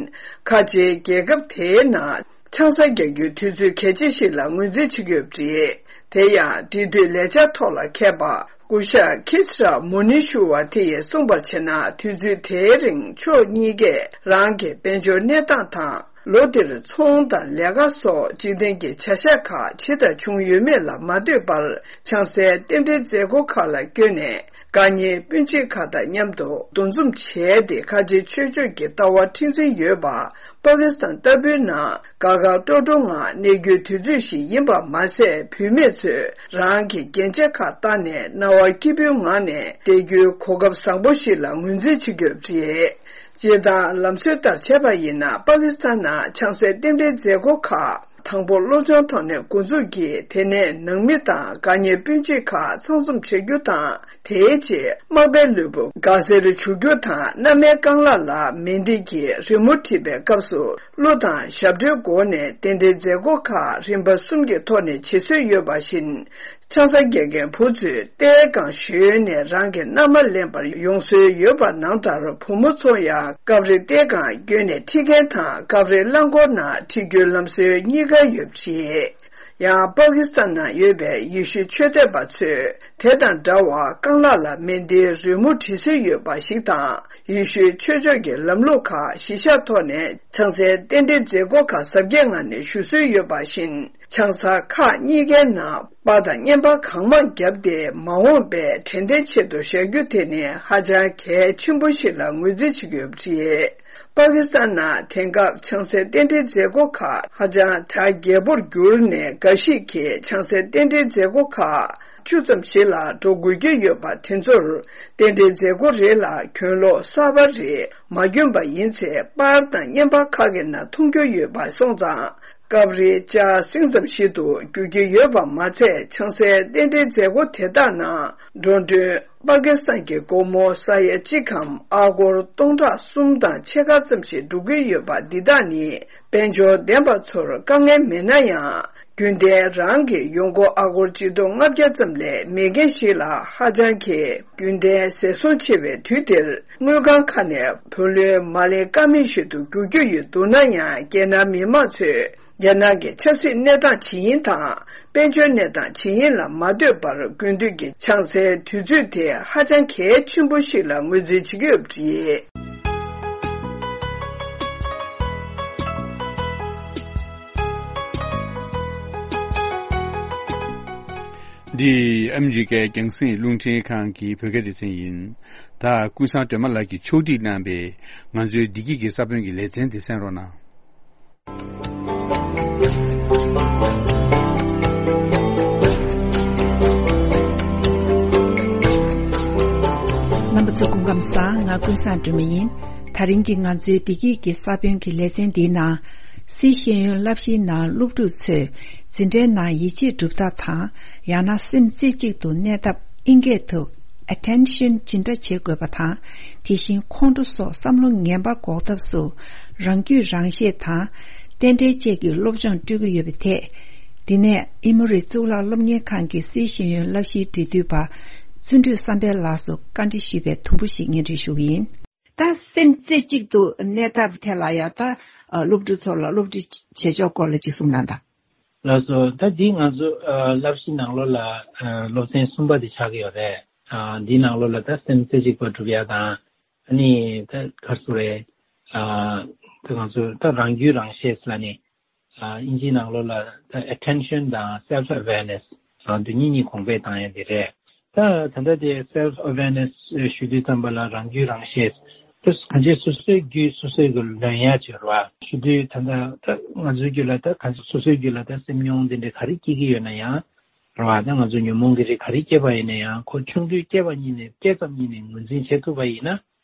ཁ་ཆེའི་རྒྱལ་ཁབ་དེའི་ནང་ཆང་ས་རྒྱག་རྒྱུའི་དུས་ཚོད་གལ་ཆེ་ཞིག་ལ་ངོས་འཛིན་བྱེད་ཀྱི་ཡོད་པ་རེད། དེ་ཡང་འབྲེལ་མཐུད་ལས་འཆར་ཐོག་ལ་མཁས་པ་སྐུ་ཞབས་ཁི་ཤྲ་མུ་ནི་ཤུ་བ་དེ་ཡིས་གསུངས་པར་བྱས་ན། དུས་ཚོད་དེའི་རིང་ཕྱོགས་གཉིས་ཀས་རང་གི་དཔལ་འབྱོར་གནས་སྟངས་དང་། ལོ་འདིར་ཚོང་དང་ལས་ཀ་སོགས་འཇིག་རྟེན་གྱི་བྱ་གཞག་ཁག་ཇི་ལྟར་བྱུང་ཡོད་མེད་ལ་མ་ལྟོས་པར། ཆང་སའི་རྟེན་འབྲེལ་མཛད་སྒོ་ཁག་ལ་བསྐྱོད་ནས། དགའ་ཉེ་སྤུན་མཆེད་ཁག་དང་མཉམ་དུ་འདུ་འཛོམས་བྱས་ཏེ། ཁ་ཆེའི་ཆོས་ཕྱོགས་ཀྱི་ལྟ་བ་མཁྲེགས་འཛིན་ཡོད་པ། པ་ཀི་སི་ཐན་ལྟ་བུའི་ནང་དགའ་དགའ་སྤྲོ་སྤྲོ་ངང་གནས་རྒྱུའི་དུས་ཚོད་ཞིག་ཡིན་པ་མ་ཟད། བུད་མེད་ཚོས་རང་གི་རྒྱན་ཆ་ཁག་བཏགས་ནས་སྣང་བ་སྐྱིད་པོའི་ངང་ནས་བསྡད་རྒྱུའི་གོ་སྐབས་བཟང་པོ་ཞིག་ལ་ངོས་འཛིན་བྱེད་ཀྱི་ཡོད་པ་རེད། སྤྱིར་བཏང་ལམ་སྲོལ་ལྟར་བྱས་པ་ཡིན་ན། པ་ཀི་སི་ཐན་ནང་ཆང་སའི་རྟེན་འབྲེལ་མཛད་སྒོ་ཁག་དང་པོ་སློབ་སྦྱོང་ཐོག་ནས་འགོ་འཛུགས་ཀྱིས། དེ་ནས་ནང་མི་དང་དགའ་ཉེ་སྤུན་མཆེད་ཁག་ཚང་འཛོམས་བྱེད་རྒྱུ་དང་། དེའི་རྗེས་མག་པའི་ལུས་པོ་དགའ་སེར་བྱུག་རྒྱུ་དང་། མནའ་མའི་རྐང་ལག་ལ་མེ་འདི་གི་རི་མོ་བྲིས་པའི་སྐབས་སུ། གླུ་དང་ཞབས་བྲོའི་སྒོ་ནས་རྟེན་འབྲེལ་མཛད་སྒོ་ཁག་རིམ་པ་གསུམ་གྱི་ཐོག་ནས་བྱེད་སྲོལ་ཡོད་པ་བཞིན། ཆང་ས་རྒྱག་མཁན་བུ་ཚོས་རྟའི་སྒང་ཞོན་ནས་རང་གི་མནའ་མ་ལེན་པར་ཡོང་སྲོལ་ཡོད་པ་ནང་ལྟར། བུ་མོ་ཚོ་ཡང་སྐབས་རེ་རྟའི་སྒང་བསྐྱོད་ནས་ཁྲིད་མཁན་དང་། སྐབས་རེ་རླངས་འཁོར་ནང་ཁྲིད་རྒྱུའི་ལམ་སྲོལ་གཉིས་ཀ་ཡོད་པ་རེད། ཡང་པ་ཀི་སི་ཐན་ནང་ཡོད་པའི་ཡེ་ཤུའི་ཆོས་དད་པ་ཚོས་དེ་དང་འདྲ་བར་རྐང་ལག་ལ་མེ་འདིའི་རི་མོ་བྲིས་སྲོལ་ཡོད་པ་ཞིག་དང་། ཡེ་ཤུའི་ཆོས་ཕྱོགས་ཀྱི་ལམ་ལུགས་ཁག་གཞི་བཞག་ཐོག་ནས་ཆང་སའི་རྟེན་འབྲེལ་མཛད་སྒོ་ཁག་གཟབ་རྒྱས་ངང་ནས་ཞུ་སྲོལ་ཡོད་པ་བཞིན། ཆང་ས་ཁག་གཉིས་ཀའི་ནང་པར་དང་བརྙན་པར་གང་མང་བརྒྱབ་སྟེ། མ་འོངས་པའི་དྲན་རྟེན་ཆེད་དུ་བཞག་རྒྱུ་དེ་ནི་ཧ་ཅང་གལ་ཆེན་པོ་ཞིག་ལ་ངོས་འཛིན་བྱེད་ཀྱི་ཡོད་པ་རེད། པ་ཀི་སི་ཐན་ནང་དེང་སྐབས་ཆང་སའི་རྟེན་འབྲེལ་མཛད་སྒོ་ཁག་ཧ་ཅང་གྲ་རྒྱས་པོར་གྱུར་ནས། འགའ་ཞིག་གིས་ཆང་སའི་རྟེན་འབྲེལ་མཛད་སྒོ་ཁག་བཅུ་ཙམ་ཞིག་ལ་འགྲོ་དགོས་ཀྱི་ཡོད་པ་དེ་ཚོར། རྟེན་འབྲེལ་མཛད་སྒོ་རེ་ལ་གྱོན་ལོག་གསར་པ་རེ་མ་གྱོན་པ་ཡིན་ཚེ། པར་དང་བརྙན་པར་ཁག་གི་ནང་མཐོང་རྒྱུ་ཡོད་པ་སོང་ཙང་། སྐབས་རེ་ལྕགས་སྲིང་ཙམ་ཞིག་ཏུ་འགྱུར་གྱི་ཡོད་པ་མ་ཚད། ཆང་སའི་རྟེན་འབྲེལ་མཛད་སྒོ་དེ་དག་ནང་འགྲོ་གྲོན་པ་ཀི་སི་ཐན་གྱི་སྒོར་མོ་ས་ཡ་གཅིག་གམ་ཨ་སྒོར་སྟོང་ཕྲག་གསུམ་དང་ཕྱེད་ཀ་ཙམ་ཞིག་འགྲོ་གི་ཡོད་པ། འདི་དག་ནི་དཔལ་འབྱོར་ལྡན་པ་ཚོར་དཀའ་ངལ་མེད་ན་ཡང་། རྒྱུན་ལྡན་རང་གི་ཡོང་སྒོ་ཨ་སྒོར་ཆིག་སྟོང་ལྔ་བརྒྱ་ཙམ་ལས་མེད་མཁན་ཞིག་ལ་ཧ་ཅང་གི་རྒྱུན་ལྡན་ཟད་སོང་ཆེ་བའི་དུས་འདིར། དངུལ་ཁང་ཁག་ནས་བུ་ལོན་མ་ལེན་ཀ་མེད་ཞིག་ཏུ་འགྱུར་རྒྱུ་ཡོད་འདུག་ན་ཡང་། རྒྱལ་ནང་མི་མང་ཚོས་རྒྱལ་ནང་གི་ཆབ་སྲིད་གནས་སྟངས་ཇི་ཡིན་དང་། དཔལ་འབྱོར་གནས་སྟངས་ཇི་ཡིན་ལ་མ་ལྟོས་པར། དགུན་དུས་ཀྱི་ཆང་སའི་དུས་ཚོད་དེ་ཧ་ཅང་གལ་ཆེན་པོ་ཞིག་ལ་ངོས་འཛིན་བྱེད་ཀྱི་ཡོད་པ་རེད། འདི་ཨ་མི་རི་ཀའི་རྒྱང་སྲིང་རླུང་འཕྲིན་ཁང་གི་བོད་སྐད་སྡེ་ཚན་ཡིན། ད་ཀུན་བཟང་སྒྲོལ་མ་ལགས་ཀྱིས་ཕྱོགས་སྒྲིག་གནང་པའི་ང་ཚོའི་བདེ་སྐྱིད་ཀྱི་ས་བོན་གྱི་ལེ་ཚན་དེ་གསན་རོགས་གནང་། རྣམ་པ་ཚོ་སྐུ་ཁམས་བཟང་། ང་ཀུན་བཟང་སྒྲོལ་མ་ཡིན། ད་རིང་གི་ང་ཚོའི་བདེ་སྐྱིད་ཀྱི་ས་བོན་གྱི་ལེ་ཚན་འདིའི་ནང་། སཱི་ཤེས་ཡོན་བསླབ་གཞིའི་ནང་སློབ་ཕྲུག་ཚོས་འཛིན་གྲྭའི་ནང་ཡིད་ཆེས་སྒྲུབ་ཐབས་དང་། ཡང་ན་སེམས་རྩེ་གཅིག་ཏུ་གནས་ཐབས། ཨིན་སྐད་དུ་attention ཇི་འདྲ་བྱེད་དགོས་པ་དང་། དེ་བཞིན་ཁོང་ཁྲོ་སོགས་བསམ་བློ་ངན་པ་འགོག་ཐབས་སུ་རང་རྒྱུད་རང་ཤེས་དང་རྟེན་འབྲེལ་བཅས་ཀྱི་སློབ་སྦྱོང་སྤྲོད་ཀྱི་ཡོད་པའི་ཐད། འདི་ནས་ཨེ་མོ་རི་གཙུག་ལག་སློབ་གཉེར་ཁང་གི་སིའི་ཤེས་ཡོན་བསླབ་གཞིའི་འབྲེལ་མཐུད་པ་བརྩོན་འགྲུས་བསམ་འཕེལ་ལགས་སུ་བཀའ་འདྲི་ཞུས་པའི་དུམ་བུ་ཞིག་སྙན་སྒྲོན་ཞུ་གི་ཡིན། ད་སེམས་རྩེ་གཅིག་ཏུ་གནས་ཐབས་ཐད་ལ་ཡང་ད་སློབ་ཕྲུག་ཚོ་ལ་སློབ་ཁྲིད་བྱེད་ཕྱོགས་སྐོར་ལ་ཅིག་གསུངས་གནང་དང་། ལགས་སོ། ད་འདི་ང་ཚོ་ཨ་བསླབ་གཞི་ནང་ལོགས་ལ་ཨ་སློབ་ཚན་གསུམ་པ་དེ་ཆགས་ཀྱི་ཡོད་རེད། ཨ་འདི་ནང་ལོགས་ལ་ད་སེམས་རྩེ་གཅིག་པ་སྒྲུབ་ཡ་དང་། ཨ་ནི་ད་ག་རེ་ཟེར་རེད། ཨ་ད་ང་ཚོ་ད་རང་རྒྱུད་རང་ཤེས་ལབ་ནས་ཨ་ཨིན་ཇིའི་ནང་ལོགས་ལ་ད་attention དང་self awareness ཨ་འདི་གཉིས་གཉིས་གོང་འཕེལ་བཏང་ཡ་དེ་རེད། ད་ད་ལྟ་དེ་self awareness ཞུ་དུས་ཙམ་པ་ལ་རང་རྒྱུད་རང་ཤེས། ད་གང་ཅི་སོ་སོའི་རྒྱུད་སོ་སོའི་གི་ལོན་ཡ་ཅིག་རེད་བ། ཞུ་དུས་ད་ལྟ་ད་ང་ཚོའི་རྒྱུད་ལ་ད་གང་ཅི་སོ་སོའི་རྒྱུད་ལ་ད་སེམས་མྱོང་དེ་འདྲ་ག་རེ་སྐྱེ་གི་ཡོད་ན་ཡང་རེད་བ། ད་ང་ཚོ་ཉོན་མོངས་ཀྱི་རིགས་ག་རེ་སྐྱེས་པ་ཡིན་ན་ཡང་ཁོ་ཆུང་དུས་སྐྱེས་པ་ཉིད་ནས་སྐྱེས་ཙམ་ཉིད་ནས་ངོས་འཛིན་བྱེད་ཐུབ་པ་ཡིན་ན།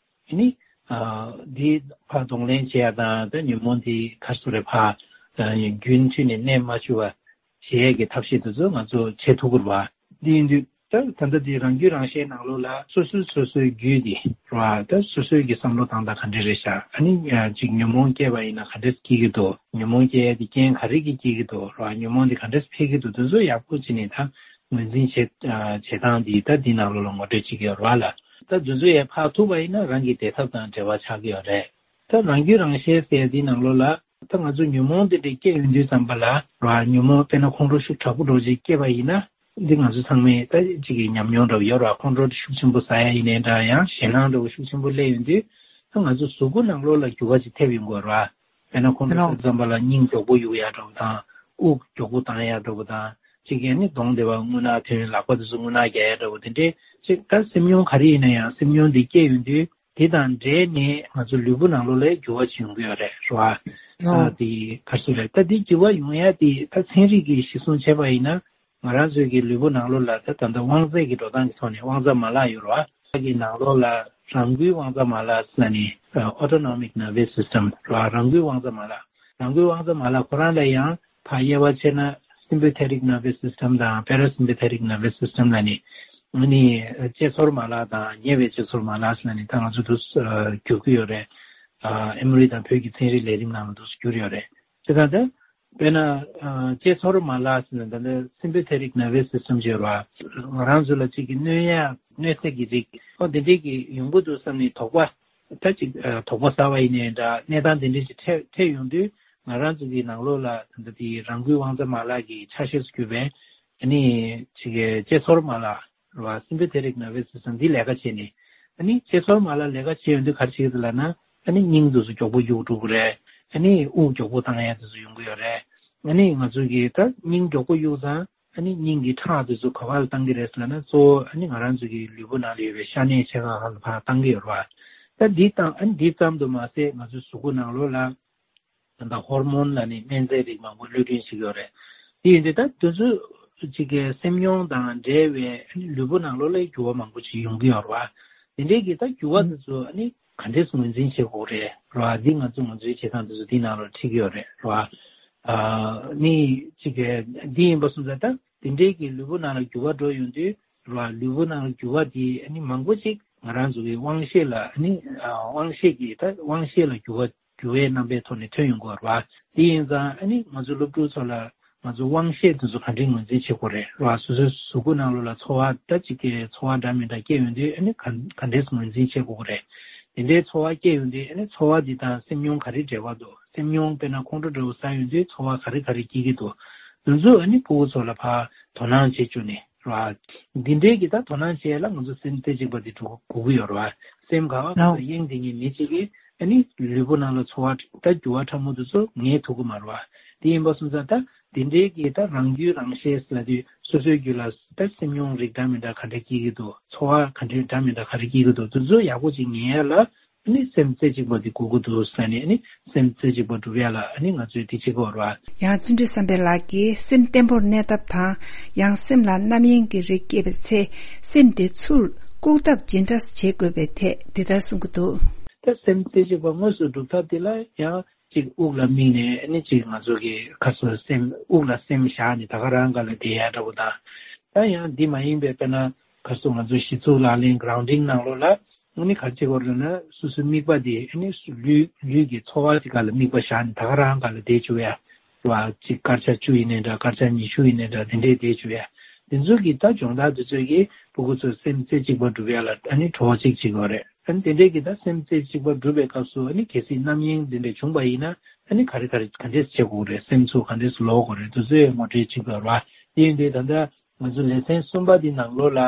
དེ་ནི་ཨ་འདི་ཕར་གདོང་ལེན་བྱེད་ཡ་དང་ད་ཉོན་མོངས་འདི་ག་རེ་ཟེར་རེད་ཕར་ཨ་རྒྱུན་མཐུད་ནས་གནས་མ་བཅུག་པ་བྱེད་ཡས་ཀྱི་ཐབས་ཤེས་དེ་ཚོ་ང་ཚོ་བྱེད་ཐུབ་ཀྱི་རེད་བ། འདི་ཡིན་དུས་ད་ད་ལྟ་འདི་རང་རྒྱུད་རང་ཤེས་ནང་ལོགས་ལ་སོ་སོའི་སོ་སོའི་རྒྱུད་འདི་རེད་བ། ད་སོ་སོའི་གི་བསམ་བློ་བཏང་སྟངས་ག་འདྲ་རེད་ཤག་ཨ་ནི་ཨ་ཅིག་ཉོན་མོངས་སྐྱེས་པ་ཡིན་ན་ག་འདྲས་སྐྱེ་གི་འདུག་ཉོན་མོངས་སྐྱེ་ཡས་དེ་རྐྱེན་ག་རེ་གིས་སྐྱེ་གི་འདུག་རེད་བ། ཉོན་མོངས་དེ་ག་འདྲས་འཕེལ་གི་འདུག་དེ་ཚོ་ཡག་པོ་བྱས་ནས་ད་ངོས་འཛིན་བྱེད་ཨ་བྱེད་སྟངས་འདི་ད་འདི་ནང་ལོགས་ལ་ངོ་སྤྲོད་བྱེད་ཀྱི་ཡོད་རེད་བ་ལ། ད་དེ་ཚོ་ཡས་ཕར་ཐུག་པ་ཡིན་ན་རང་གི་བདེ་ཐབས་དང་འབྲེལ་བ་ཆགས་ཀྱི་ཡོད་རེད། ད་རང་རྒྱུད་རང་ཤེས་ཟེར་འདི་ནང་ལོགས་ལ་ད་ང་ཚོ་ཉོན་མོངས་འདི་འདྲ་སྐྱེ་ཡོང་དུས་ཙམ་པ་ལ་ར་ཉོན་མོངས་དཔེར་ན་ཁོང་ཁྲོ་ཤུགས་དྲག་པོ་འདྲ་བོ་ཅིག་སྐྱེས་པ་ཡིན་ན་འདི་ང་ཚོ་ཚང་མས་ད་ཅིག་གི་ཉམས་མྱོང་འདྲ་བོ་ཡོད་ར། ཁོང་ཁྲོ་ཤུགས་ཆེན་པོ་ཟ་ཡ་ཡིན་ནའི་འདྲ་ཡང་ཞེད་སྣང་འདྲ་བོ་ཤུགས་ཆེན་པོ་སླེབས་ཡོང་དུས་ད་ང་ཚོ་གཟུགས་པོ་ནང་ལོགས་ལ་འགྱུར་བ་ཅིག་ཐེབས་ཡོང་གི་ཡོད་ར། དཔེར་ན་ཁོང་ཁྲོ་ཟ་ཙམ་པ་ལ་སྙིང་མགྱོགས་པོ་གཡུག་ཡ་འདྲ་བོ་དང་དབུགས་མགྱོགས་པོ་བཏང་ཡ་འདྲ་བོ་དང་ཅིག་གི་ནི་གདོང་དེ་བ་རྔུལ་ནག་ཐོན་ལག་པ་དེ་ཚོ་རྔུལ་ནག་རྒྱག་ཡ་འདྲ་བོ་དེ་འདྲའི་ཅིག་ད་སེམས་མྱོང་ག་རེ་ཡིན་ན་ཡང་སེམས་མྱོང་འདི་སྐྱེས་ཡོང་དུས། དེ་དང་འབྲེལ་ནས་ང་ཚོ་ལུས་པོ་ནང་ལོགས་ལ་འགྱུར་བ་ཅིག་ཡོང་གི་ཡོད་རེད་ར། ཨོ། ད་དེ་ག་རེ་ཟེར་རེད། ད་དེ་འགྱུར་བ་ཡོང་ཡ་དེ་ད་ཚན་རིག་གིས་གཞི་བཟུང་བྱས་པ་ཡིན་ན་ང་རང་ཚོའི་གི་ལུས་པོ་ནང་ལོགས་ལ་ད་ད་ལྟ་དབང་རྩ་གི་འགྲོ་སྟངས་ཀྱི་ཐོག་ནས་དབང་རྩ་མ་ལག་ཡོད་རེད་བ། ད་གི་ནང་ལོགས་ལ་རང་འགུལ་དབང་རྩ་མ་ལག་ཟེར་ནས་autonomic nervous system ར། རང་འགུལ་དབང་རྩ་མ་ལག་རང་འགུལ་དབང་རྩ་མ་ལག་ཁོ་རང་ལ་ཡང་ཕར་དབྱེ་བ་ཕྱེ་ན་sympathetic nervous system དང་parasympathetic nervous system ལ་ནི། ཨ་ནི་དཔྱད་ཚོར་མ་ལག་དང་ཉེ་བའི་དཔྱད་ཚོར་མ་ལག་ཟེར་ནས་ད་ང་ཚོ་འདུག་སེ་བསྒྱུར་གྱི་ཡོད་རེད། ཨ་ཨེ་མོ་རི་དང་བོད་ཀྱི་ཚན་རིག་ལས་རིམ་ནང་ལ་འདུག་སེ་བསྒྱུར་ཡོད་རེད། དེ་ལྟར་ད་དཔེར་ན་ཨ་དཔྱད་ཚོར་མ་ལག་ཟེར་ན་ད་ལྟ་sympathetic nervous system ཅེས་ར། ང་རང་ཚོ་ལ་གཅིག་གི་གནོད་ཡ་གནོད་འཚེ་གི་རིགས་ཨོ་དེ་འདྲས་ཀྱི་ཡོང་གི་འདུག་བསམ་ནས་དོགས་པ། ད་ཅིག་ཨ་དོགས་པ་ཟ་བ་ཡིན་ནའི་འདྲ་གནས་སྟངས་དེ་འདྲས་ཅིག་འཕྲད་འཕྲད་ཡོང་དུས་ང་རང་ཚོ་གི་ནང་ལོགས་ལ་ད་ལྟ་དེ་རང་འགུལ་དབང་རྩ་མ་ལག་གི་ཆ་ཤས་སུ་གྱུར་པའི་ཨ་ནི་ཅིག་གི་དཔྱད་ཚོར་མ་ལག་རེད་བ། sympathetic nervous system འདི་ལས་ཀ་བྱས་ནས་ཨ་ནི་དཔྱད་ཚོར་མ་ལག་ལས་ཀ་བྱས་ཡོང་དུས་ག་རེ་བྱེད་ཀྱི་འདུག་ལབ་ན་ཨ་ནི་སྙིང་དེ་ཚོ་མགྱོགས་པོ་གཡུག་འགྲོ་གི་རེད། ཨ་ནི་དབུགས་མགྱོགས་པོ་བཏང་ཡ་དེ་ཚོ་ཡོང་གི་ཡོད་རེད། ཨ་ནི་ང་ཚོ་གི་ད་སྙིང་མགྱོགས་པོ་གཡུག་ཙང་། ཨ་ནི་སྙིང་གི་ཁྲག་དེ་ཚོ་ག་པར་ལ་བཏང་གི་རེད་ཟེར་ན་གཙོ་བོ་ཨ་ནི་ང་རང་ཚོ་གི་ལུས་པོ་ནང་ལ་ཡོད་པའི་ཤ་གནད་ཆེ་ཁག་ཁག་ལ་ཕར་བཏང་གི་ཡོད་རེད་བ། ད་འདི་བཏང་ཨ་ནི་འདི་ཙམ་དུ་མ་ཟད་ང་ཚོའི་གཟུགས་པོ་ནང་ལོགས་ལ་ད་ལྟ་ཧོར་མོན་ལབ་ནས་སྨན་རྫས་རིགས་མང་པོ་གློད་གྲོན་བྱེད་ཀྱི་ཡོད་རེད། དེ་ཡིན་དུས་ད་དེ་ཚོ་གཅིག་གི་སེམས་མྱོང་དང་འབྲེལ་བའི་ཨ་ནི་ལུས་པོ་ནང་ལོགས་ལ་འགྱུར་བ་མང་པོ་ཅིག་ཡོང་གི་ཡོད་རེད་བ། དེ་འདྲའི་གི་ད་འགྱུར་བ་དེ་ཚོ་ཨ་ནི་ག་འདྲས་ངོས་འཛིན་བྱེད་དགོས་རེད་རེད་བ། འདི་ང་ཚོ་ང་ཚོའི་བྱེད་སྟངས་དེ་ཚོ་འདི་ནང་ལ་འཁྲིད་ཀྱི་ཡོད་རེད་རེད་བ། ཨ་ནི་གཅིག་གི་འདི་ཡིན་པ་སོང་ཙང་ད་དེ་འདྲའི་གི་ལུས་པོ་ནང་ལ་འགྱུར་བ་འགྲོ་ཡོང་དུས་རེད་བ། ལུས་པོ་ནང་ལ་འགྱུར་བ་དེ་ཨ་ནི་མང་པོ་ཅིག་ང་རང་ཚོ་གི་དབང་ཤེད་ལ་ཨ་ནི་ཨ་དབང་ཤེད་ཀྱི་ད་དབང་ཤེད་ལ་འགྱུར་བ་འགྱུར་བའི་རྣམ་པའི་ཐོག་ནས་ཐོན་ཡོང་གི་ཡོད་རེད་བ། དེ་ཡིན་ཙང་ཨ་ནི་ང་ཚོ་སློབ་ཕྲུག་ཚོ་ལ་ང་ཚོ་དབང་ཤེད་དེ་ཚོ་ག་འདྲས་ངོས་འཛིན་བྱེད་དགོས་རེད་རེད་བ། སོ་སོའི་གཟུགས་པོ་ནང་ལོགས་ལ་ཚོར་བ་ད་ཅིག་གི་ཚོར་བ་འདྲ་མི་འདྲ་སྐྱེ་ཡོང་དུས་ཨ་ནི་ག་ག་འདྲས་ངོས་འཛིན་བྱེད་དགོས་རེད། དེ་འདྲའི་ཚོར་བ་སྐྱེ་ཡོང་དུས་ཨ་ནི་ཚོར་བ་འདི་དང་སེམས་མྱོང་ག་རེ་འབྲེལ་བ་འདུག་སེམས་མྱོང་དཔེར་ན་ཁོང་ཁྲོ་འདྲ་བོ་ཟ་ཡོང་དུས་ཚོར་བ་ག་རེ་ག་རེ་སྐྱེ་གི་འདུག་དེ་ཚོ་ཨ་ནི་ཕྲུ་གུ་ཚོ་ལ་ཕར་དོ་སྣང་བྱེད་བཅུག་ནས་རེད་བ། འདི་འདྲའི་གི་ད་དོ་སྣང་བྱེད་ཡ་ལ་ང་ཚོ་སེམས་རྩེ་གཅིག་པ་འདི་དགོས་ཀྱི་ཡོད་རེད་བ། སེམས་ག་བ་ག་ས་གཡེང་དེ་ཉིད་མི་གཅིག་གིས་ཨ་ནི་ལུས་པོ་ནང་ལ་ཚོར་བ་ད་འགྱུར་བ་ཕྲ་མོ་དེ་ཚོ་ངེས་ཐུབ་ཀྱི་མ་རེད་བ། དེ་ཡིན་པ་སོང་ཙང་ད་དེ་འདྲའི་གི་ད་རང་རྒྱུད་རང་ཤེས་ཟེར་དུས་སོ་སོའི་རྒྱུད་ལ་ད་སེམས་མྱོང་རིགས་འདྲ་མི་འདྲ་ག་འདྲ་སྐྱེ་གི་འདུག་ཚོར་བ་ག་འདྲ་འདྲ་མི་འདྲ་ག་རེ་སྐྱེ་གི་འདུག་དེ་ཚོ་ཡག་པོ་ཅིག་ངེས་ཡ་ལ་ཨ་ནི་སེམས་རྩེ་གཅིག་པ་འདི་དགོས་ཀྱི་འདུག་ཟེར་ནས་ཨ་ནི་སེམས་རྩེ་གཅིག་པ་སྒྲུབ་ཡ་ལ་ཨ་ནི་ང་ཚོས་དེ་བྱེད་དགོས་རེད་བ། ཡང་བརྩོན་འགྲུས་བསམ་འཕེལ་ལགས་ཀྱིས་སེམས་བརྟན་པོར་གནས་ཐབས་དང་ཡང་སེམས་ལ་རྣམ་གཡེང་གི་རིགས་སྐྱེས་པའི་ཚེ་སེམས་དེ་ཚུར་བཀུག་ཐབས་ཇི་འདྲ་བྱེད་དགོས་པའི་ཐད་འདི་ལྟར་གསུང་གི་འདུག་ད་སེམས་རྩེ་གཅིག་པ་དངོས་སུ་སྒྲུབ་ཐབས་དེ་ལ་ཡང་གཅིག་དབུགས་ལ་དམིགས་ནས་ཨ་ནི་གཅིག་ང་ཚོ་གི་ཁ་སོ་སེམས་དབུགས་ལ་སེམས་བཞག་ནས་ད་ག་རང་ག་ལ་བསྡད་ཡ་འདྲ་བོ་དང་། ད་ཡང་འདི་མ་ཡིན་པའི་དཔེར་ན་ ག་རེ་ཟེར། ང་ཚོ་གཞི་ཚུགས་ལག་ལེན་གྷ་རའུན་ཌིང་ནང་ལོགས་ལ་ཨ་ནི་ག་རེ་བྱེད་དགོས་རེད་ན། སོ་སོའི་དམིགས་པ་དེ་ཨ་ནི་ལུས་ལུས་ཀྱི་ཚོར་བ་ཅིག་སྒང་ལ་དམིགས་པ་བཞག་ནས་ད་ག་རང་སྒང་ལ་བསྡད་བཅུག་ཡ། རེད་བ། ཅིག་སྐར་ཆ་བཅུ་ཡིན་ནའི་འདྲ། སྐར་ཆ་ཉི་ཤུ་ཡིན་ནའི་འདྲ། དེ་འདྲས་བསྡད་བཅུག་ཡ། དེ་ཚོ་གི་ད་སྦྱོང་བརྡར་དེ་ཚོ་གིས་ཕྲུ་གུ་ཚོ་སེམས་རྩེ་གཅིག་པ་སྒྲུབ་ཡ་ལ་ཨ་ནི་གྲོགས་གཅིག་བྱེད་དགོས་རེད། ཨ་ནི་དེ་འདྲས་ཀྱི་ད་སེམས་རྩེ་གཅིག་པ་སྒྲུབ་པའི་སྐབས་སུ་ཨ་ནི་གལ་སྲིད་རྣམ་གཡེང་དེ་འདྲས་བྱུང་པ་ཡིན་ན། ཨ་ནི་ག་རེ་ག་རེ་ག་འདྲས་བྱེད་དགོས་རེད། སེམས་ཚོར་ག་འདྲས་ལོག་དགོས་རེད། དེ་ཚོའི་ངོ་སྤྲོད་བྱེད་དགོས་རེད་བ། དེ་ཡིན་དུས་ད་ལྟ་ང་ཚོ་ལེ་ཚན་གསུམ་པ་འདི་ནང་ལོགས་ལ་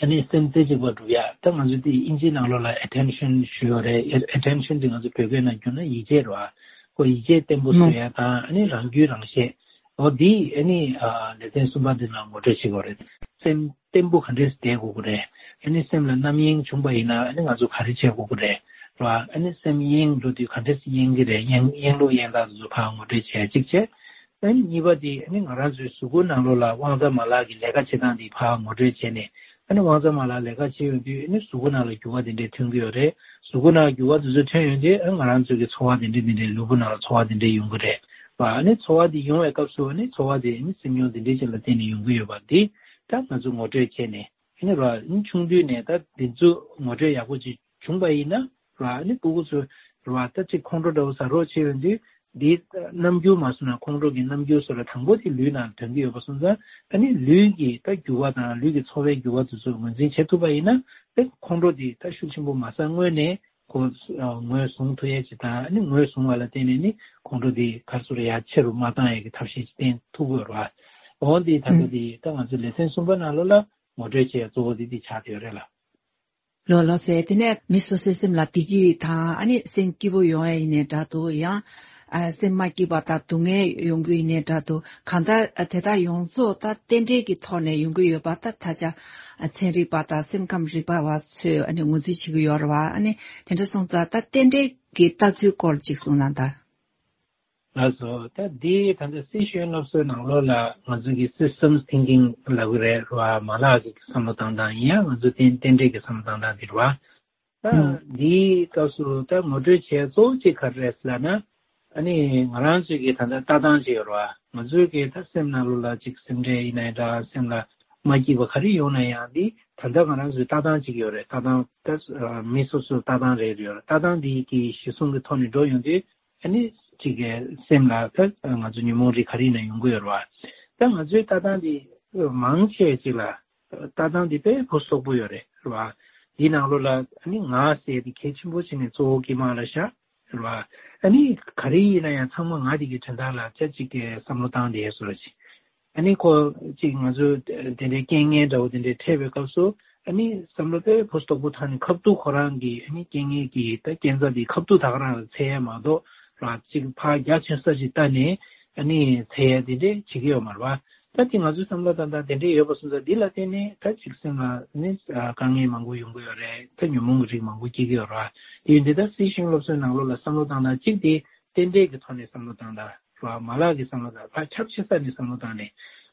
ཨ་ནི་སེམས་རྩེ་གཅིག་པ་སྒྲུབ་ཡ། ད་ང་ཚོ་དེ་དབྱིན་ཇིའི་ནང་ལོགས་ལ་ཨེ་ཊེན་ཤན་ཞུ་ཡོད་རེད། ཨེ་ཊེན་ཤན་དེ་ང་ཚོ་བོད་སྐད་ནང་བསྒྱུར་ན་ཡིད་ཆེས་རེད་བ། ཁོ་ཡིད་ཆེས་བརྟན་པོ་བཟོ་ཡ་དང་། ཨ་ནི་རང་རྒྱུས་རང་ཤེས། འོ་འདི་ཨ་ནི་ཨ་ལེ་ཚན་གསུམ་པ་འདི་ནང་ངོ་སྤྲོད་བྱེད་དགོས་རེད། སེམས་བརྟན་པོ་ག་འདྲས་བསྡད་དགོས་ཀྱི་རེད། ཨ་ནི་སེམས་ལ་རྣམ་གཡེང་བྱུང་པ་ཡིན་ན་ཨ་ནི་ང་ཚོ་ག་རེ་བྱེད་དགོས་ཀྱི་རེད། རེད་བ། ཨ་ནི་སེམས་གཡེང་འགྲོ་དུས་ག་འདྲས་གཡེང་གི་རེད། གཡེང་གཡེང་ལུགས་གཡེང་སྟངས་དེ་ཚོ་ཕར་ངོ་སྤྲོད་བྱེད་ཡ་གཅིག་བྱས། ཨ་ནི་གཉིས་པ་དེ་ཨ་ནི་ང་རང་ཚོའི་གཟུགས་པོ་ནང་ལོགས་ལ་དབང་རྩ་མ་ལག་གི་ལས་ཀ་བྱེད་སྟངས་དེ་ཕར་ངོ་སྤྲོད་བྱས་ནས། ཨ་ནི་དབང་རྩ་མ་ལག་ལས་ཀ་བྱེད་ཡོང་དུས་ཨ་ནི་གཟུགས་པོ་ནང་ལ་འགྱུར་བ་དེ་འདྲས་ཐོན་གྱི་ཡོད་རེད། གཟུགས་པོ་ནང་འགྱུར་བ་དེ་ཚོ་ཐོན་ཡོང་དུས་ཨ་ང་རང་ཚོའི་གི་ཚོར་བ་དེ་འདྲས་དེ་འདྲས་ལུས་པོ་ནང་ལ་ཚོར་བ་དེ་འདྲས་ཡོང་གི་རེད་བ། ཨ་ནི་ཚོར་བ་དེ་ཡོང་བའི་སྐབས་སུ་ཨ་ནི་ཚོར་བ་དེ་ཨ་ནི་སེམས་མྱོང་དེ་འདྲས་ཅིག་ལ་བརྟེན་ནས་ཡོང་གི་ཡོད་པ་འདི་ད་ང་ཚོ་ངོ་སྤྲོད་བྱས་ནས། ཨ་ནི་ར་ཨ་ནི་ཆུང་དུས་ནས་ད་འདི་ཚོ་ངོ་སྤྲོད་ཡག་པོ་ཅིག་བྱུང་པ་ཡིན་ན་ར། ཨ་ནི་ཕྲུ་གུ་ཚོ་ར་ད་ཅིག་ཁོང་ཁྲོ་འདྲ་བོ་ཟ་རོགས་བྱེད་ཡོང་དུས། འདིའི་རྣམ་འགྱུར་མ་སོང་ན་ཁོང་ཁྲོ་གི་རྣམ་འགྱུར་སོགས་ལ་དང་པོ་དེ་ལུས་ནང་ཐོན་གྱི་ཡོད་པ་སོང་ཙང་། ཨ་ནི་ལུས་ཀྱི་ད་འགྱུར་བ་དང་ལུས་ཀྱི་ཚོར་བའི་འགྱུར་བ་དེ་ཚོ་ངོས་འཛིན་བྱེད་ཐུབ་པ་ཡིན་ན། ཨེ་ཁོང་ཁྲོ་དེ་ད་ཤུགས་ཆེན་པོ་མ་ཟ་སྔོན་ནས་ཁོ་ངོས་བཟུང་ཐུབ་ཡས་ཅིག་དང་། ཨ་ནི་ངོས་བཟུང་བ་ལ་བརྟེན་ནས་ནི་ཁོང་ཁྲོ་དེ་ག་རེ་ཟེར་ཡ་ཆེ་རུ་མ་བཏང་ཡས་ཀྱི་ཐབས་ཤེས་ཅིག་བསྟེན་ཐུབ་ཀྱི་ཡོད་རེད་བ། འོ་འདི་ད་ལྟ་དེ་ད་ང་ཚོ་ལེ་ཚན་གསུམ་པ་ནང་ལོགས་ལ་ངོ་སྤྲོད་བྱེད་ཡ་གཙོ་བོ་དེ་དེ་ཆགས་བསྡད་ཡོད་རེད་ལ། ལགས་ལགས་སེ། དེ་ནས་མི་སོ་སོའི་སེམས་ལ་བདེ་སྐྱིད་དང་། ཨ་ནི་སེམས་སྐྱིད་པོ་ཡོང་ཡ་ཡིན་ནའི་འདྲ་འདུག་ཡང་ཨ་སེམས་མ་སྐྱིད་པ་དང་སྡུག་བསྔལ་ཡོང་རྒྱུ་ཡིན་ནའི་འདྲ་འདུག་གང་ལྟར་ཨ་དེ་དག་ཡོངས་རྫོགས་ད་རྟེན་འབྲེལ་གྱི་ཐོག་ནས་ཡོང་གི་ཡོད་པ། ད་ད་ཆ་ཨ་ཚན་རིག་པ་དང་སེམས་ཁམས་རིག་པ་བ་ཚོས་ཨ་ནི་ངོས་འཛིན་བྱེད་ཀྱི་ཡོད་རེད་བ། ཨ་ནི་དེ་འདྲ་སོང་ཙང་ད་རྟེན་འབྲེལ་གྱི་ལྟ་ཚུལ་སྐོར་ཅིག་གསུངས་ན་ད། ལགས་སོ། ད་འདི་ད་ལྟ་སི་ཤེས་ཡོན་སློབ་གསོའི་ནང་ལོགས་ལ་ང་ཚོ་གི་སི་སི་ཊེམ་ཐིང་ཀིང་ལབ་ཀྱི་རེད་བ། མ་ལག་གི་བསམ་བློ་བཏང་སྟངས་ཡིན་ཡང་ང་ཚོ་རྟེན་རྟེན་འབྲེལ་གྱི་བསམ་བློ་བཏང་སྟངས་འདི་རེད་བ། ད་ཨང་། འདིའི་སྐབས་སུ་ད་ངོ་སྤྲོད་བྱས་གཙོ་བོ་གཅིག་ག་རེ་རེད་ཟེར་ལབ་ན། ཨ་ནི་ང་རང་ཚོའི་གི་ད་ལྟ་ལྟ་སྟངས་ཅིག་ཡོད་རེད་བ། ང་ཚོའི་གི་ད་སེམས་ནང་ལོགས་ལ་ཅིག་སེམས་ཁྲལ་ཡིན་ནའི་འདྲ། སེམས་ལ་མ་སྐྱིད་པ་ག་རེ་ཡོང་ན་ཡང་འདི་ད་ལྟ་ང་རང་ཚོའི་ལྟ་སྟངས་ཅིག་ཡོད་རེད། ལྟ་སྟངས་ད་མི་སོ་སོའི་ལྟ་སྟངས་རེ་རེ་ཡོད་རེད། ལྟ་སྟངས་འདི་གི་གཞི་བཟུང་གི་ཐོག་ནས་འགྲོ་ཡོང་དུས། ཨ་ནི་གཅིག་གི་སེམས་ལ་ད་ང་ཚོ་ཉོན་མོངས་རིགས་ག་རེ་ཡིན་ན་ཡོང་གི་ཡོད་རེད་བ། ད་ང་ཚོའི་ལྟ་སྟངས་འདི་མང་ཆེ་ཅིག་ལ་ལྟ་སྟངས་འདི་དཔེ་ཕུན་སུམ་ཚོགས་པོ་ཡོད་རེད། རེད་བ། འདི་ནང་ལོགས་ལ་ཨ་ནི་ང་ཟེར་ཏེ་གལ་ཆེན་པོ་བྱས་ནས་གཙོ་བོ་སྐྱེས་མ་ལ་བཞག་རེད་བ། ཨ་ནི་ག་རེ་ཡིན་ན་ཡང་ཚང་མ་ང་དེ་གི་དོན་དག་ལ་ཅག་ཅིག་གི་བསམ་བློ་བཏང་བསྡད་བཟོ་འདྲ་ཅིག་ཨ་ནི་ཁོ་ཅིག་ང་ཚོ་དེ་འདྲའི་རྐྱེན་ངན་འདྲ་བོ་དེ་འདྲའི་འཕྲད་པའི་སྐབས་སུ། ཨ་ནི་བསམ་བློ་དཔེ་ཕུན་སུམ་ཚོགས་པོ་བཏང་ནས་ཁ་ཐུག་ཁོ་རང་གི་ཨ་ནི་རྐྱེན་ངན་གྱི་ད་རྐྱེན་རྩ་དེ་ཁ་ཐུག་ད་ག་རང་ལ་འཚོལ་ཡ་མ་གཏོགས་ར། ཅིག་ཕར་རྒྱ་ཆེན་ས་ཅིག་ལྟ་ནས་ཨ་ནི་འཚོལ་ཡ་དེ་འདྲས་བྱེད་ཀྱི་ཡོད་མ་རེད་བ། ད་དེ་ང་ཚོའི་བསམ་བློ་བཏང་སྟངས་དེ་འདྲས་ཡོད་པ་སོང་ཙང་འདི་ལ་བརྟེན་ནས་ད་ཅིག་སེམས་ལ་ནི་དཀའ་ངལ་མང་པོ་ཡོང་གི་ཡོད་རེད། ད་ཉོན་མོངས་ཀྱི་རིགས་མང་པོ་སྐྱེ་གི་ཡོད་རེད་བ། དེ་ཡིན་དུས་ད་སི་ཤེས་ཡོན་སློབ་གསོའི་ནང་ལོགས་ལ་བསམ་བློ་བཏང་སྟངས་གཅིག་དེ་རྟེན་འབྲེལ་གྱི་ཐོག་ནས་བསམ་བློ་བཏང་སྟངས། ར། མ་ལག་གི་བསམ་བློ་དང་ཕར་ཁྱབ་ཆེ་ས་ནས་བསམ་བློ་བཏང་ནས།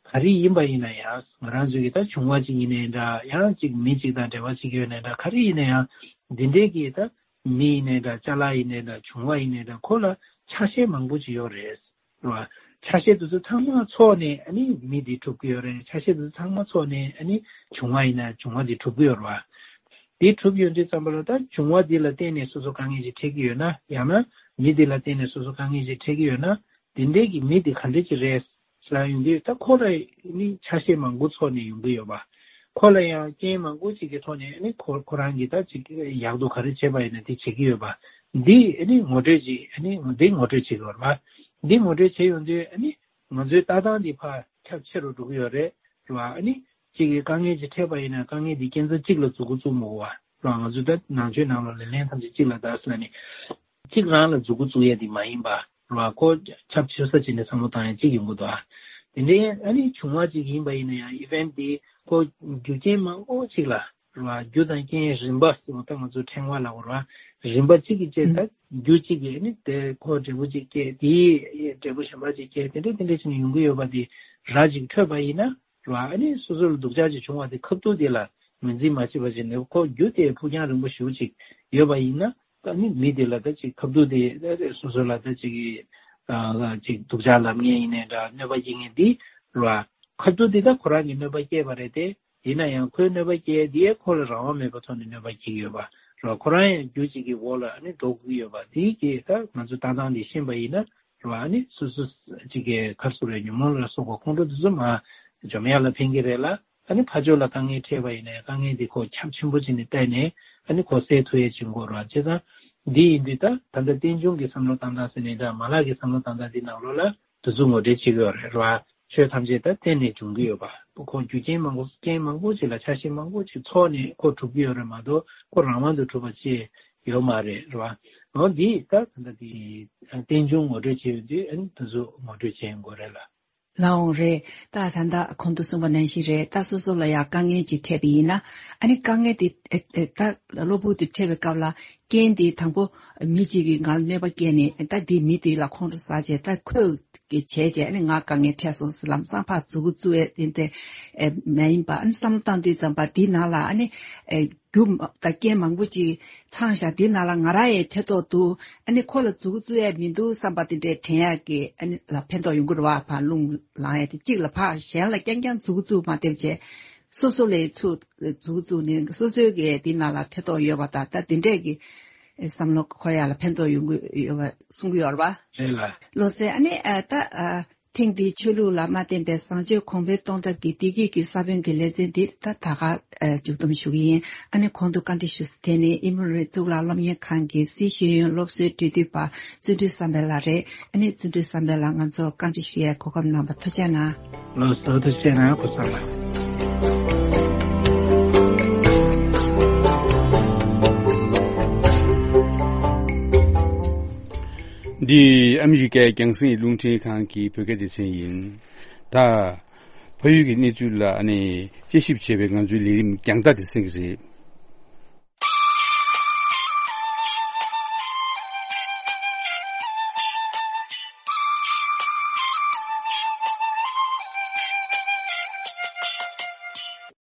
ག་རེ་ཡིན་པ་ཡིན་ན་ཡང་ང་རང་ཚོའི་གི་ད་བྱུང་བ་ཅིག་ཡིན་ནའི་འདྲ། ཡང་ཅིག་མི་ཅིག་དང་འབྲེལ་བ་ཅིག་ཡོད་ནའི་འདྲ། ག་རེ་ཡིན་ན་ཡང་འདི་འདྲའི་གི་ད་མི་ཡིན་ནའི་འདྲ། ཅ་ལག་ཡིན་ནའི་འདྲ། བྱུང་བ་ཡིན་ནའི་འདྲ། ཁོ་ལ་ཆ་ཤས་མང་པོ་ཅིག་ཡོད་རེད། རེད་བ། ཆ་ཤས་དེ་ཚོ་ཚང་མ་ཚོགས་ནས་ཨ་ནི་མི་འདི་གྲུབ་ཀྱི་ཡོད་རེད། ཆ་ཤས་དེ་ཚོ་ཚང་མ་ཚོགས་ནས་ཨ་ནི་བྱུང་བ་ཡིན་ན་བྱུང་བ་འདི་གྲུབ་ཀྱི་ཡོད་རེད་བ། འདི་གྲུབ་ཡོང་དུས་ཙམ་པ་ལ་ད་བྱུང་བ་འདི་ལ་བརྟེན་ནས་སོ་སོ་དཀའ་ངལ་ཅིག་འཕྲད་ཀྱི་ཡོད་ན། ཡང་ན་མི་འདི་ལ་བརྟེན་ནས་སོ་སོ་དཀའ་ངལ་ཅིག་འཕྲད་ཀྱི་ཡོད་ན། འདི་འདྲའི་གི་མི་འདི་ག་འདྲ་ཅིག་རེད་ཟེར་ཡོང་དུས། ད་ཁོ་ལ་ནི་ཆ་ཤས་མང་པོ་ཚོགས་ནས་ཡོང་གི་ཡོད་པ། ཁོ་ལ་ཡང་རྐྱེན་མང་པོ་ཅིག་གི་ཐོག་ནས་ནི་ཁོ་ཁོ་རང་གིས་ད་ཅིག་ཡག་སྡུག་ག་རེ་བྱས་པ་ཡིན་ན་དེ་བྱེད་ཀྱི་ཡོད་པ། འདི་ནི་ངོ་སྤྲོད་ཅིག་ནི་འདི་ངོ་སྤྲོད་བྱེད་ཀྱི་ཡོད་རེད་པ། འདི་ངོ་སྤྲོད་བྱས་ཡོང་དུས་ནི་ང་ཚོའི་ལྟ་སྟངས་འདི་ཕར་ཁྱབ་ཆེ་རུ་འགྲོ་གི་ཡོད་རེད། རེད་བ། ཨ་ནི་གཅིག་གིས་དཀའ་ངལ་ཅིག་འཕྲད་པ་ཡིན་ན་དཀའ་ངལ་འདི་རྐྱེན་རྩ་གཅིག་ལ་མཛུབ་གུ་བཙུགས་མི་དགོས་པ། རེད་བ། ང་ཚོས་ད་ནང་ཆོས་ནང་ལ་ལེ་ལན་ཐམས་ཅད་གཅིག་ལ་བདའ་ཟེར་ནས། གཅིག་རང་ལ་མཛུབ་གུ་བཙུགས་ཡས་འདི་མ་ཡིན་པ། རེད་བ། ཁོ་ཁྱབ་ཆེ་ས་ཅིག་ནས་བསམ་བློ་བཏང་ཡས་གཅིག་ཡོང་གི་འདུག་ཨ། དེ་འདྲའི་ཨ་ནི་བྱུང་བ་ཅིག་ཡིན་པ་ཡིན་ན་ཡང་ཨི་ཝེན་ཊི་འདི་ཁོ་རྒྱུ་རྐྱེན་མང་པོ་ཅིག་ལ། རེད་བ། རྒྱུ་དང་རྐྱེན་རིམ་པ་ཟེར་བ་ད་ང་ཚོ་ཕྲེང་བ་ལབ་དགོས་རེད་བ། རིམ་པ་གཅིག་གིས་བྱས། ད་རྒྱུ་གཅིག་གིས་ནི་དེ་ཁོ་འབྲས་བུ་གཅིག་སྐྱེས། དེའི་འབྲས་བུ་གཞན་པ་གཅིག་སྐྱེས། དེ་འདྲས་དེ་འདྲས་བྱས་ནས་ཡོང་གི་ཡོད་པ་དེ་ར་ཅིག་འཕྲོད་པ་ཡིན་ན། རེད་བ། ཨ་ནི་སོ་སོ་ལ་སྡུག་ཅག་ཅིག་བྱུང་བ་དེ་ཁ་ཐུག་དེ་ལ་ངོས་འཛིན་མ་བྱས་པ་བྱས་ནས། ཁོ་རྒྱུ་དེ་ཕུགས་རྒྱང་རིང་པོ་ཞེ་པོ་ཅིག་ཡོད་པ་ཡིན་ན། ད་ནི་མི་དེ་ལ་ད་ཅིག་ཁ་ཐུག་དེ་སོ་སོ་ལ་ད་ཅིག་ཅིག་སྡུག་ཅག་ལབ་མཁན་ཡིན་ནའི་འདྲ། གནོད་པ་སྐྱེལ་མཁན་དེ། རེད་བ། ཁ་ཐུག་དེ་ད་ཁོ་རང་གིས་གནོད་པ་སྐྱེལ་བ་རེད་དེ། ཡིན་ན་ཡང་ཁོའི་གནོད་པ་སྐྱེལ་ཡ་དེ་ཡང་ཁོ་ལ་རང་དབང་མེད་པའི་ཐོག་ནས་གནོད་པ་སྐྱེལ་གྱི་ཡོད་པ་རེད་བ། ཁོ་རང་ཡང་རྒྱུ་གཅིག་གི་འོག་ལ་ཨ་ནི་འགྲོ་དགོས་ཀྱི་ཡོད་པ་དེ་གི་ད་ང་ཚོ་ལྟ་སྟངས་དེ་ཤེས་པ་ཡིན་ན་རེད་བ། ཨ་ནི་སོ་སོ་གཅིག་གི་ག་རེ་ཟེར་དགོས་རེད། ཉོན་མོངས་ལ་སོགས་པ་ཁོང་ཁྲོ་དེ་ཚོ་མར་འཇོམས་ཡ་ལ་ཕན་གྱི་རེད་ལ། ཨ་ནི་ཕར་ཕྱོགས་ལ་དཀའ་ངལ་འཕྲད་པ་ཡིན་ན་ཡང་དཀའ་ངལ་འདི་ཁོ་ཁྱབ་ཆེན་པོ་བྱས་ནས་བལྟས་ནས་ཨ་ནི་ཁོ་སེལ་ཐུབ་ཡས་བྱེད་དགོས་རེད་བ། བྱས་ཙང་འདི་ཡིན་དུས་ད་ད་ལྟ་རྟེན་འབྱུང་གི་བསམ་བློ་བཏང་སྟངས་ཟེར་ནས་ད་མ་ལག་གི་བསམ་བློ་བཏང་སྟངས་འདི་ནང་ལོགས་ལ་དེ་ཚོ་ངོ་སྤྲོད་བྱེད་ཀྱི་ཡོད་རེད་བ། ཆོས་ཐམས་ཅད་ད་རྟེན་ནས་འབྱུང་གི་ཡོད་པ། ཁོ་རྒྱུ་རྐྱེན་མང་པོ་རྐྱེན་མང་པོ་ཅིག་ལ་ཆ་ཤས་མང་པོ་ཅིག་ཚོགས་ནས་ཁོ་གྲུབ་ཀྱི་ཡོད་རེད་མ་གཏོགས་ཁོ་རང་དབང་དུ་གྲུབ་པ་ཅིག་ཡོད་མ་རེད་རེད་བ། འོ་འདི་ད་ད་ལྟ་འདི་རྟེན་འབྱུང་ངོ་སྤྲོད་བྱེད་ཡོད་དུས་ཨ་ནི་དེ་ཚོ་ངོ་སྤྲོད་བྱེད་དགོས་རེད་ལ། ལགས་འོང་རེད། ད་ད་ལྟ་གོང་དུ་གསུངས་པ་ནང་བཞིན་རེད། ད་སོ་སོ་ལ་ཡང་དཀའ་ངལ་ཅིག་འཕྲད་པ་ཡིན་ན། ཨ་ནི་དཀའ་ངལ་དེ་ཨེ་ཨེ་ད་གློ་བུར་དུ་འཕྲད་པའི་སྐབས་ལ་རྐྱེན་དེ་དང་པོ་མི་གཅིག་གིས་ང་ལ་གནོད་པ་བསྐྱལ་ནས་ད་དེ་མི་དེ་ལ་ཁོང་ཁྲོ་ཟ་བྱས་ད་ཁོས་གི་བྱས་བྱས་ཨ་ནི་ང་དཀའ་ངལ་འཕྲད་སོང་ཟེར་ལམ་སང་ཕར་མཛུབ་གུ་བཙུགས་ཡས་དེ་འདྲ་ཨེ་མ་ཡིན་པ། ཨ་ནི་བསམ་བློ་བཏང་དུས་ཙམ་པ་དེའི་ནང་ལ་ཨ་ནི་ཨེ། རྒྱུ་མ་དང་རྐྱེན་མང་པོ་ཅིག་ཚང་བཞག་དེ་ནང་ལ་ང་རང་ཡང་ཐེ་གཏོགས་འདུག་ཨ་ནི་ཁོ་ལ་མཛུབ་གུ་བཙུགས་ཡ་མི་འདུག་བསམ་པ་དེ་འདྲས་དྲན་ཡ་གི་ཨ་ནི་ལ་ཕན་ཐོགས་ཡོང་གི་རེད་བ། ཕར་རླུང་ལངས་ཡ་དེ་གཅིག་ལ་ཕར་གཞན་ལ་རྐྱང་རྐྱང་མཛུབ་གུ་བཙུགས་མ་བསྡད་བྱས་སོ་སོ་ལ་ཚུར་མཛུབ་གུ་བཙུགས་ནས་སོ་སོའི་གི་དེ་ནང་ལ་ཐེ་གཏོགས་ཡོད་པ་དང་ད་དེ་འདྲས་གི་བསམ་བློ་འཁོར་ཡ་ལ་ཕན་ཐོགས་ཡོང་གི་ཡོད་པ་གསུང་གི་ཡོད་རེད་བ། རེད་ལ། བློ་གསལ། ཨ་ནི་ཨ་ད་ཨ། ཐེངས་འདིའི་ཆོས་ལུགས་ལ་མ་བརྟེན་པའི་བཟང་སྤྱོད་གོང་འཕེལ་གཏོང་ཐབས་ཀྱི་བདེ་སྐྱིད་ཀྱི་ས་བོན་གྱི་ལེ་ཚན་འདི་ད་ད་ག་མཇུག་བསྡོམས་ཞུ་གི་ཡིན། ཨ་ནི་གོང་དུ་བཀའ་འདྲི་ཞུས་ས་དེ་ནི་ཨི་མོ་རི་གཙུག་ལག་སློབ་གཉེར་ཁང་གི་སྲིད་ཤེས་ཡོན་སློབ་གསོའི་འབྲེལ་མཐུད་པ་བརྩོན་འགྲུས་བསམ་འཕེལ་ལགས་རེད། ཨ་ནི་བརྩོན་འགྲུས་བསམ་འཕེལ་ལགས་ང་ཚོར་བཀའ་འདྲི་ཞུ་ཡའི་གོ་སྐབས་གནང་བར་ཐུགས་རྗེ་གནང་། ལགས་སོ། ཐུགས་རྗེ་གནང་། སྐུ་གཟུགས་བཟང་། འདི་ཨ་མི་རི་ཀའི་རྒྱང་སྲིང་རླུང་འཕྲིན་ཁང་གི་བོད་སྐད་སྡེ་ཚན་ཡིན། ད། ཕ་ཡུལ་གྱི་གནས་ཚུལ་ལ་ཨ་ནི་དཔྱད་ཞིབ་བྱེད་པའི་ང་ཚོའི་ལས་རིམ་རྒྱང་ལྟ་དེ་གསན་གྱི་རེད།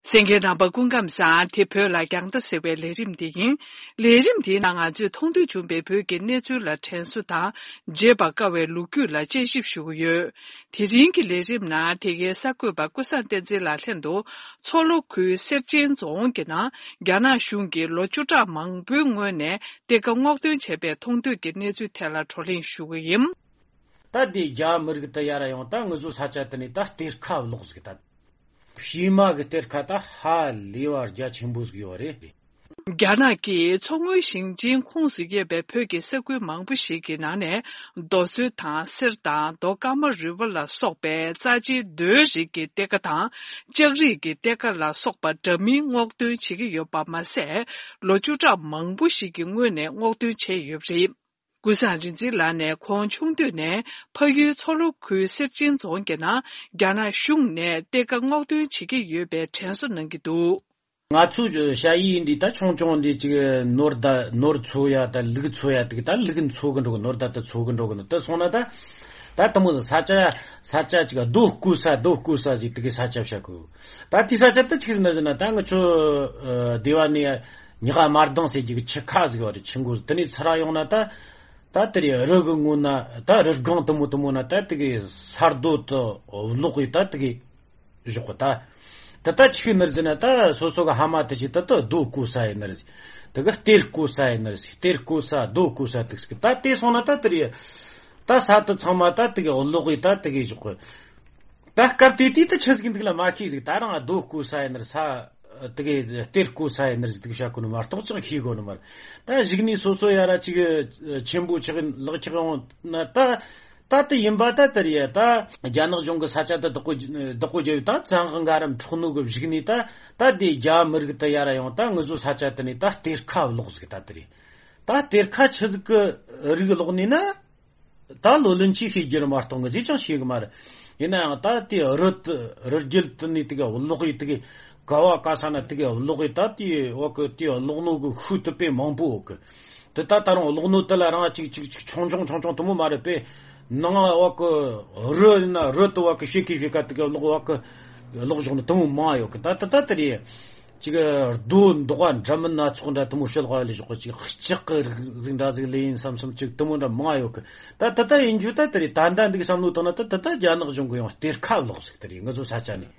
གསན་མཁན་རྣམ་པ་སྐུ་ཁམས་བཟང་། དེ་བོད་ལ་རྒྱང་ལྟ་ཟེར་བའི་ལས་རིམ་དེ་ཡིན། ལས་རིམ་འདིའི་ནང་ང་ཚོས་མཐོང་ཐོས་བྱུང་བའི་བོད་ཀྱི་གནས་ཚུལ་ལ་དྲན་གསོ་དང་བརྗེད་པར་དཀའ་བའི་ལོ་རྒྱུས་ལ་དཔྱད་ཞིབ་ཞུ་གི་ཡོད། དེ་རིང་གི་ལས་རིམ་ནང་དེ་གའི་གསར་འགོད་པ་ཀུན་བཟང་བསྟན་འཛིན་ལགས་ལྷན་དུ་མཚོ་ལྷོ་ཁུལ་གསེར་ཆེན་རྫོང་གི་ནང་རྒྱ་ནག་གཞུང་གིས་ལོ་བཅུ་ཕྲག་མང་པོའི་སྔོན་ནས་གཏེར་ཁ་སྔོག་འདོན་བྱས་པའི་མཐོང་ཐོས་ཀྱི་གནས་ཚུལ་ཐད་ལ་བགྲོ་གླེང་ཞུ་གི་ཡིན། ད་དེ་རྒྱ་མི་རིགས་ད་ཡར་ཡོང་ད་ང་ཚོ་ས་ཆ་དེ་ནས་ད་གཏེར་ཁ་བརླག་ཟིག་ད། བྱེ་མ་གི་གཏེར་ཁ་ད་ཧ་ལས་པ་རྒྱ་ཆེན་པོ་ཟིག་ཡོད་རེད། རྒྱ་ནག་གིས་མཚོ་སྔོན་ཞིང་ཆེན་ཁོངས་སུ་ཡོད་པའི་བོད་ཀྱི་ས་ཁུལ་མང་པོ་ཞིག་གི་ནང་ནས་རྡོ་སོལ་དང་གསེར་དང་རྡོ་ཀ་མ་རུས་པ་ལ་སོགས་པའི་རྩ་ཆེའི་རྡོའི་རིགས་ཀྱི་གཏེར་ཁ་དང་ལྕགས་རིགས་ཀྱི་གཏེར་ཁ་ལ་སོགས་པ་འདྲ་མིན་སྔོག་འདོན་བྱེད་ཀྱི་ཡོད་པ་མ་ཟད། ལོ་བཅུ་ཕྲག་མང་པོ་ཞིག་གི་སྔོན་ནས་སྔོག་འདོན་བྱས་ཡོད་པ་རེད། ཀུན་བཟང་རིག་འཛིན་ལགས་ནས་ཁོང་ཆུང་དུས་ནས་ཕ་ཡུལ་མཚོ་ལྷོ་ཁུལ་གསེར་ཆེན་རྫོང་གི་ནང་རྒྱ་ནག་གཞུང་ནས་གཏེར་ཁ་སྔོག་འདོན་བྱེད་ཀྱི་ཡོད་པའི་དྲན་གསོ་གནང་གི་འདུག་ང་ཚོའི་ཞ་ཡི་འདི་ད་ཆུང་ཆུང་འདི་ཅིག་ནོར་ད་ནོར་འཚོ་ཡ་ད་ལུག་འཚོ་ཡ་དེ་གི་ད་ལུག་འཚོ་གི་འགྲོ་གི་ནོར་ད་ད་འཚོ་གི་འགྲོ་གི་ནི་ད་སོང་ན་ད་ད་དེ་མོ་ས་ཆ་ས་ཆ་ཅིག་རྡོ་བརྐོས་ས་རྡོ་བརྐོས་ས་ཟིག་དེ་གི་ས་ཆ་བྱ་གི། ད་དེ་ས་ཆ་ད་ཆི་ཟིག་ན་ཟིག་ན་ད་ང་ཚོ་སྡེ་བ་ནས་ཉི་ཧ་མར་དང་ཟེར་གྱི་ཆུ་ཁ་ཟིག་བ་རེད། ཆུ་མགོ་དེ་ནས་ཚུར་ཡོང་ན་ད། ད་དེ་རི་གི་ངོས་ན་ད་རི་སྒང་དེ་མོ་དེ་མོ་ན་ད་དེ་གི་ས་རྡོ་དེ་བརླག་གི་ད་དེ་གི་བཞག་གི་ད། ད་ད་ཆི་ནར་ཟེར་ན་ད་སོ་སོ་གི་ཕ་མ་དེ་ཅིག་ད་ད་རྡོ་བརྐོས་ས་ཡིན་ནར་ཟེར། དེ་གི་གཏེར་བརྐོས་ས་ཡིན་ནར་ཟེར། གཏེར་བརྐོས་ས་རྡོ་བརྐོས་ས་དེ་ཟེར་གི་ད་དེ་སོང་ན་ད་དེ་རི་ད་ས་དེ་ཚང་མ་ད་དེ་གི་བརླག་གི་ད་དེ་གི་བཞག་གི། ད་སྐབས་དེ་དུས་ད་ཆི་ཟིག་འདུག་ལ་མ་ཤེས་ཟིག་ད་རང་རྡོ་བརྐོས་ས་ཡིན་ནར་ས། དེ་གའི་གཏེར་བརྐོས་ས་ཡིན་ནར་ཟིག་དེ་གི་བཤད་གོ་ནི་མ་གཏོགས་ཅང་ཤེས་གོ་ནི་མ་རེད། ད་གཞུག་ནས་སོ་སོ་ཡ་ར་ཅིག་ཆེན་པོ་ཆགས་ལག་ཆགས་ཡོང་ན་ད་ད་དེ་ཡིན་པ་ད་དེ་རེད། ད་རྒྱ་ནག་གཞུང་གི་ས་ཆ་ད་བདག་པོ་བདག་པོ་རྒྱབ་ཡོད་ད་བཙན་དབང་འགའ་རམ་འཕྲོག་ནོ་གི་གཞུག་ནས་ད་ད་དེ་རྒྱ་མི་རིགས་ད་ཡ་ར་ཡོང་ད་ང་ཚོ་ས་ཆ་དེ་ནས་ད་གཏེར་ཁ་བརླག་ཟིག་ད་དེ་རེད། ད་གཏེར་ཁ་ཆི་ཟིག་གི་རིགས་བརླག་ནས་ན། ད་ལོ་ལོན་ཆེ་ཤེས་རྒྱུ་རེད་མ་གཏོགས་ང་ཚོས་ཅང་ཤེས་གི་མ་རེད། ཡིན་ན་ཡང་ད་དེ་རི་དེ་རི་རྒྱུད་དེ་ནས་དེ་ག་གློག་ཡི་དེ་ག་ག་བ་ག་ས་ན་དེ་ག་གློག་ཡི་ད་དེ་འོག་གི་དེ་གློག་སྣོད་གི་ཤུགས་དེ་དཔེ་མང་པོ་འོག་གི། དེ་ད་ད་རུང་གློག་སྣོད་དེ་ལ་རང་ཅིག་ཅིག་ཅིག་ཆུང་ཆུང་ཆུང་ཆུང་དེ་མོ་མ་རེད་པས། ནང་འོག་གི་རི་ཡིན་ན་རི་དེ་འོག་གི་ཤེ་ཁི་ཤེ་ཁ་དེ་ག་གློག་འོག་གི་གློག་ཞོག་ནི་དེ་མོ་མང་ཡོད་གི། ད་ད་ད་དེ་རེད། ཅིག་རྡོ་འདོགས་པ་འདྲ་མིན་སྣ་ཚོགས་འདྲ་དེ་མོ་ཤོད་དགོས་ལས་ཞོག་གི། ཅིག་ལྕགས་ཀྱི་རིགས་ཟིག་འདྲ་ཟིག་ལས་ཡིན་བསམ་བསམ་ཅིག་དེ་མོ་འདྲ་མང་ཡོད་གི། ད་ད་ལྟ་ཡིན་རྒྱུ་ད་དེ་རེད། ད་ད་འདི་གི་བསམ་བློ་བཏང་ན་ད་ད་ལྟ་རྒྱ་ནག་གཞུང་གི་ཡང་གཏེར་ཁ་བརླག་ཟིག་དེ་རེད། ང་ཚོ་ས་ཆ་ནས་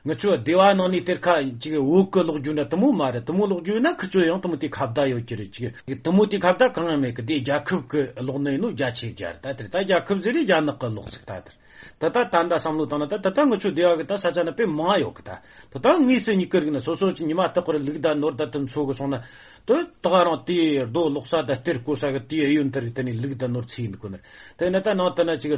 ང་ཚོ་སྡེ་བ་ནང་ནས་གཏེར་ཁ་ཅིག་བོད་གི་ལོག་རྒྱུ་འདྲ་དེ་མོ་མ་རེད། དེ་མོ་ལོག་རྒྱུ་ཡིན་ན་ཁི་ཚོ་ཡང་དེ་མོ་དེ་ཁ་བརྡ་ཡོད་ཀྱི་རེད། ཅིག་དེ་མོ་དེ་ཁ་བརྡ་གང་ཡང་མེད་གི། དེ་རྒྱལ་ཁབ་གི་ལོག་ནི་ཡིན་ནོ་རྒྱ་ཆེ་རྒྱ་རེད། ད་དེར་ད་རྒྱལ་ཁབ་ཟེར་རེད། རྒྱ་ནག་གི་ལོག་ཟིག་ད་དེར་ད་ད་ད་ད་བསམ་བློ་བཏང་ན་ད་ད་ད་ང་ཚོ་སྡེ་བ་གི་ད་ས་ཆ་ན་དཔེ་མང་ཡོད་གི། ད་ད་ད་དངོས་སུ་ཉིད་ཀི་རིག་ན་སོ་སོ་ཅིག་ཉི་མ་རྟག་པར་ལུག་ད་ནོར་ད་དེ་འཚོ་གི་སོང་ན། དེ་ད་ག་རང་དེའི་རྡོ་སློག་ས་ད་གཏེར་བརྐོ་ས་གི་དེའི་གཡོན་དེར་དེ་ནས་ལུག་ད་ནོར་ཚིག་ཡིན་གོ་ནི། དེ་ནས་ད་ནང་དུ་ན་ཅིག་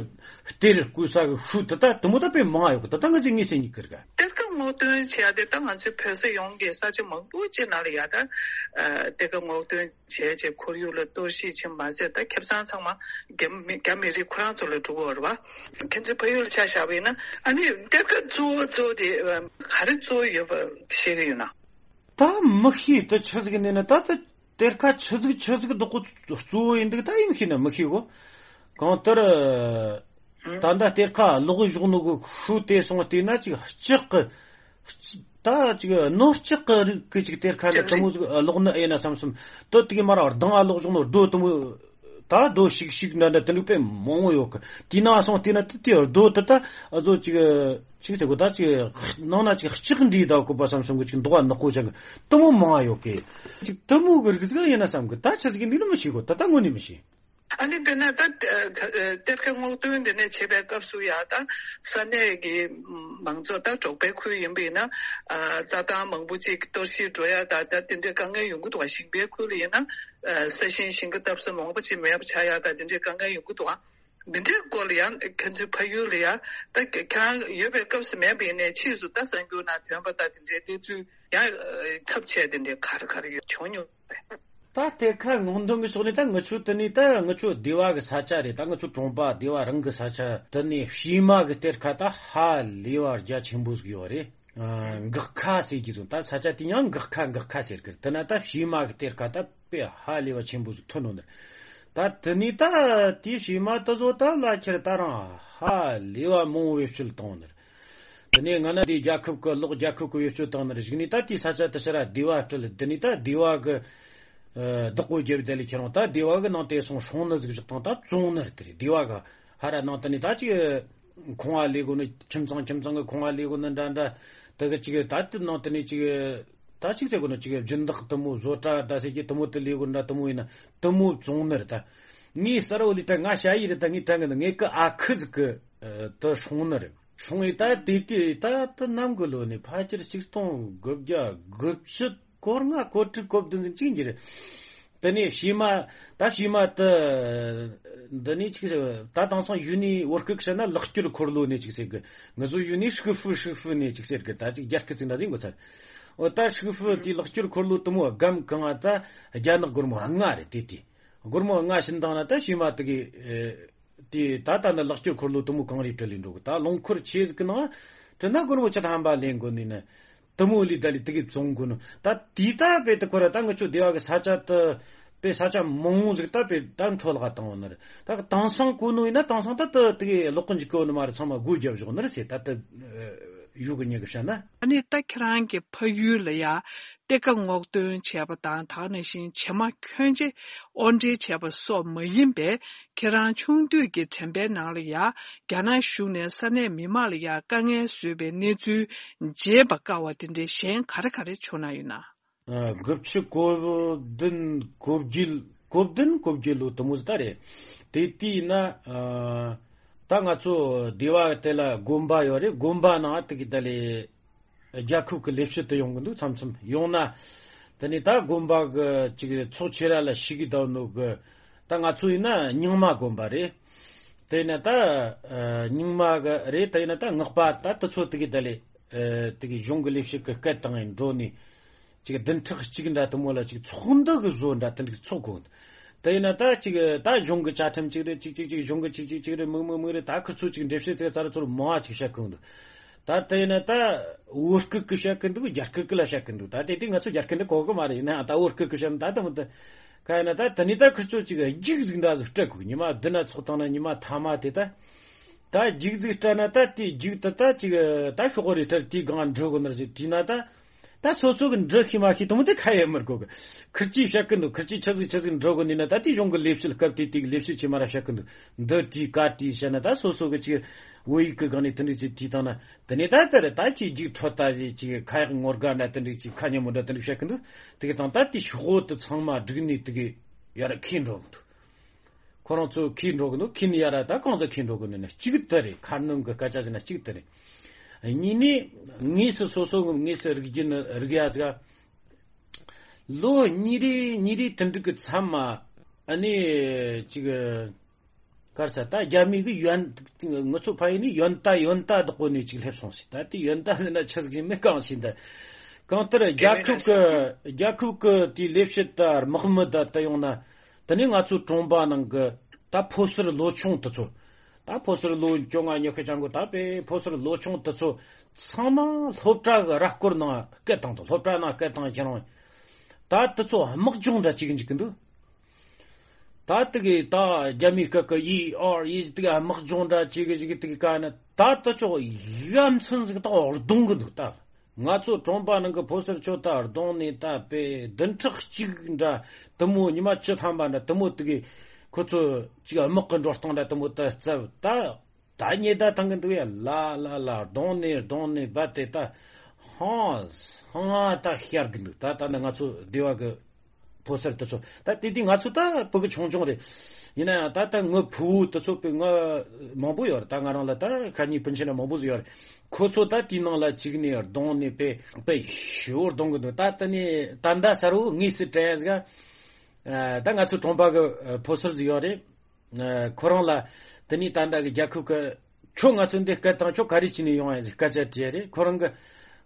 གཏེར་བརྐོ་ས་གི་ཤུལ་དེ་ད་དེ་མོ་ད་དཔེ་མང་ཡོད་གི། ད་ད་ང་ཚོས་དངོས་སུ་ཉིད་ཀི་རིག་ག་གཏེར་ཁ་སྔོག་འདོན་བྱས་ཏེ་ད་ང་ཚོའི་བོད་ས་ཡོངས་ཀྱི་ས་ཆ་མང་པོ་ཅིག་ནང་ལ་ཡ་ད་ཨ་གཏེར་ཁ་སྔོག་འདོན་བྱས་རྗེས་ཁོར་ཡུག་ལ་གཏོར་བཤིག་ཕྱིན་མ་ཟད། ད་ཁེ་བཟང་ཚང་མ་རྒྱ་མི་རྒྱ་མི་རིགས་ཁོ་རང་ཚོ་ལ་འགྲོ་གི་ཡོད་རེད་བ། ཁྱེད་ཚོའི་ཕ་ཡུལ་ལ་ཆ་བཞག་པ་ཡིན་ན་ཨ་ནི་གཏེར་ཁ་གཙོ་བོ་གཙོ་བོ་དེ་ག་རེ་གཙོ་བོ་ཡོད་པ་ཤེས་ཀྱི་ཡོད་ན། ད་མི་ཤེས། ད་ཆི་ཟིག་ནས་ན་ད་ད་གཏེར་ཁ་ཆི་ཟིག་ཆི་ཟིག་བདག་པོ་གཙོ་བོ་ཡིན་འདུག་ད་ཡིན་ཤེས་ན་མི་ཤེས་གོ། གང་ལྟར་ད་ད་གཏེར་ཁ་ལོག་བཞག་ནོ་གི་ཤུལ་དེ་སོང་བལྟས་ན་ཅིག་ལྕགས་གི་ད་ཅིག་ནོར་ལྕགས་གི་རིགས་གི་ཅིག་གཏེར་ཁ་ནི་དེ་མོ་ཟིག་ལོག་ནི་ཨེ་ན་བསམ་བསམ། ད་དེ་གི་མར་ལྡང་ང་ལོག་བཞག་ནོ་རྡོ་དེ་མོ་ད་རྡོ་ཤིག་ཤིག་འདྲ་འདྲ་དེ་འདྲ་དཔེ་མང་བོ་ཡོད་གི། དེ་ན་སོང་བལྟས་ན་དེ་དེ་རྡོ་དེ་ད་ཨ་ཟོ་ཅིག་ཅིག་ཟེར་གོ། ད་ཅིག་ནང་ན་ཅིག་ལྕགས་འདྲེས་ད་གོ་པ་བསམ་བསམ་གི་ཅིག་མདོག་ནག་པོ་ཅིག་དེ་མོ་མང་ཡོད་གི། ཅིག་དེ་མོ་གི་རིགས་ཟིག་ཡིན་ན་བསམ་གི། ད་ཆི་ཟིག་ཡིན་འདུག་ནི་མི་ཤེས་གོ། ད་ད་དངོས་ནས་མི་ཤེས། ཨ་ནི་དཔེར་ན་ད་གཏེར་ཁ་སྔོག་འདོན་འདི་ནས་བྱེད་པའི་སྐབས་སུ་ཡ་ད་ས་གནས་ཀྱི་མང་ཚོགས་ད་འབྲོག་པའི་ཁུལ་ཡིན་པ་ཡིན་ན་རྩྭ་ཐང་མང་པོ་ཅིག་གཏོར་བཤིག་འགྲོ་ཡ་ད་ད་དེ་འདྲའི་དཀའ་ངལ་ཡོང་གི་འདུག་བ། ཞིང་པའི་ཁུལ་ལ་ཡིན་ན་ས་ཞིང་ཞིང་ཁ་བཏབ་ས་མང་པོ་ཅིག་མེད་པ་ཆགས་ཡ་ད་དེ་འདྲའི་དཀའ་ངལ་ཡོང་གི་འདུག་བ། འདི་འདྲའི་སྐོར་ལ་ཡང་ཁྱེད་ཚོའི་ཕ་ཡུལ་ལ་ཡང་ད་ཁྱེད་རང་ཡོད་པའི་སྐབས་སུ་མེད་པ་ཡིན་ནའི་ཕྱིས་སུ་ད་གསར་འགྱུར་ནང་ཐོན་པ་ད་དེ་འདྲའི་གནས་ཚུལ་ཡང་ཐབས་ཆད་དེ་འདྲའི་ག་རེ་ག་རེ་ཡོད་བྱུང་མྱོང་རེད། ད་གཏེར་ཁ་སྔོག་འདོན་གྱི་ཕྱོགས་ནས་ད་ང་ཚོ་དེ་ནས་ད་ང་ཚོ་སྡེ་བ་གི་ས་ཆ་རེད། ད་ང་ཚོ་གྲོང་པ་སྡེ་བ་རང་གི་ས་ཆ་དེ་ནས་བྱེ་མ་གི་གཏེར་ཁ་ད་ཧ་ལས་པ་རྒྱ་ཆེན་པོ་ཟིག་ཡོད་རེད། ཨ། འགག་ཁ་ཟེར་གྱི་བཟོ། ད་ས་ཆ་དེ་ཡང་འགག་ཁ་འགག་ཁ་ཟེར་གི། དེ་ན་ད་བྱེ་མ་གི་གཏེར་ཁ་ད་དཔེ་ཧ་ལས་པ་ཆེན་པོ་ཟིག་ཐོན་ནོ་ནི། ད་དེ་ནས་ད་དེའི་བྱེ་མ་དེ་ཚོ་ད་ལ་ཁྱེར་ད་རང་ཧ་ལས་པ་མང་བོ་བེད་སྤྱོད་བཏང་ནི། དེ་ནས་སྔ་ན་དེ་རྒྱལ་ཁབ་ཀྱི་ལོག་རྒྱལ་ཁབ་ཀྱི་བེད་སྤྱོད་བཏང་ནི་གཞུག་ནས་ད་དེའི་ས་ཆ་དེ་ཕྱིར་སྡེ་བ་སྤྲད། དེ་ནས་ད་སྡེ་བ་གི་ཨ་བདག་པོ་རྒྱབ་དེ་ལས་ཁྱེར་འོང་། ད་སྡེ་བ་གི་ནང་དེ་སོང་སྲུང་ནི་ཟིག་བཞག་བཏང་། ད་བཙོང་ནི་རེད། དེ་རེད། སྡེ་བ་གི་ཧ་ར་ནང་དེ་ནས་ད་ཅིག་ཁང་བ་ལས་དགོས་ནི། ཁྱིམ་ཚང་ཁྱིམ་ཚང་གི་ཁང་བ་ལས་དགོས་ནི་འདྲ་འདྲ། དེ་གི་ཅིག་ད་དེ་ནང་དེ་ནས་ཅིག་ད་ཅིག་ཟེར་དགོས་ནི་ཅིག་སྦྱིན་བདག་དེ་མོ་བཟོ་གྲྭ་ད་ཟེར་གྱི་དེ་མོ་དེ་ལས་དགོས་འདྲ་དེ་མོ་ཡིན་ན་དེ་མོ་བཙོང་ནི་རེད། ད་ངའི་གསར་བུ་ལས་ད་ང་ཞ་ཡི་རེད། ད་ངས་དྲན་གི་འདུག་ངའི་ཀི་ཨ་ཁུ་ཟིག་གི་ཨ་དེ་སྲུང་ནི་རེད། སྲུང་ཡི་ད་དེ་དེ་ད་དེ་ནམ་གི་ལོ་ནས་ཕལ་ཆེར་ཆིག་སྟོང་དགུ་བརྒྱ་དགུ་བཅུ་གོ་ལྔ་གོ་དྲུག་གོ་བདུན་ཟིག་ཅིག་ཡིན་གྱི་རེད། དེ་ནས་བྱེ་མ། ད་བྱེ་མ་དེ་འདི་ནས་ཅིག་ཟེར། ད་དེང་སང་ཡུལ་ནས་བོད་སྐད་བཤད་ན་ལག་སྐྱོར་འཁོར་ལོ་ནས་ཅིག་ཟེར་གི། ང་ཚོ་ཡུལ་ནས་ཧྲུག་ཧྥུ་ཧྲུག་ཧྥུ་ནས་ཅིག་ཟེར་གི། ད་ཅིག་རྒྱ་སྐད་ཅིག་འདྲ་ཟིག་འགོ་ཚར། འོ་ད་ཧྲུག་ཧྥུ་དེའི་ལག་སྐྱོར་འཁོར་ལོ་དེ་མོ་སྒམ་གང་ང་ད་རྒྱ་ནག་སྒོར་མོ་ལྔ་རེད། དེ་དེ་སྒོར་མོ་ལྔ་བྱིན་བཏང་ན་ད་བྱེ་མ་དེ་གི་དེ་ད་ད་ནི་ལག་སྐྱོར་འཁོར་ལོ་དེ་མོ་གང་རེ་སྤྲད་ལས་འགྲོ་གི། ད་རླངས་འཁོར་ཆེ་ཟིག་གི་ནང་དྲན་ན་སྒོར་མོ་བཅུ་ཐམ་པ་ལེན་དགོས་ནི་ནི། དེ་མོ་ལས་ད་ལས་དེ་གི་བཙོང་དགོས་ནོ། ད་དེ་ད་དཔེ་དེ་ཁོ་ར་ད་ང་ཚོ་སྡེ་བ་གི་ས་ཆ་དེ་དཔེ་ས་ཆ་མང་བོ་ཟིག་ད་དཔེ་ད་འཕྲོ་བརླག་བཏང་བ་ནི་རེད། ད་དེང་སང་གོ་ནོ་ཡིན་ན་དེང་སང་ད་དེ་དེ་གི་ལོག་གི་འཇུག་གི་ནི་མ་རེད། ཚང་མ་སྒོ་བརྒྱབ་བཞག་ནི་རེད་ཟེར། ད་དེ་ཡུལ་གི་མྱི་གི་བཤད་ན། ཨ་ནི་ད་ཁྱེད་རང་གི་ཕ་ཡུལ་ལ་ཡ་གཏེར་ཁ་སྔོག་འདོན་བྱས་པ་དང་། ད་ག་ནང་བཞིན་བྱེ་མ་ཁྱོན་ཆེ་དབོར་འདྲེན་བྱས་པ་སོགས་མ་ཡིན་པའི་ཁྱེད་རང་ཆུང་དུས་ཀྱི་དྲན་པའི་ནང་ལ་ཡ་རྒྱ་ནག་གཞུང་ནས་ས་གནས་མི་མང་ལ་ཡ་དཀའ་ངལ་བཟོས་པའི་གནས་ཚུལ་བརྗེད་པར་དཀའ་བ་དེ་འདྲའི་གཞན་ག་རེ་ག་རེ་བྱུང་ན་ཡོད་ན། ཨ། དགུ་བཅུ་གོ་བདུན་གོ་བརྒྱད་གོ་བདུན་གོ་བརྒྱད་ལོ་དེ་མོ་ཟིག་ད་རེད། དེ་དུས་ཡིན་ན་ཨ་ད་ང་ཚོ་སྡེ་བ་དེ་ལ་དགོན་པ་ཡོད་རེད། དགོན་པ་ནང་དེ་གི་ད་ལས་རྒྱལ་ཁབ་ཀྱི་ལས་བྱེད་དུ་ཡོང་གི་འདུག་མཚམས་མཚམས་ཡོང་ན། དེ་ནས་ད་དགོན་པ་གི་ཅིག་ཚོགས་ཆེ་ར་ལ་ཞུགས་གི་བསྡད་ནོ་གི། ད་ང་ཚོ་ཡིན་ན་རྙིང་མ་དགོན་པ་རེད། དེ་ཡིན་ན་ད་ཨ་རྙིང་མ་གི་རེད། དེ་ཡིན་ན་ད་སྔགས་པ་ད་དེ་ཚོ་དེ་གི་ད་ལས་ཨ་དེ་གི་གཞུང་གི་ལས་བྱེད་ཀྱི་སྐད་བཏང་ཡིན་འགྲོ་ནས། ཅིག་བདུན་ཕྲག་གཅིག་འདྲ་དེ་མོ་ལ་ཅིག་ཚོགས་འདུ་གི་བཟོ་འདྲ་དེ་འདྲ་ཚོགས་དགོས། དེ་ཡིན་ན་ད་ཅིག་ད་གཞུང་གི་བཅའ་ཁྲིམས་གཅིག་རེད། ཅིག་ཅིག་ཅིག་གཞུང་གི་ཅིག་ཅིག་ཅིག་རེད། མིག་མིག་མིག་རེད། ད་ཁི་ཚོ་ཅིག་འགྲེལ་བཤད་དེ་ཚར་ཚུར་མང་བ་ཅིག་བཤད་གི་འདུག་ད་དེ་ཡིན་ན་ད་བོད་སྐད་ཀྱི་བཤད་གི་འདུག་རྒྱ་སྐད་ཀྱི་ལ་བཤད་གི་འདུག་ད་དེ་དུས་ང་ཚོ་རྒྱ་སྐད་འདི་གོ་གི་མ་རེད། ཡིན་ན་ད་བོད་སྐད་ཀྱི་བཤད་ན་ད་དེ་མོ་ད་ག་ཡིན་ན་ད་དེ་ནས་ད་ཁི་ཚོ་ཅིག་རྒྱུགས་ཟིག་འདྲ་ཟིག་སྤྲད་གི། ཉི་མ་བདུན་ན་ཚོགས་བཏང་ན་ཉི་མ་ཐ་མ་དེ་ད། ད་རྒྱུགས་ཟིག་སྤྲད་ན་ད་དེ་རྒྱུགས་དེ་ད་ཅིག་ད་ཤོག་གོ་རེ་སྤྲད། དེའི་སྒང་འགྲོ་གི་ནར་ཞིག་བྲིས་ན་ད། ད་སོ་སོ་གི་འདྲི་ཤེས་མ་ཤེས་དེ་མོ་དེ་ཁ་ཡེ་མི་དགོས་གི། ཁིར་ཅིག་བཤད་གི་འདུག་ཁིར་ཅིག་ཆི་ཟིག་ཆི་ཟིག་འདྲི་གོ་ནི་ན། ད་དེ་གཞུང་གི་ལས་བྱེད་སྐབས་དེ་དེ་གི་ལས་བྱེད་ཆེ་མ་ར་བཤད་གི་འདུག་འདི་བྲིས་ག་བྲིས་བཤད་ན་ད་སོ་སོ་གི་ཅིག་ བོད་ཡིག་གི་སྒང་ནས་དེ་འདྲ་ཅིག་བྲིས་བཏང་ན། དེ་ནས་ད་ལྟ་རེད། ད་ཁྱེད་རྒྱུགས་འཕྲོད་ལྟ་ཞིག་ཅིག་ཁ་ཡག་ངོ་དགའ་འདྲ་དེ་འདྲ་ཅིག་ཁ་ཉན་མོ་འདྲ་དེ་འདྲ་བཤད་གི་འདུག་དེ་གི་དང་ད་དེ་ཤོག་བུ་དེ་ཚང་མ་བསྒྲིགས་ནས་དེ་གི་ཡར་འཁྱེར་འགྲོ་གི་འདུག་ཁོ་རང་ཚོ་འཁྱེར་འགྲོ་གི་འདུག་འཁྱེར་ནས་ཡར་ད་གང་ཚོ་འཁྱེར་འགྲོ་གི་འདུག་ན། གཅིག་དེ་རེད། ཁ་སྣོན་གི་སྐད་ཆ་ཟེར་ན་གཅིག་དེ་རེད། གཉིས་ནས་དངོས་སུ་སོ་སོ་གི་དངོས་སུ་རིག་རྒྱུ་ནི་རིག་ཡ་ཟིག་ལོ་གཉིས་རེ་གཉིས་རེ་དེ་འདྲ་གི་མཚམས་མ་ཨ་ནི་ཅིག་གར་ས་ད་རྒྱ་མི་གི་ཡོན། ང་ཚོ་ཕ་ཡུལ་ནས་ཡོན་ཏ་ཡོན་ཏ་བདག་པོ་ནས་ཅིག་སླེབས་སོང་ཞིག་ད་དེ་ཡོན་ཏ་ཟེར་ན་ཆི་ཟིག་མི་གང་ཞིག་ད་གང་ལྟར་རྒྱལ་ཁབ་ཀྱི་རྒྱལ་ཁབ་ཀྱི་དེའི་ལས་བྱེད་ད་དམག་མི་ད་ད་ཡོང་ན། དེ་ནས་ང་ཚོའི་གྲོང་པ་ནང་གི་ད་ཕོ་གསར་ལོ་ཆུང་དེ་ཚོ། ད་ཕོ་གསར་ལོ་བཅོ་ལྔ་ཉི་ཤུ་ཆང་གོ་ད་པའི་ཕོ་གསར་ལོ་ཆུང་དེ་ཚོ་ཚང་མ་སློབ་གྲྭ་གི་ར་སྐོར་ནང་སྐད་བཏང་དང་། སློབ་གྲྭ་ནང་སྐད་བཏང་ཁྱེད་རང་། ད་དེ་ཚོ་དམག་སྦྱོང་འདྲ་བྱེད་གི་འཇུག་གི་འདུག་ད་དེ་གི་ད་རྒྱ་མིའི་སྐད་ཀྱི་ཨི་ཨོར་ཨི་དེ་གི་དམག་སྦྱོང་འདྲ་བྱེད་གི་བྱེད་གི་དེ་གི་ཀ་ན་ད་དེ་ཚོ་ཡ་མཚན་ཟིག་ད་གདོང་གི་འདུག་ད་ང་ཚོ་གྲོང་པ་ནང་གི་ཕོ་གསར་ཚོ་ད་གདོང་ནས་ད་པའི་བདུན་ཕྲག་གཅིག་འདྲ་དེ་མོ་ཉི་མ་བཅུ་ཐམ་པ་འདྲ་དེ་མོ་དེ་གི་ཁོ་ཚོ་ཅིག་དམག་གི་འགྲོ་སྟངས་འདྲ་དེ་མོ་ད་རྩབ་ད། ད་ཉེས་ད་ཐང་གི་འདུག་ཡ། ལ་ལ་ལ་གདོང་ནས་གདོང་ནས་བབས་ཏེ་ད་ཧང་ཧང་ད་ཤར་གི་འདུག་ད་ད་ནི་ང་ཚོ་སྡེ་བ་གི་ཕོ་གསར་དེ་ཚོ་ད་དེ་དུས་ང་ཚོ་ད་ཕྲུ་གུ་ཆུང་ཆུང་རེད། ཡིན་ན་ཡང་ད་ད་ངའི་ཕུ་བོ་དེ་ཚོ་པའི་ང་མང་པོ་ཡོད་རེད། ད་ང་རང་ལ་ད་ཁ་ཉིན་སྤུན་མཆེད་ན་མང་པོ་ཟིག་ཡོད་རེད། ཁོ་ཚོ་ད་དེའི་ནང་ལ་གཅིག་ནས་གདོང་ནས་པའི་པའི་ཞེ་བོ་གདོང་གི་འདུག་ད་ད་ནས་ད་ད་ས་རུ་དངོས་སུ་དྲན་ཡ་ཟིག་ད་ང་ཚོ་གྲོང་པ་གི་ཕོ་གསར་ཟིག་ཡོད་རེད། ཁོ་རང་ལ་དེ་ནས་ད་ལྟ་གི་རྒྱལ་ཁབ་ཀྱི་ཁྱོད་ང་ཚོ་འདི་སྐད་བཏང་། ཁྱོད་ག་རེ་བྱས་ནས་ཡོང་ཡ་ཟེར་སྐད་ཆ་དྲིས་རེད། ཁོ་རང་གི་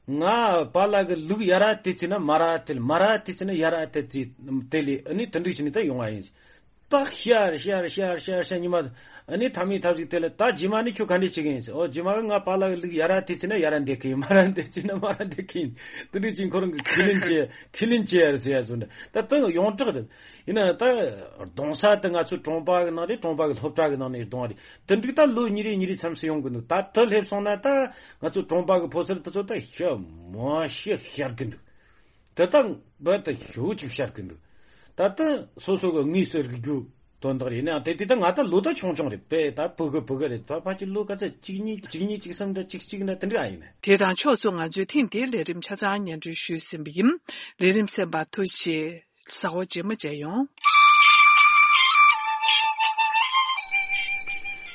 ང་པཱ་ལགས་ཀྱི་ལུག་ཡ་ར་དེ་བྱས་ན་མ་ར་དེ་ལ་མ་ར་དེ་བྱས་ན་ཡ་ར་དེ་བྱས་དེ་ལས་ཨ་ནི་དེ་འདྲ་བྱས་ནས་ད་ཡོང་བ་ཡིན། ད་ཤར་ཤར་ཤར་ཤར་ཤར་ཉི་མ་ཨ་ནི་ཐ་མའི་ཐབས་ཤིག་དེ་ལ་ད་རྗེས་མ་ནི་ཁྱོད་ག་འདྲ་བྱེད་ཀྱི་ཡིན་ཟེར། ཨོ་རྗེས་མ་གི་ང་པཱ་ལགས་ཀྱི་ལུག་ཡ་ར་དེ་བྱས་ན་ཡ་ར་འདེད་ཀྱི་ཡིན། མ་ར་འདེད་བྱས་ན་མ་ར་འདེད་ཀྱི་ཡིན། དེ་འདྲ་བྱས་ཁོ་རང་གི་ཁས་ལེན་བྱས་ཁས་ལེན་བྱས་ཟེར་ཡ་བཟོ་འདྲ་ད་ད་ཡོངས་གྲགས་རེད། ཡིན་ན་ད་གདོང་ས་དེ་ང་ཚོའི་གྲོང་པ་གི་ནང་ནས་གྲོང་པ་གི་སློབ་གྲྭ་གི་ནང་ནས་གདོང་བ་རེད། དེ་འདྲ་ད་ལོ་གཉིས་རེ་གཉིས་རེ་མཚམས་སུ་ཡོང་གི་འདུག་ད་དེ་སླེབས་སོང་ན་ད་ང་ཚོའི་གྲོང་པ་གི་ཕོ་གསར་དེ་ཚོ་ད་ཤ་མ་ཤི་ཤར་གི་འདུག་དེ་ད་བར་དུ་ཞེ་པོ་ཅིག་ཤར་གི་འདུག་ད་ལྟ་སོ་སོ་གི་དངོས་སུ་རིག་རྒྱུ་དོན་དག་རེད། ཡིན་ནའང་དེ་དེ་ད་ང་ད་ལོ་ད་ཆུང་ཆུང་རེད། དཔེ་ད་ཕྲུ་གུ་ཕྲུ་གུ་རེད། ད་ཕལ་ཆེར་ལོ་ག་ཚོད་གཅིག་གཉིས་གཅིག་གཉིས་གཅིག་གསུམ་འདྲ་གཅིག་གཅིག་འདྲ་དེ་འདྲ་ཨ་ཡིན་ན། དེ་དང་ཕྱོགས་མཚུངས་ང་ཚོས་ཐེངས་འདིའི་ལས་རིམ་ཆ་ཚང་སྙན་སྒྲོན་ཞུས་ཟིན་པ་ཡིན། ལས་རིམ་གསན་པར་ཐུགས་རྗེ་ཆེ། གཟའ་འཁོར་རྗེས་མ་མཇལ་ཡོང་།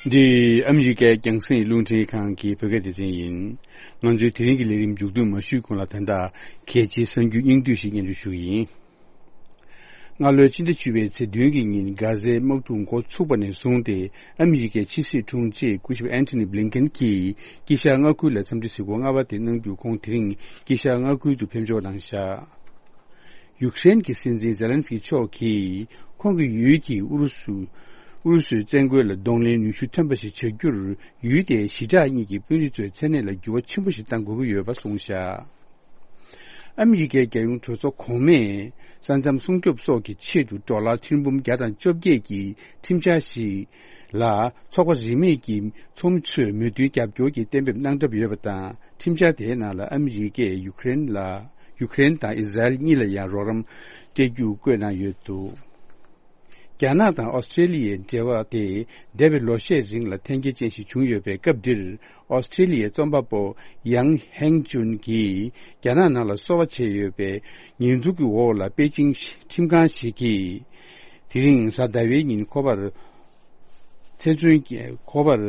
འདི་ཨ་མི་རི་ཀའི་རྒྱང་སྲིང་རླུང་འཕྲིན་ཁང་གི་བོད་སྐད་སྡེ་ཚན་ཡིན། ང་ཚོའི་དེ་རིང་གི་ལས་རིམ་མཇུག་བསྡོམས་མ་ཞུས་གོང་ལ་ད་ལྟ་གལ་ཆེའི་གསར་འགྱུར་སྙིང་བསྡུས་ཤིག་སྙན་སྒྲོན་ཞུ་གི་ཡིན། སྔ་ལོའི་ཕྱི་ཟླ་བཅུ་པའི་ཚེས་བདུན་གྱི་ཉིན་གྷ་ཟའི་དམག་འཁྲུག་འགོ་ཚུགས་པ་ནས་བཟུང་སྟེ་ཨ་མི་རི་ཀའི་ཕྱི་སྲིད་དྲུང་ཆེ་སྐུ་ཞབས་ཨན་ཐོ་ནི་བྷི་ལིན་ཀེན་གྱིས་དཀྱིལ་ཤར་མངའ་ཁུལ་ལ་འཚམས་འདྲི་གཟིགས་སྐོར་ལྔ་པ་དེ་གནང་རྒྱུ། ཁོང་དེ་རིང་དཀྱིལ་ཤར་མངའ་ཁུལ་དུ་ཕེབས་འབྱོར་གནང་བཞག་ཡུཀ་རེན་གྱི་སྲིད་འཛིན་ཛེ་ལན་སི་ཀི་མཆོག་གིས་ཁོང་གི་ཡུལ་གྱིས་ཨུ་རུ་སུ་ཨུ་རུ་སུའི་བཙན་རྒོལ་ལ་གདོང་ལེན་ནུས་ཤུགས་ཐོན་པ་ཞིག་བྱ་རྒྱུར་ཡུལ་དེའི་ཞི་དྲག་གཉིས་ཀྱི་དཔོན་རིགས་ཚོའི་མཚན་གནས་ལ་འགྱུར་བ་ཆེན་པོ་ཞིག་གཏང་དགོས་ཀྱི་ཡོད་པ་གསུངས་བཞག་ཨ་མི་རི་ཀའི་རྒྱལ་ཡོངས་གྲོས་ཚོགས་གོང་མས་ས་མཚམས་སྲུང་སྐྱོབ་སོགས་ཀྱི་ཆེད་དུ་ཌོ་ལར་ཐེར་འབུམ་བརྒྱ་དང་བཅོ་བརྒྱད་ཀྱི་ཁྲིམས་འཆར་ཞིག་ལ་ཚོགས་པ་རིས་མེད་ཀྱི་ཚོགས་མི་ཚོས་མོས་མཐུན་རྒྱབ་སྐྱོར་གྱི་གཏན་འབེབས་གནང་གྲབས་ཡོད་པ་དང་། ཁྲིམས་འཆར་དེའི་ནང་ལ་ཨ་མི་རི་ཀས་ཡུཀ་རེན་ལ་ཡུཀ་རེན་དང་ཨི་ཟ་རེལ་གཉིས་ལ་ཡང་རོགས་རམ་སྤྲད་རྒྱུ་བཀོད་གནང་ཡོད་འདུག་རྒྱ་ནག་དང་ཨོ་སི་ཀྲེ་ལི་ཡའི་འབྲེལ་བ་དེ་འདས་པའི་ལོ་ཤས་རིང་ལ་འཐེན་འཁྱེར་ཅན་ཞིག་བྱུང་ཡོད་པའི་སྐབས་འདིར། ཨོ་སི་ཀྲེ་ལི་ཡའི་རྩོམ་པ་པོ་ཡང་ཧེང་ཅུན་གྱིས་རྒྱ་ནག་ནང་ལ་གསོ་བ་བྱས་ཡོད་པའི་ཉེས་འཛུགས་ཀྱི་འོག་ལ་པེ་ཅིང་ཁྲིམས་ཁང་ཞིག་གིས་དེ་རིང་གཟའ་ཟླ་བའི་ཉིན་ཁོ་པར་ཚེ་བཙོན་གྱི་ཁོ་པར་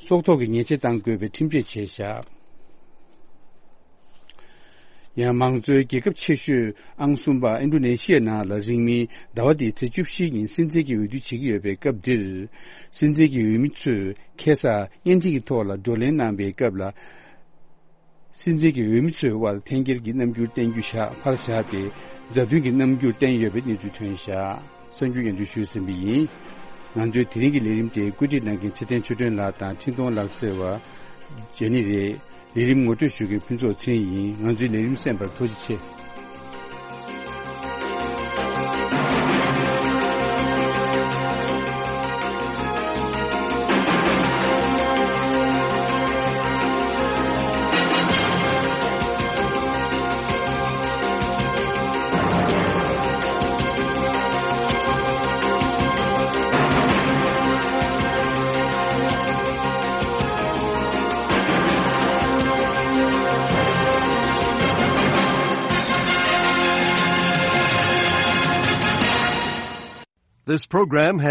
སྲོག་ཐོག་གི་ཉེས་ཆད་གཏང་དགོས་པའི་ཁྲིམས་གཅོད་བྱས་བཞག་ཡང་མང་གཙོའི་རྒྱལ་ཁབ་ཆེ་ཤོས་ཨང་གསུམ་པ་ཨིན་ཌོ་ནེ་ཤི་ཡའི་ནང་ལ་རིང་མིན་ཟླ་བ་འདིའི་ཚེས་བཅུ་བཞིའི་ཉིན་སྲིད་འཛིན་གྱི་འོས་བསྡུ་བྱེད་ཀྱི་ཡོད་པའི་སྐབས་འདིར། སྲིད་འཛིན་གྱི་འོས་མི་ཚོས་ཁ་སང་བརྙན་འཕྲིན་གྱི་ཐོག་ལ་བགྲོ་གླེང་གནང་པའི་སྐབས་ལ། སྲིད་འཛིན་གྱི་འོས་མི་ཚོའི་དབར་འཐེན་འཁྱེར་གྱི་རྣམ་འགྱུར་བསྟན་རྒྱུ་བཞག་ཕར་བཞག་སྟེ། མཛའ་མཐུན་གྱི་རྣམ་འགྱུར་བསྟན་ཡོད་པའི་གནས་ཚུལ་ཐོན་བཞག་གསར་འགྱུར་སྙན་སྒྲོན་ཞུས་ཟིན་པ་ཡིན། ང་ཚོའི་དེ་རིང་གི་ལས་རིམ་དེ་བཀོད་སྒྲིག་གནང་མཁན་ཚེ་བརྟན་ཆོས་སྒྲོན་ལགས་དང་འཕྲིན་གཏོང་ལག་རྩལ་བ་ཇོ་ནི་རེད། ལས་རིམ་ངོ་སྤྲོད་ཞུ་མཁན་ཕུན་ཚོགས་ཚེ་རིང་ཡིན། ང་ཚོའི་ལས་རིམ་གསན་པར་ཐུགས་རྗེ་ཆེ། This program has